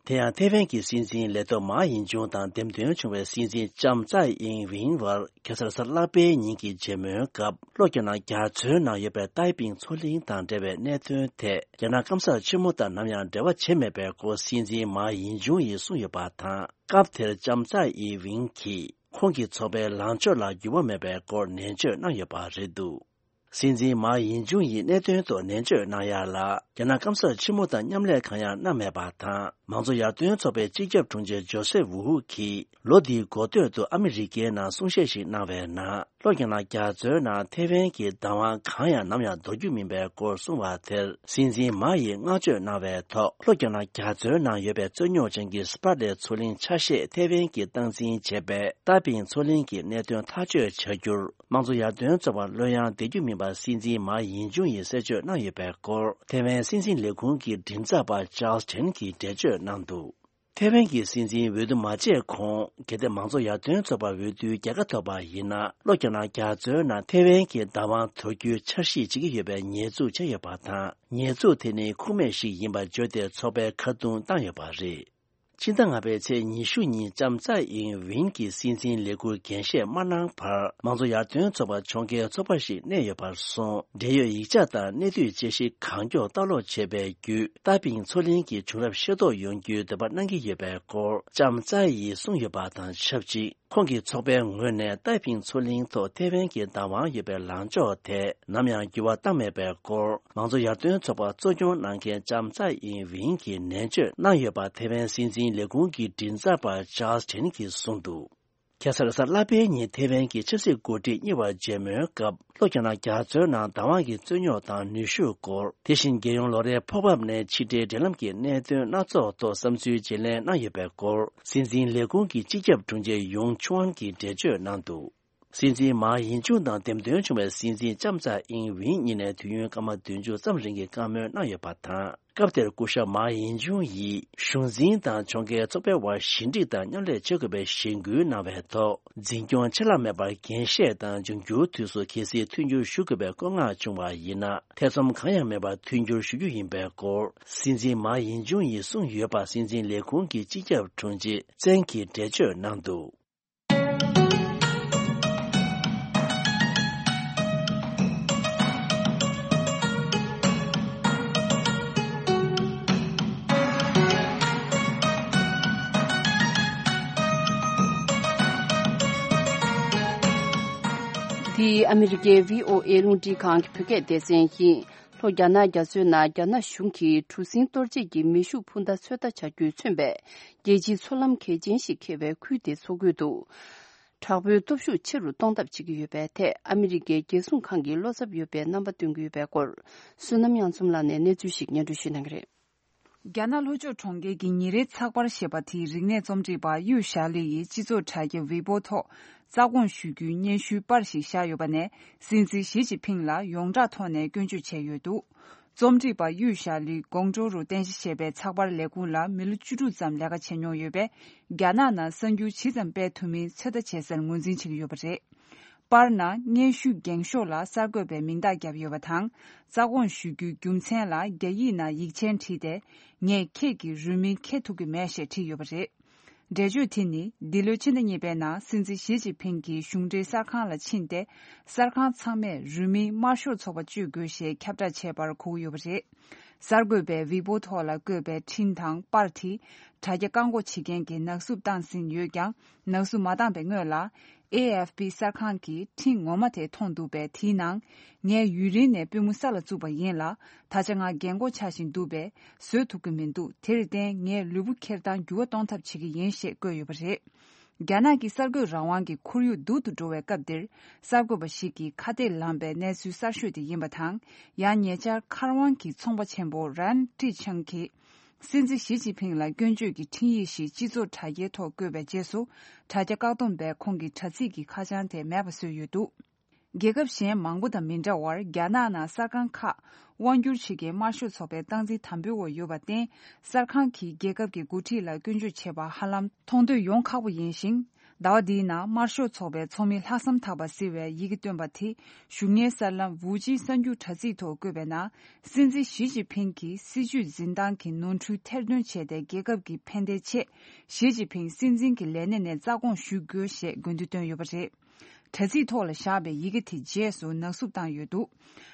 དེ་ཡང་ཐེ་ཝན་གྱི་སྲིད་འཛིན་ལས་ཐོག་མཱ་ཡིན་ཅུང་དང་འདེམས་ཐོན་བྱུང་བའི་སྲིད་འཛིན་ལྕམ་ཚའེ་ཨིན་ཝིན་བར་ཁ་སང་གཟའ་ལྷག་པའི་ཉིན་གྱི་མཇལ་མོལ་སྐབས། ལྷོ་རྒྱ་ནག་རྒྱ་མཚོའི་ནང་ཡོད་པའི་ཏའེ་པིང་མཚོ་གླིང་དང་འབྲེལ་བའི་གནད་དོན་ཐད། རྒྱ་ནག་སྐམ་ས་ཆེན་མོ་དང་ནམ་ཡང་འབྲེལ་བ་བྱས་མེད་པའི་སྐོར་སྲིད་འཛིན་མཱ་ཡིན་ཅུང་ཡིས་གསུངས་ཡོད་པ་དང་། སྐབས་དེར་ལྕམ་ཚའེ་ཨིན་ཝིན་གྱིས་ཁོང་གི་ཚོགས་པའི་ལངས་ཕྱོགས་ལ་འགྱུར་བ་མེད་པའི་སྐོར་ནན་བརྗོད་གནང་ཡོད་པ་རེད་འདུག་སྲིད་འཛིན་མཱ་ཡིན་ཅུང་ཡིས་གནད་དོན་ཐོག་ནན་བརྗོད་གནང་ཡ་ལ། རྒྱ་ནག་སྐམ་ས་ཆེན་མོ་དང་མཉམ་ལས་གང་ཡང་གནང་མེད་པ་དང་། མང་གཙོ་ཡར་ཐོན་ཚོགས་པའི་སྤྱི་ཁྱབ་དྲུང་ཆེ་ཇོ་སེབ་ཝུ་གིས། ལོ་འདིའི་འགོ་སྟོད་དུ་ཨ་མི་རི་ཀའི་ནང་གསུང་བཤད་ཞིག་གནང་བའི་ནང་། ལྷོ་རྒྱ་ནག་རྒྱ་མཚོའི་ནང་ཐེ་ཝན་གྱི་བདག་དབང་གང་ཡང་ནམ་ཡང་འདོར་རྒྱུ་མིན་པའི་སྐོར་གསུངས་པ་དེར། སྲིད་འཛིན་མཱ་ཡིས་བསྔགས་བརྗོད་གནང་བའི་ཐོག་ལྷོ་རྒྱ་ནག་རྒྱ་མཚོའི་ནང་ཡོད་པའི་རྩོད་རྙོག་ཅན་གྱི་སི་པ་ར་ལེ་མཚོ་གླིང་ཆ་ཤས་ཐེ་ཝན་གྱིས་སྟངས་འཛིན་བྱས་པའི་ཏཱ་པིང་མཚོ་གླིང་གི་གནད་དོན་ཐག་གཅོད་བྱ་རྒྱུར། དམངས་གཙོ་ཡར་ཐོན་ཚོགས་པར་བློ་ཡང་བདེ་རྒྱུ་མིན་པ་སྲིད་འཛིན་མཱ་ཡིན་ཅུང་ཡིས་གསལ་བརྗོད་གནང་ཡོད་པའི་སྐོར། ཐེ་ཝན་སྲིད་འཛིན་ལས་ཁུངས་ཀྱི་མགྲིན་ཚབ་པ་ཅཱལ་སི་ཐན་གྱིས་འགྲེལ་བརྗོད་གནང་འདུག་ཐེ་ཝན་གྱི་སྲིད་འཛིན་འོས་བསྡུ་མ་བྱས་གོང་། གལ་ཏེ་མང་གཙོ་ཡར་ཐོན་ཚོགས་པར་འོས་བསྡུའི་རྒྱལ་ཁ་ཐོབ་པ་ཡིན་ན། ལྷོ་རྒྱ་ནག་རྒྱ་མཚོའི་ནང་ཐེ་ཝན་གྱི་བདག་དབང་དོར་རྒྱུའི་འཆར་གཞི་བྱེད་ཀྱི་ཡོད་པའི་ཉེས་འཛུགས་བྱས་ཡོད་པ་དང་། ཉེས་འཛུགས་དེ་ནི་ཁུངས་མེད་ཞིག་ཡིན་པར་བརྗོད་དེ་ཚོགས་པས་ཁ་རྡུང་བཏང་ཡོད་པ་རེད། ཕྱི་ཟླ་ལྔ་པའི་ཚེས་ཉི་ཤུ་ཉིན་ལྕམ་ཚའེ་ཨིང་ཝིན་གྱིས་སྲིད་འཛིན་ལས་འཁུར་འགན་བཞེས་མ་གནང་བར། མང་གཙོ་ཡར་ཐོན་ཚོགས་པ་ཕྱོགས་འགལ་ཚོགས་པ་ཞིག་གནས་ཡོད་པར་སོང་། འབྲེལ་ཡོད་ཡིག་ཆ་དང་གནད་བསྡུས་དཔྱད་གཞི་གང་མགྱོགས་ལྟ་ཀློག་བྱས་པའི་བརྒྱུད། ཏཱ་པིང་མཚོ་གླིང་གི་བྱུང་རབས་ཤེས་རྟོགས་ཡོང་རྒྱུའི་འདོད་པ་གནང་གི་ཡོད་པའི་སྐོར་ལྕམ་ཚའེ་ཡིས་གསུངས་ཡོད་པ་དང་ཆབས་ཅིག་ཁོང་གི་ཚོགས་པའི་ངོས་ནས་ཏཱའེ་ཕིང་མཚོ་གླིང་ཐོག་ཐེ་ཝན་གྱི་བདག་དབང་ཡོད་པའི་ལངས་ཕྱོགས་དེ་ནམ་ཡང་འགྱུར་བ་བཏང་མེད་པའི་སྐོར། མང་གཙོ་ཡར་ཐོན་ཚོགས་པ་གཙོ་སྐྱོང་གནང་མཁན་ལྕམ་ཚའེ་ཨིན་ཝིན་གྱིས་ནན་བརྗོད་གནང་ཡོད་པ་ཐེ་ཝན་སྲིད་འཛིན་ལས་ཁུངས་ཀྱི་མགྲིན་ཚབ་པ་ཅཱལ་ཆེན་གྱིས་གསུངས་འདུག་ཁ་སང་གཟའ་ལྷག་པའི་ཉིན་ཐེ་ཝན་གྱི་ཆབ་སྲིད་འགོ་ཁྲིད་གཉིས་བར་མཇལ་མོལ་སྐབས། ལྷོ་རྒྱ་ནག་རྒྱ་མཚོའི་ནང་བདག་དབང་གི་རྩོད་རྙོག་དང་ནུས་ཤུགས་སྐོར། དེ་བཞིན་རྒྱལ་ཡོངས་ལོ་རེའི་ཕོགས་འབབ་ནས་ཕྱི་འབྲེལ་འབྲེལ་ལམ་གྱི་གནད་དོན་སྣ་ཚོགས་ཐོག་བསམ་ཚུལ་བརྗེ་ལེན་གནང་ཡོད་པའི་སྐོར། སྲིད་འཛིན་ལས་ཁུངས་ཀྱི་སྤྱི་ཁྱབ་དྲུང་ཆེ་ཡུང་ཆུང་ཨན་གྱིས་འགྲེལ་བརྗོད་གནང་འདུག་སྲིད་འཛིན་མཱ་ཡིན་ཅུང་དང་འདེམས་ཐོན་བྱུང་བའི་སྲིད་འཛིན་ལྕམ་ཚའེ་ཨིན་ཝིན་གཉིས་ནས་དུས་ཡུན་སྐར་མ་བདུན་ཅུ་ཙམ་རིང་གི་བཀའ་མོལ་གནང་ཡོད་པ་དང་། སྐབས་དེར་སྐུ་ཞབས་མཱ་ཡིན་ཅུང་ཡིས་གཞུང་འཛིན་དང་ཕྱོགས་འགལ་ཚོགས་པའི་དབར་ཞི་འགྲིག་དང་མཉམ་ལས་བྱེད་དགོས་པའི་གཞེན་སྐུལ་གནང་བའི་ཐོག་འཛིན་སྐྱོང་ཆད་ལྷག་མེད་པར་འགན་བཞེས་དང་། འབྱུང་འགྱུར་དུས་སུ་གལ་སྲིད་མཐུན་འགྱུར་ཞུ་དགོས་པའི་བཀོད་མངགས་བྱུང་བ་ཡིན་ན། ཐེ་ཚོམ་གང་ཡང་མེད་པར་མཐུན་འགྱུར་ཞུ་རྒྱུ་ཡིན་པའི་སྐོར། སྲིད་འཛིན་མཱ་ཡིན་ཅུང་ཡིས་གསུངས་ཡོད་པ་སྲིད་འཛིན་ལས་ཁུངས་ཀྱི་སྤྱི་ཁྱབ་དྲུང་ཆེ་ཙེང་གིས་འགྲེལ་བརྗོད་གནང་འདུག་འདི་ཨ་མི་རི་ཀའི་བྷི་ཨོ་ཨེ་རླུང་འཕྲིན་ཁང་གི་བོད་སྐད་སྡེ་ཚན་ཡིན། ལྷོ་རྒྱ་ནག་རྒྱ་མཚོའི་ནང་རྒྱ་ནག་གཞུང་གིས་གྲུ་གཟིངས་གཏོར་བྱེད་ཀྱི་མེ་ཤུགས་འཕུར་མདའ་ཚོད་ལྟ་བྱ་རྒྱུས་མཚོན་པའི་རྒྱལ་སྤྱིའི་མཚོ་ལམ་གལ་ཆེན་ཞིག་འཁེལ་བའི་ཁུལ་དེའི་མཚོ་ཁུལ་དུ། དྲག་པོའི་སྟོབས་ཤུགས་ཆེ་རུ་གཏོང་ཐབས་བྱེད་ཀྱི་ཡོད་པའི་ཐད་ཨ་མི་རི་ཀའི་རྒྱལ་སྲུང་ཁང་གིས་བློ་འཚབ་ཡོད་པའི་རྣམ་པ་སྟོན་གྱི་ཡོད་པའི་སྐོར། བསོད་ནམས་དབྱངས་འཛོམས་ལགས་ནས་གནས་ཚུལ་ཞིག་སྙན་སྒྲོན་ཞུ་གནང་གི་རེད། རྒྱ་ནག་ལྷོ་ཕྱོགས་གྲོང་ཁྱེར་གྱི་ཉིན་རེའི་ཚགས་པར་ཞེས་པ་དེའི་རིག་གནས་རྩོམ་སྒྲིག་པ་གཡུ་ཞྭ་ལི་ཡིས་སྤྱི་ཚོགས་དྲ་རྒྱ་ཝི་པོ་ཐོག་རྩ་དགོངས་ཞུ་རྒྱུའི་སྙན་ཞུའི་པར་ཞིག་བཞག་ཡོད་པ་ནས། སྲིད་འཛིན་ཞི་ཅིན་ཕིང་ལ་ཡོངས་གྲགས་ཐོག་ནས་སྐྱོན་བརྗོད་བྱས་ཡོད་འདུག་རྩོམ་སྒྲིག་པ་གཡུ་ཞྭ་ལི་ཀོང་ཀྲོའུ་རུ་རྟེན་གཞི་བྱས་པའི་ཚགས་པར་ལས་ཁུངས་ལ་མི་ལོ་བཅུ་དྲུག་ཙམ་ལས་ཀ་བྱས་མྱོང་ཡོད་པས། རྒྱ་ནག་ནང་གསར་འགྱུར་ཇི་ཙམ་སྤེལ་ཐུབ་མིན་ཚོད་ལྟ་བྱེད་སར་ངོས་འཛིན་བྱེད་ཀྱི་ཡོད་པ་རེད། པར་ནང་སྙན་ཞུ་འགེངས་ཤོག་ལ་གསར་འགོད་པའི་མིང་རྟགས་བརྒྱབ་ཡོད་པ་དང་། རྩ་དགོངས་ཞུ་རྒྱུའི་རྒྱུ་མཚན་ལ་རྒྱ་ཡིག་ནང་ཡིག་ཆེན་བྲིས་ཏེ། ངས་ཁྱེད་ཀྱི་རུས་མིང་ཁྱེར་ཐུབ་ཀྱི་མེད་ཞེས་བྲིས་ཡོད་པ་རེད། འགྲེལ་བརྗོད་དེ་ནི་འདི་ལོའི་ཕྱི་ཟླ་གཉིས་པའི་ནང་སྲིད་འཛིན་ཞི་ཅིན་ཕིང་གིས་གཞུང་འབྲེལ་གསར་ཁང་ལ་ཕྱིན་ཏེ། གསར་ཁང་ཚང་མས་རུས་མིང་དམར་ཤོག་ཚོགས་པ་སྤྱོད་དགོས་ཞེས་ཁྱབ་བསྒྲགས་བྱས་པར་གོ་གི་ཡོད་པ་རེད། གསར་འགོད་པས་ཝི་པོ་ཐོག་ལ་བཀོད་པའི་འཕྲིན་དང་པར་དེ་དྲ་རྒྱ་བཀག་འགོག་བྱེད་མཁན་གྱིས་ནག་བསུབ་བཏང་ཟིན་ཡོད་ཀྱང་། ནག་བསུབ་མ་བཏང་པའི་སྔོན་ལ། ཨེ་ཨེཕ་པི་གསར་ཁང་གིས་འཕྲིན་ངོ་མ་དེ་མཐོང་འདུག་པས། དེའི་ནང་། ངས་ཡུན་རིང་ནས་པུས་མོ་ས་ལ་བཙུགས་པ་ཡིན་ལ། ད་ཆ་ང་རྒན་གོག་ཆགས་བཞིན་འདུག་པས། བཟོད་ཐུབ་ཀྱི་མི་འདུག་དེར་བརྟེན། ངས་ལུས་པོ་འཁྱེར་སྟངས་འགྱུར་བ་གཏོང་ཐབས་བྱེད་ཀྱི་ཡིན་ཞེས་བཀོད་ཡོད་པ་རེད། རྒྱ་ནག་གི་གསར་འགོད་རང་དབང་གི་ཁོར་ཡུག་སྡུག་ཏུ་འགྲོ་བའི་སྐབས་འདིར། གསར་འགོད་པ་ཞིག་གིས་ཁ་གཏད་ལངས་པའི་གནས་ཚུལ་གསར་ཤོས་དེ་ཡིན་པ་དང་། ཡང་ཉེ་ཆར་མཁར་དབང་གི་ཚོང་པ་ཆེན་པོ་རན་ཀྲི་ཆང་གིས། སྲིད་འཛིན་ཞི་ཅིན་ཕིང་ལ་སྐྱོན་བརྗོད་ཀྱི་འཕྲིན་ཡིག་ཞིག་སྤྱི་ཚོགས་དྲ་རྒྱའི་ཐོག་བཀོད་པའི་རྗེས་སུ། དྲ་རྒྱ་བཀག་སྡོམ་པས་ཁོང་གི་དྲ་ཚིགས་ཀྱི་ཁ་བྱང་དེ་མེད་པ་བཟོས་ཡོད་འདུག་རྒྱལ་ཁབ་གཞན་མང་པོ་དང་མི་འདྲ་བར། རྒྱ་ནག་ནང་གསར་ཁང་ཁག་དབང་བསྒྱུར་བྱེད་མཁན་དམར་ཤོག་ཚོགས་པའི་སྟངས་འཛིན་དམ་པོའི་འོག་ཡོད་པར་བརྟེན། གསར་ཁང་གིས་རྒྱལ་ཁབ་ཀྱི་འགོ་ཁྲིད་ལ་སྐྱོན་བརྗོད་བྱེད་པ་ཧ་ལམ་མཐོང་འདོད་ཡོང་ཁག་པོ་ཡིན་ཞིང་། ཟླ་བ་འདིའི་ནང་དམར་ཤོག་ཚོགས་པའི་ཚོགས་མི་ལྷག་བསམ་དག་པ་ཟེར་བའི་ཡི་གེ་བཏོན་པ་དེ། བཞུགས་གནས་གསར་ལམ་ཝུའུ་ཅིན་གསར་འགྱུར་དྲ་ཚིགས་ཐོག་བཀོད་པའི་ནང་། སྲིད་འཛིན་ཞི་ཅིན་ཕིང་གིས་སྲིད་བྱུས་འཛིན་སྟངས་ཀྱི་ནོར་འཁྲུལ་ཐེར་འདོན་བྱས་ཏེ། རྒྱལ་ཁབ་ཀྱི་ཕན་བདེའི་ཆེད། ཞི་ཅིན་ཕིང་སྲིད་འཛིན་གྱི་ལས་གནས་ནས་རྩ་དགོངས་ཞུ་དགོས་ཞེས་དགོས་འདུན་བཏོན་ཡོད་པ་རེད། དྲ་ཚིགས་ཐོག་ལ་བཞག་པའི་ཡི་གེ་དེ་རྗེས་སུ་ནག་བསུབ་བཏང་ཡོད་འདུག་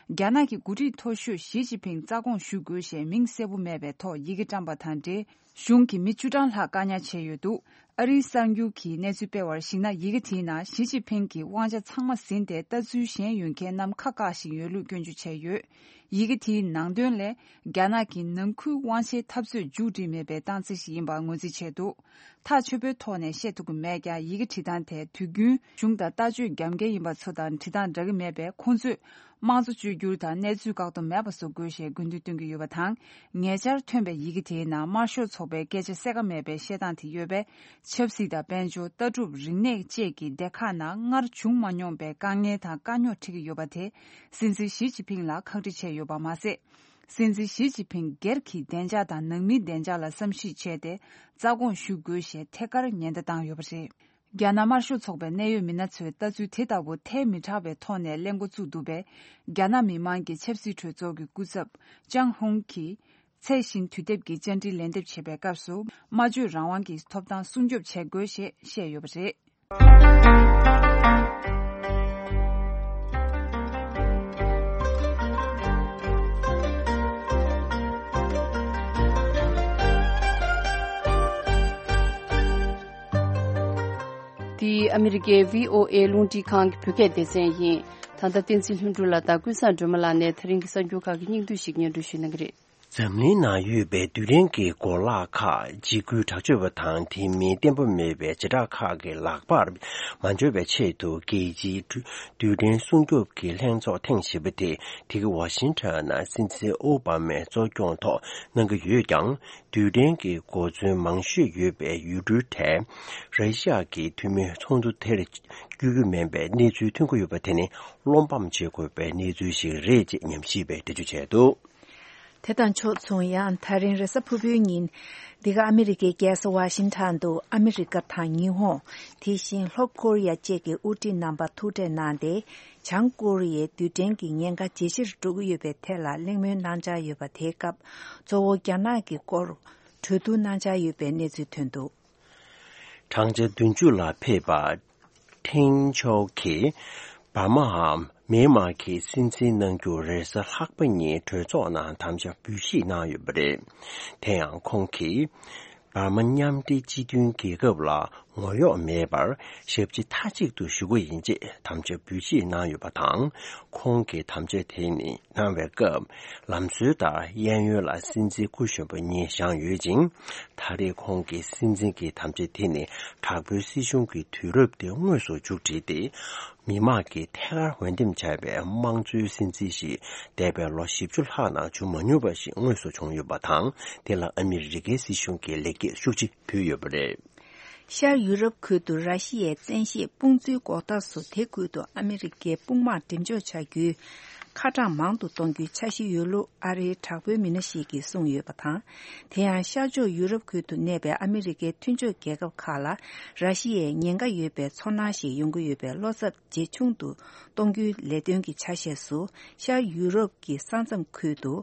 རྒྱ་ནག་གི་འགོ་ཁྲིད་མཐོ་ཤོས་ཞི་ཅིན་ཕིང་རྩ་དགོངས་ཞུ་དགོས་ཞེས་མིང་གསལ་པོ་མེད་པའི་ཐོག་ཡི་གེ་བཀྲམ་པ་དང་འབྲེལ། གཞུང་གིས་མི་བཅུ་གྲངས་ལྷག་བཀག་ཉར་བྱས་ཡོད་འདུག་ཨ་རིའི་གསར་འགྱུར་གྱིས་གནས་ཚུལ་སྤེལ་བར་གཞིགས་ན། ཡི་གེ་དེའི་ནང་ཞི་ཅིན་ཕིང་གིས་དབང་ཆ་ཚང་མ་ཟིན་ཏེ། ལྟ་ཚུལ་གཞན་ཡོད་མཁན་རྣམས་ཁ་བཀག་བཞིན་ཡོད་ལུགས་སྐྱོན་བརྗོད་བྱས་ཡོད། ཡི་གེ་དེའི་ནང་དོན་ལས། རྒྱ་ནག་གིས་ནང་ཁུལ་དབང་ཆའི་འཐབ་རྩོད་མཇུག་སྒྲིལ་མེད་པའི་རྟགས་མཚན་ཞིག་ཡིན་པར་ངོས་འཛིན་བྱས་འདུག་ཐག་ཆོད་པོའི་ཐོག་ནས་བཤད་ཐུབ་ཀྱི་མེད་ཀྱང་། ཡི་གེ་བྲིས་སྟངས་དེ་དུས་རྒྱུན་གཞུང་དང་ལྟ་སྤྱོད་རྒྱབ་འགལ་ཡིན་པ་ཚོ་དང་བྲིས་སྟངས་འདྲ་གི་མེད་པས། ཁོང་ཚོས་དམངས་གཙོ་བཅོས་བསྒྱུར་དང་གནས་ཚུལ་བཀག་སྡོམ་མེད་པ་བཟོ་དགོས་ཞེས་དགོས་འདུན་བཏོན་གྱི་ཡོད་པ་དང་། ཉེ་ཆར་ཐོན་པའི་ཡི་གེ་དེའི་ནང་དམར་ཤོག་ཚོགས་པའི་སྐད་ཆ་གསལ་ཁ་མེད་པའི་བཤད་སྟངས་དེ་ཡོད་པས། ཆབ་སྲིད་དང་། དཔལ་འབྱོར། ལྟ་གྲུབ། རིག་གནས་བཅས་ཀྱི་སྡེ་ཁག་ནང་སྔར་བྱུང་མ་མྱོང་པའི་དཀའ་ངལ་དང་དཀའ་རྙོག་འཕྲད་ཀྱི་ཡོད་པ་དེ། སྲིད་འཛིན་ཞི་ཅིན་ཕིང་ལ་ཁག་དཀྲི་བྱས་ཡོད་པ་མ་ཟད། སྲིད་འཛིན་ཞི་ཅིན་ཕིང་སྒེར་གྱི་བདེ་འཇགས་དང་ནང་མིའི་བདེ་འཇགས་ལ་བསམ་གཞིག་བྱས་ཏེ། རྩ་དགོངས་ཞུ་དགོས་ཞེས་ཐད་ཀར་ཉེན་བརྡ་བཏང་ཡོད་པ་རེད། རྒྱ་ནག་དམར་ཤོག་ཚོགས་པའི་གནད་ཡོད་མི་སྣ་ཚོས་ལྟ་ཚུལ་དེ་ལྟ་བུ་ཐལ་མི་དྲགས་པའི་ཐོག་ནས་གླེང་འགོ་བཙུགས་འདུག་པས། རྒྱ་ནག་མི་དམངས་ཀྱི་ཆབ་སྲིད་གྲོས་ཚོགས་ཀྱི་སྐུ་ཚབ་ཅང་ཧུང་གིས། ཚད་གཞི་དུས་དེབ་ཀྱི་བཅར་འདྲི་ལན་འདེབས་བྱེད་པའི་སྐབས་སུ། སྨྲ་བརྗོད་རང་དབང་གི་ཐོབ་ཐང་སྲུང་སྐྱོབ་བྱེད་དགོས་ཞེས་བཤད་ཡོད་པ་རེད། འདི་ཨ་མི་རི་ཀའི་བྷི་ཨོ་ཨེ་རླུང་འཕྲིན་ཁང་གི་བོད་སྐད་སྡེ་ཚན་ཡིན། ད་ལྟ་བསྟན་འཛིན་ལྷུན་གྲུབ་ལགས་དང་ཀུན་བཟང་སྒྲོལ་མ་ལགས་ནས་ད་རིང་གི་གསར་འགྱུར་ཁག་གི་སྙིང་བསྡུས་ཤིག་སྙན་སྒྲོན་ཞུ་གནང་གི་རེད། འཛམ་གླིང་ནང་ཡོད་པའི་རྡུལ་ཕྲན་གྱི་གོ་ལག་ཁག་འཇིགས་སྐུལ་དྲག་སྤྱོད་པ་དང་དེ་མིན་བརྟན་པོ་མེད་པའི་བྱེ་བྲག་ཁག་གི་ལག་པར་མ་འབྱོར་བའི་ཆེད་དུ། རྒྱལ་སྤྱིའི་རྡུལ་ཕྲན་སྲུང་སྐྱོབ་ཀྱི་ལྷན་ཚོགས་ཐེངས་བཞི་པ་དེ་དེ་གའི་ཝ་ཤིང་ཊོན་ནང་སྲིད་འཛིན་ཨོ་བྷ་མའི་གཙོ་སྐྱོང་ཐོག་གནང་གི་ཡོད་ཀྱང་། རྡུལ་ཕྲན་གྱི་གོ་མཚོན་མང་ཤོས་ཡོད་པའི་ཡུལ་གྲུའི་གྲས་ར་ཤི་ཡ་གི་འཐུས་མིའི་ཚོགས་འདུ་དེར་བསྐྱོད་རྒྱུ་མིན་པའི་གནས་ཚུལ་ཐོན་གྱི་ཡོད་པ་དེ་ནི་བློ་ཕམ་བྱེད་དགོས་པའི་གནས་ཚུལ་ཞིག་རེད་ཅེས་ཉམས་ཞིབ་པས་འགྲེལ་བརྗོད་བྱས་འདུག་དེ་དང་ཕྱོགས་མཚུངས། ཡང་ད་རིང་རེས་གཟའ་ཕུར་བུའི་ཉིན། འདི་ག་ཨ་མི་རི་ཀའི་རྒྱལ་ས་ཝ་ཤིང་ཊོན་དུ་ཨ་མི་རི་ཀ་དང་ཉི་ཧོང་། དེ་བཞིན་ལྷོ་ཀོ་རི་ཡ་བཅས་ཀྱི་དབུ་ཁྲིད་རྣམ་པ་ཐུག་འཕྲད་གནང་སྟེ། བྱང་ཀོ་རི་ཡའི་རྡུལ་ཕྲན་གྱི་ཉེན་ཁ་ཇེ་ཆེར་འགྲོ་གི་ཡོད་པའི་ཐད་ལ་གླེང་མོལ་གནང་འཆར་ཡོད་པ། དེའི་སྐབས་གཙོ་བོ་རྒྱ་ནག་གི་སྐོར་གྲོས་བསྡུར་གནང་འཆར་ཡོད་པའི་གནས་ཚུལ་ཐོན་འདུག་བགྲང་བྱ་བདུན་ཅུ་ལ་ཕེབས་པ་ཁྲེང་ཆའོ་གིས་འབར་མའམ་མེན་མར་གྱི་སྲིད་འཛིན་གནང་རྒྱུ་རེས་གཟའ་ལྷག་པ་ཉིན་གྲོས་ཚོགས་ནང་དམ་བཅའ་འབུལ་བཞེས་གནང་ཡོད་པ་རེད། དེ་ཡང་ཁོང་གིས་འབར་མ་མཉམ་འབྲེལ་སྤྱི་མཐུན་རྒྱལ་ཁབ་ལ་ ངོ་གཡོག་མེད་པར་ཞབས་ཕྱི་མཐའ་གཅིག་ཏུ་ཞུ་གི་ཡིན་ཅེས་དམ་བཅའ་འབུལ་བཞེས་གནང་ཡོད་པ་དང་། ཁོང་གིས་དམ་བཅའ་དེ་ནི་གནང་བའི་སྐབས། ལམ་སྲོལ་ལྟར་གཡས་གཡོན་ལ་སྲིད་འཛིན་སྐུ་གཞོན་པ་གཉིས་བཞེངས་ཡོད་ཅིང་། ད་རེས་ཁོང་གིས་སྲིད་འཛིན་གྱི་དམ་བཅའ་དེ་ནི་དྲག་པོའི་སྲིད་གཞུང་གི་དུས་རབས་དེ་དངོས་སུ་མཇུག་བསྒྲིལ་ཏེ། མི་དམངས་ཀྱིས་ཐད་ཀར་འོས་འདེམས་བྱས་པའི་དམངས་གཙོའི་སྲིད་འཛིན་ཞིག་འདས་པའི་ལོ་བཞི་བཅུ་ལྷག་ནང་བྱུང་མ་མྱོང་བ་ཞིག་དངོས་སུ་བྱུང་ཡོད་པ་དང་། དེ་ལ་ཨ་མི་རི་ཀའི་སྲིད་གཞུང་གིས་ལེགས་སྐྱེས་ཤུགས་ཆེ་ཕུལ་ཡོད་པ་རེད། ཤར་ཡུ་རོབ་ཁུལ་དུ་ར་ཤི་ཡའི་བཙན་ཤེད་དཔུང་འཛུལ་འགོག་ཐབས་སུ་དེ་ཁུལ་དུ་ཨ་མི་རི་ཀའི་དཔུང་དམག་འགྲེམས་འཇོག་བྱ་རྒྱུའི་ཁ་གྲངས་མང་དུ་གཏོང་རྒྱུའི་འཆར་གཞི་ཡོད་ལུགས་ཨ་རིའི་དྲག་པོའི་མི་སྣ་ཞིག་གིས་གསུངས་ཡོད་པ་དང་། དེ་ཡང་ཤར་ཕྱོགས་ཡུ་རོབ་ཁུལ་དུ་གནས་པའི་ཨ་མི་རི་ཀའི་མཐུན་ཕྱོགས་རྒྱལ་ཁབ་ཁག་ལ་ར་ཤི་ཡའི་ཉེན་ཁ་ཡོད་པའི་ཚོར་སྣང་ཞིག་ཡོང་གི་ཡོད་པའི་བློ་འཚབ་ཇེ་ཆུང་དུ་གཏོང་རྒྱུའི་ལས་དོན་གྱི་ཆ་ཤས་སུ་ཤར་ཡུ་རོབ་ཀྱི་ས་མཚམས་ཁུལ་དུ།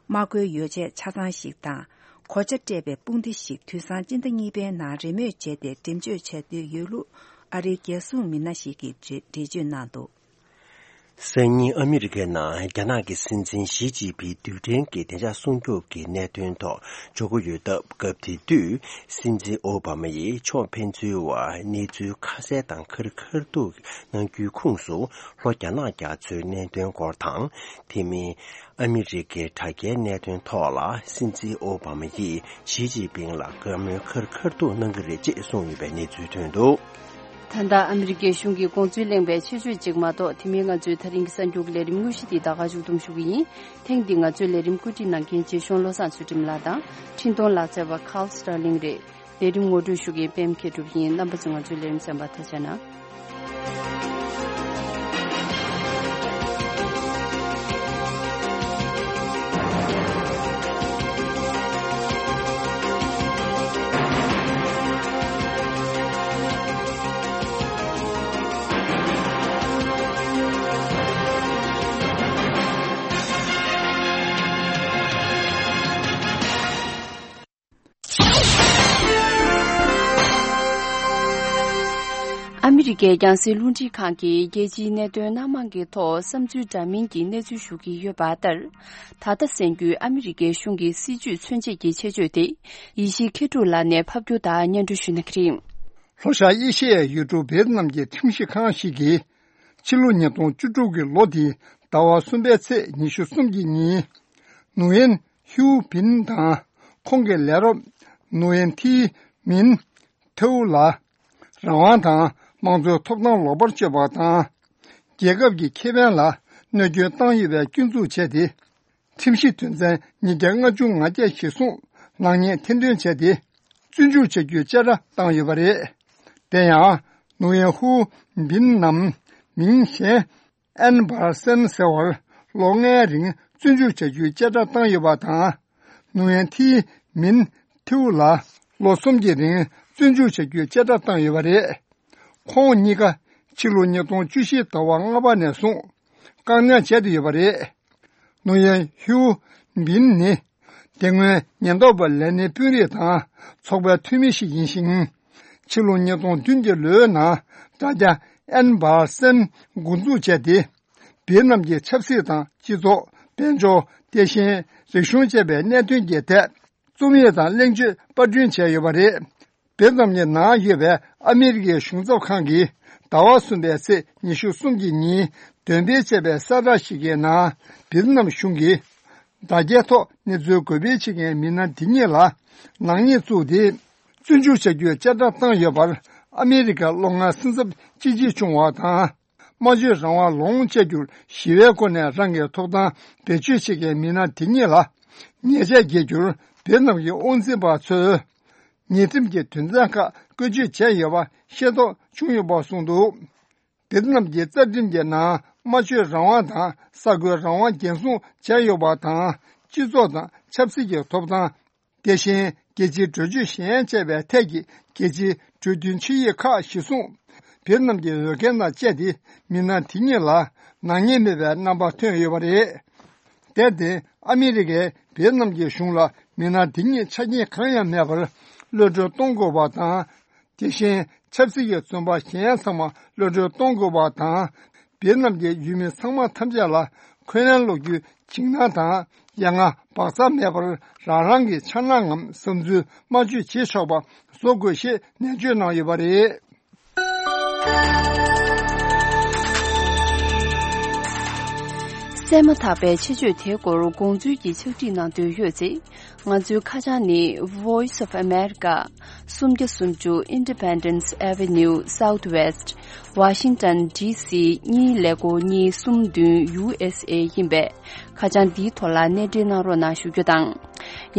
དམག་བཀོལ་ཡོ་བྱད་ཆ་ཚང་ཞིག་དང་། གོ་ཆ་སྤྲས་པའི་དཔུང་སྡེ་ཞིག་དུས་སང་སྤྱི་ཟླ་གཉིས་པའི་ནང་རེས་མོས་བྱས་ཏེ་འགྲེམས་འཇོག་བྱ་འདོད་ཡོད་ལུགས་ཨ་རིའི་རྒྱལ་སྲུང་མི་སྣ་ཞིག་གིས་འགྲེལ་བརྗོད་གནང་འདུག། སང་ཉིན་ཨ་མི་རི་ཀའི་ནང་རྒྱ་ནག་གི་སྲིད་འཛིན་ཞི་ཅིན་ཕིང་རྡུལ་ཕྲན་གྱི་བདེ་འཇགས་སྲུང་སྐྱོབ་ཀྱི་གནད་དོན་ཐོག་འཇོག་གི་ཡོད་སྟབས། སྐབས་དེ་དུས་སྲིད་འཛིན་ཨོ་བྷ་མ་ཡིས་ཕྱོགས་ཕན་ཚུན་བར་གནས་ཚུལ་ཁ་གསལ་དང་ཁ་རི་ཁ་ཐུག་གནང་རྒྱུའི་ཁོངས་སུ། ལྷོ་རྒྱ་ནག་རྒྱ་མཚོའི་གནད་དོན་སྐོར་དང་། དེ་མིན། ཨ་མི་རི་ཀའི་དྲ་རྒྱའི་གནད་དོན་ཐོག་ལ་སྲིད་འཛིན་ཨོ་བྷ་མ་ཡིས་ཞི་ཅིན་ཕིང་ལ་བཀའ་མོལ་ཁ་རི་ཁ་ཐུག་གནང་གི་རེད་ཅེས་གསུངས་ཡོད་པའི་གནས་ཚུལ་ཐོན་འདུག། ད་ལྟ་ཨ་མི་རི་ཀའི་གཞུང་གི་དགོངས་ཚུལ་གླེང་བའི་ཆེད་བརྗོད་ཅིག་མ་གཏོགས། དེ་མིན་ང་ཚོའི་ད་རིང་གི་གསར་འགྱུར་གྱི་ལས་རིམ་དངོས་གཞི་འདི་ད་ག་མཇུག་བསྡོམས་ཞུ་གི་ཡིན། ཐེངས་འདི་ང་ཚོའི་ལས་རིམ་བཀོད་སྒྲིག་གནང་མཁན་རྗེ་གཞུང་བློ་བཟང་ཚུལ་ཁྲིམས་ལགས་དང་། འཕྲིན་གཏོང་ལག་རྩལ་བ་Carl Sterling་རེད། ལས་རིམ་ངོ་སྤྲོད་ཞུ་མཁན་པད་མ་མཁས་གྲུབ་ཡིན། རྣམ་པ་ཚོ་ང་ཚོའི་ལས་རིམ་གསན་པར་ཐུགས་རྗེ་གནང་། ཨ་མི་རི་ཀའི་རྒྱང་སྲིང་རླུང་འཕྲིན་ཁང་གིས་རྒྱལ་སྤྱིའི་གནད་དོན་སྣ་མང་གི་ཐོག་བསམ་ཚུལ་འདྲ་མིན་གྱི་གནས་ཚུལ་ཞུ་གི་ཡོད་པ་ལྟར། ད་ལྟ་གསན་རྒྱུའི་ཨ་མི་རི་ཀའི་གཞུང་གི་སྲིད་བྱུས་མཚོན་བྱེད་ཀྱི་ཆེད་བརྗོད་དེ། ཡེ་ཤེས་མཁས་གྲུབ་ལགས་ནས་ཕབ་སྒྱུར་དང་སྙན་སྒྲོན་ཞུ་གནང་གི་རེད། ལྷོ་ཤར་ཨེ་ཤི་ཡའི་ཡུལ་གྲུ་ཝེ་ཏི་ནམ་གྱི་ཁྲིམས་ཞིབ་ཁང་ཞིག་གིས། ཕྱི་ལོ་ཉིས་སྟོང་བཅུ་དྲུག་གི་ལོ་འདིའི་ཟླ་བ་གསུམ་པའི་ཚེས་ཉི་ཤུ་གསུམ་གྱི་ཉིན། ནུ་ཡན་ཧིའུ་བིན་དང་ཁོང་གི་ལས་རོགས་ནུ་ཡན་ཐི་མིན་ཐེའུ་ལ་རང་དབང་དང་དམངས་གཙོའི་ཐོབ་ཐང་ལོག་པར་སྤྱོད་པ་དང་། རྒྱལ་ཁབ་ཀྱི་ཁེ་ཕན་ལ་གནོད་སྐྱོན་བཏང་ཡོད་པའི་སྐྱོན་འཛུགས་བྱས་ཏེ། ཁྲིམས་གཞི་དོན་ཚན་ཉིས་བརྒྱ་ལྔ་བཅུ་ང་བརྒྱད་གཞིར་བཟུང་ནག་ཉེས་ཐེར་འདོན་བྱས་ཏེ། བཙོན་འཇུག་བྱ་རྒྱུའི་བཅད་ཁྲ་བཏང་ཡོད་པ་རེད། དེ་ཡང་ནུ་ཡན་ཧུའུ་བིན་ནམ་མིང་གཞན་ཨན་བར་སན་ཟེར་བར་ལོ་ལྔའི་རིང་བཙོན་འཇུག་བྱ་རྒྱུའི་བཅད་ཁྲ་བཏང་ཡོད་པ་དང་། ནུ་ཡན་ཐི་མིན་ཐིའུ་ལ་ལོ་གསུམ་གྱི་རིང་བཙོན་འཇུག་བྱ་རྒྱུའི་བཅད་ཁྲ་བཏང་ཡོད་པ་རེད། ཁོང་གཉིས་ཀ་ཕྱི་ལོ་ཉིས་སྟོང་བཅུ་བཞི་ཟླ་བ་ལྔ་པ་ནས་བཟུང་བཀག་ཉར་བྱས་ཏེ་ཡོད་པ་རེད། ནུ་ཡན་ཧིའུ་བིན་ནི། དེ་སྔོན་ཉེན་རྟོག་པ་ལས་སྣེའི་དཔོན་རིགས་དང་ཚོགས་པའི་འཐུས་མི་ཞིག་ཡིན་ཞིང་། ཕྱི་ལོ་ཉིས་སྟོང་བདུན་གྱི་ལོའི་ནང་དྲ་རྒྱ་ཨན་བར་སན་འགོ་འཛུགས་བྱས་ཏེ། ཝེ་ཏི་ནམ་གྱི་ཆབ་སྲིད་དང་སྤྱི་ཚོགས། དཔལ་འབྱོར། དེ་བཞིན་རིག་གཞུང་བཅས་པའི་གནད་དོན་གྱི་ཐད་རྩོམ་ཡིག་དང་གླེང་བརྗོད་པར་སྐྲུན་བྱས་ཡོད་པ་རེད། ཝེ་ཏི་ནམ་གྱི་ནང་ཡོད་པའི་ཨ་མི་རི་ཀའི་གཞུང་ཚབ་ཁང་གིས་ཟླ་བ་གསུམ་པའི་ཚེས་ཉི་ཤུ་གསུམ་གྱི་ཉིན་འདོན་སྤེལ་བྱས་པའི་གསལ་བསྒྲགས་ཤིག་གི་ནང་། ཝེ་ཏི་ནམ་གཞུང་གིས་དྲ་རྒྱའི་ཐོག་གནས་ཚུལ་འགོད་སྤེལ་བྱེད་མཁན་མི་སྣ་འདི་གཉིས་ལ་ནག་ཉེས་བཙུགས་ཏེ། བཙོན་འཇུག་བྱ་རྒྱུའི་བཅད་ཁྲ་བཏང་ཡོད་པར། ཨ་མི་རི་ཀ་ལྷོ་མངའ་སེམས་འཚབ་ཅི་ཆེ་བྱུང་བ་དང་། སྨྲ་བརྗོད་རང་དབང་ལོངས་སྤྱད་རྒྱུར་ཞི་བའི་སྒོ་ནས་རང་གི་ཐོབ་ཐང་བེད་སྤྱོད་བྱེད་མཁན་མི་སྣ་དེ་གཉིས་ལ་ཉེས་ཆད་འགེལ་རྒྱུར་ཝེ་ཏི་ནམ་གྱི་དབང་འཛིན་པ་ཚོས་ཉེས་ཁྲིམས་ཀྱི་དོན་ཚན་ཁག་བཀོལ་སྤྱོད་བྱས་ཡོད་པ་ཤེས་རྟོགས་བྱུང་ཡོད་པ་གསུངས་འདུག། ཝེ་ཏི་ནམ་གྱི་རྩ་ཁྲིམས་ཀྱི་ནང་སྨྲ་བརྗོད་རང་དབང་དང་གསར་འགོད་རང་དབང་འགན་སྲུང་བྱས་ཡོད་པ་དང་། སྤྱི་ཚོགས་དང་ཆབ་སྲིད་ཀྱི་ཐོབ་ཐང་། དེ་བཞིན་རྒྱལ་སྤྱིའི་གྲོས་ཆོད་གཞན་བཅས་པའི་ཐད་ཀྱི་རྒྱལ་སྤྱིའི་གྲོས་མཐུན་ཆིངས་ཡིག་ཁག་གཞིར་བཟུང་། ཝེ་ཏི་ནམ་གྱི་འོས་འགན་དང་བཅས་ཏེ་མི་སྣ་དེ་གཉིས་ལ་ནག་ཉེས་མེད་པའི་རྣམ་པ་ཐོན་ཡོད་པ་རེད། དེར་བརྟེན་ཨ་མི་རི་ཀས་ཝེ་ཏི་ནམ་གྱི་གཞུང་ལ་མི་སྣ་དེ་གཉིས་ཆ་རྐྱེན་གང་ཡང་མེད་པར་གློད་གྲོལ་གཏོང་དགོས་པ་དང་། དེ་བཞིན་ཆབ་སྲིད་ཀྱི་བཙོན་པ་གཞན་ཚང་མ་གློད་གྲོལ་གཏོང་དགོས་པ་དང་། ཝེ་ཏི་ནམ་གྱི་ཡུལ་མི་ཚང་མ་ཐམས་ཅད་ལ་འཁོན་ལན་སློག་རྒྱུའི་འཇིགས་སྣང་དང་ ཡ་ང་བག་ཚ་མེད་པར་རང་རང་གི་འཆར་སྣང་ངམ་བསམ་ཚུལ་སྨྲ་བརྗོད་བྱེད་ཆོག་པ་བཟོ་དགོས་ཞེས་ནན་བརྗོད་གནང་ཡོད་པ་རེད། གསན་མ་ཐག་པའི་ཆེད་བརྗོད་དེའི་སྐོར་དགོངས་ཚུལ་གྱི་ཕྱག་བྲིས་གནང་འདོད་ཡོད་ཚེ། ང་ཚོའི་ཁ་བྱང་ནི། Voice of America, སུམ་བརྒྱ་སུམ་ཅུ་Independence Avenue Southwest, Washington D C གཉིས་ཀླད་ཀོར་གཉིས་གསུམ་བདུན་U S A ཡིན་པས། ཁ་བྱང་འདིའི་ཐོག་ལ་གནས་འབྲེལ་གནང་རོགས་གནང་ཞུ་རྒྱུ་དང་།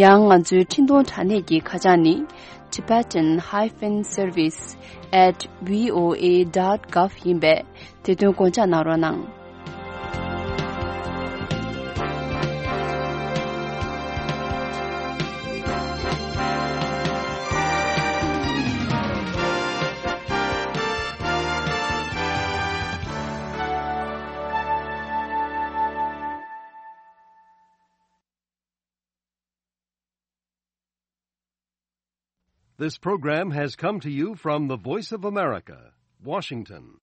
ཡང་ང་ཚོའི་འཕྲིན་གཏོང་དྲ་གནས་ཀྱི་ཁ་བྱང་ནི། Tibetan hyphen service at V O A dot gov ཡིན་པས། དེ་དོན་དགོངས་འཇགས་གནང་རོགས་གནང་། This program has come to you from the Voice of America, Washington.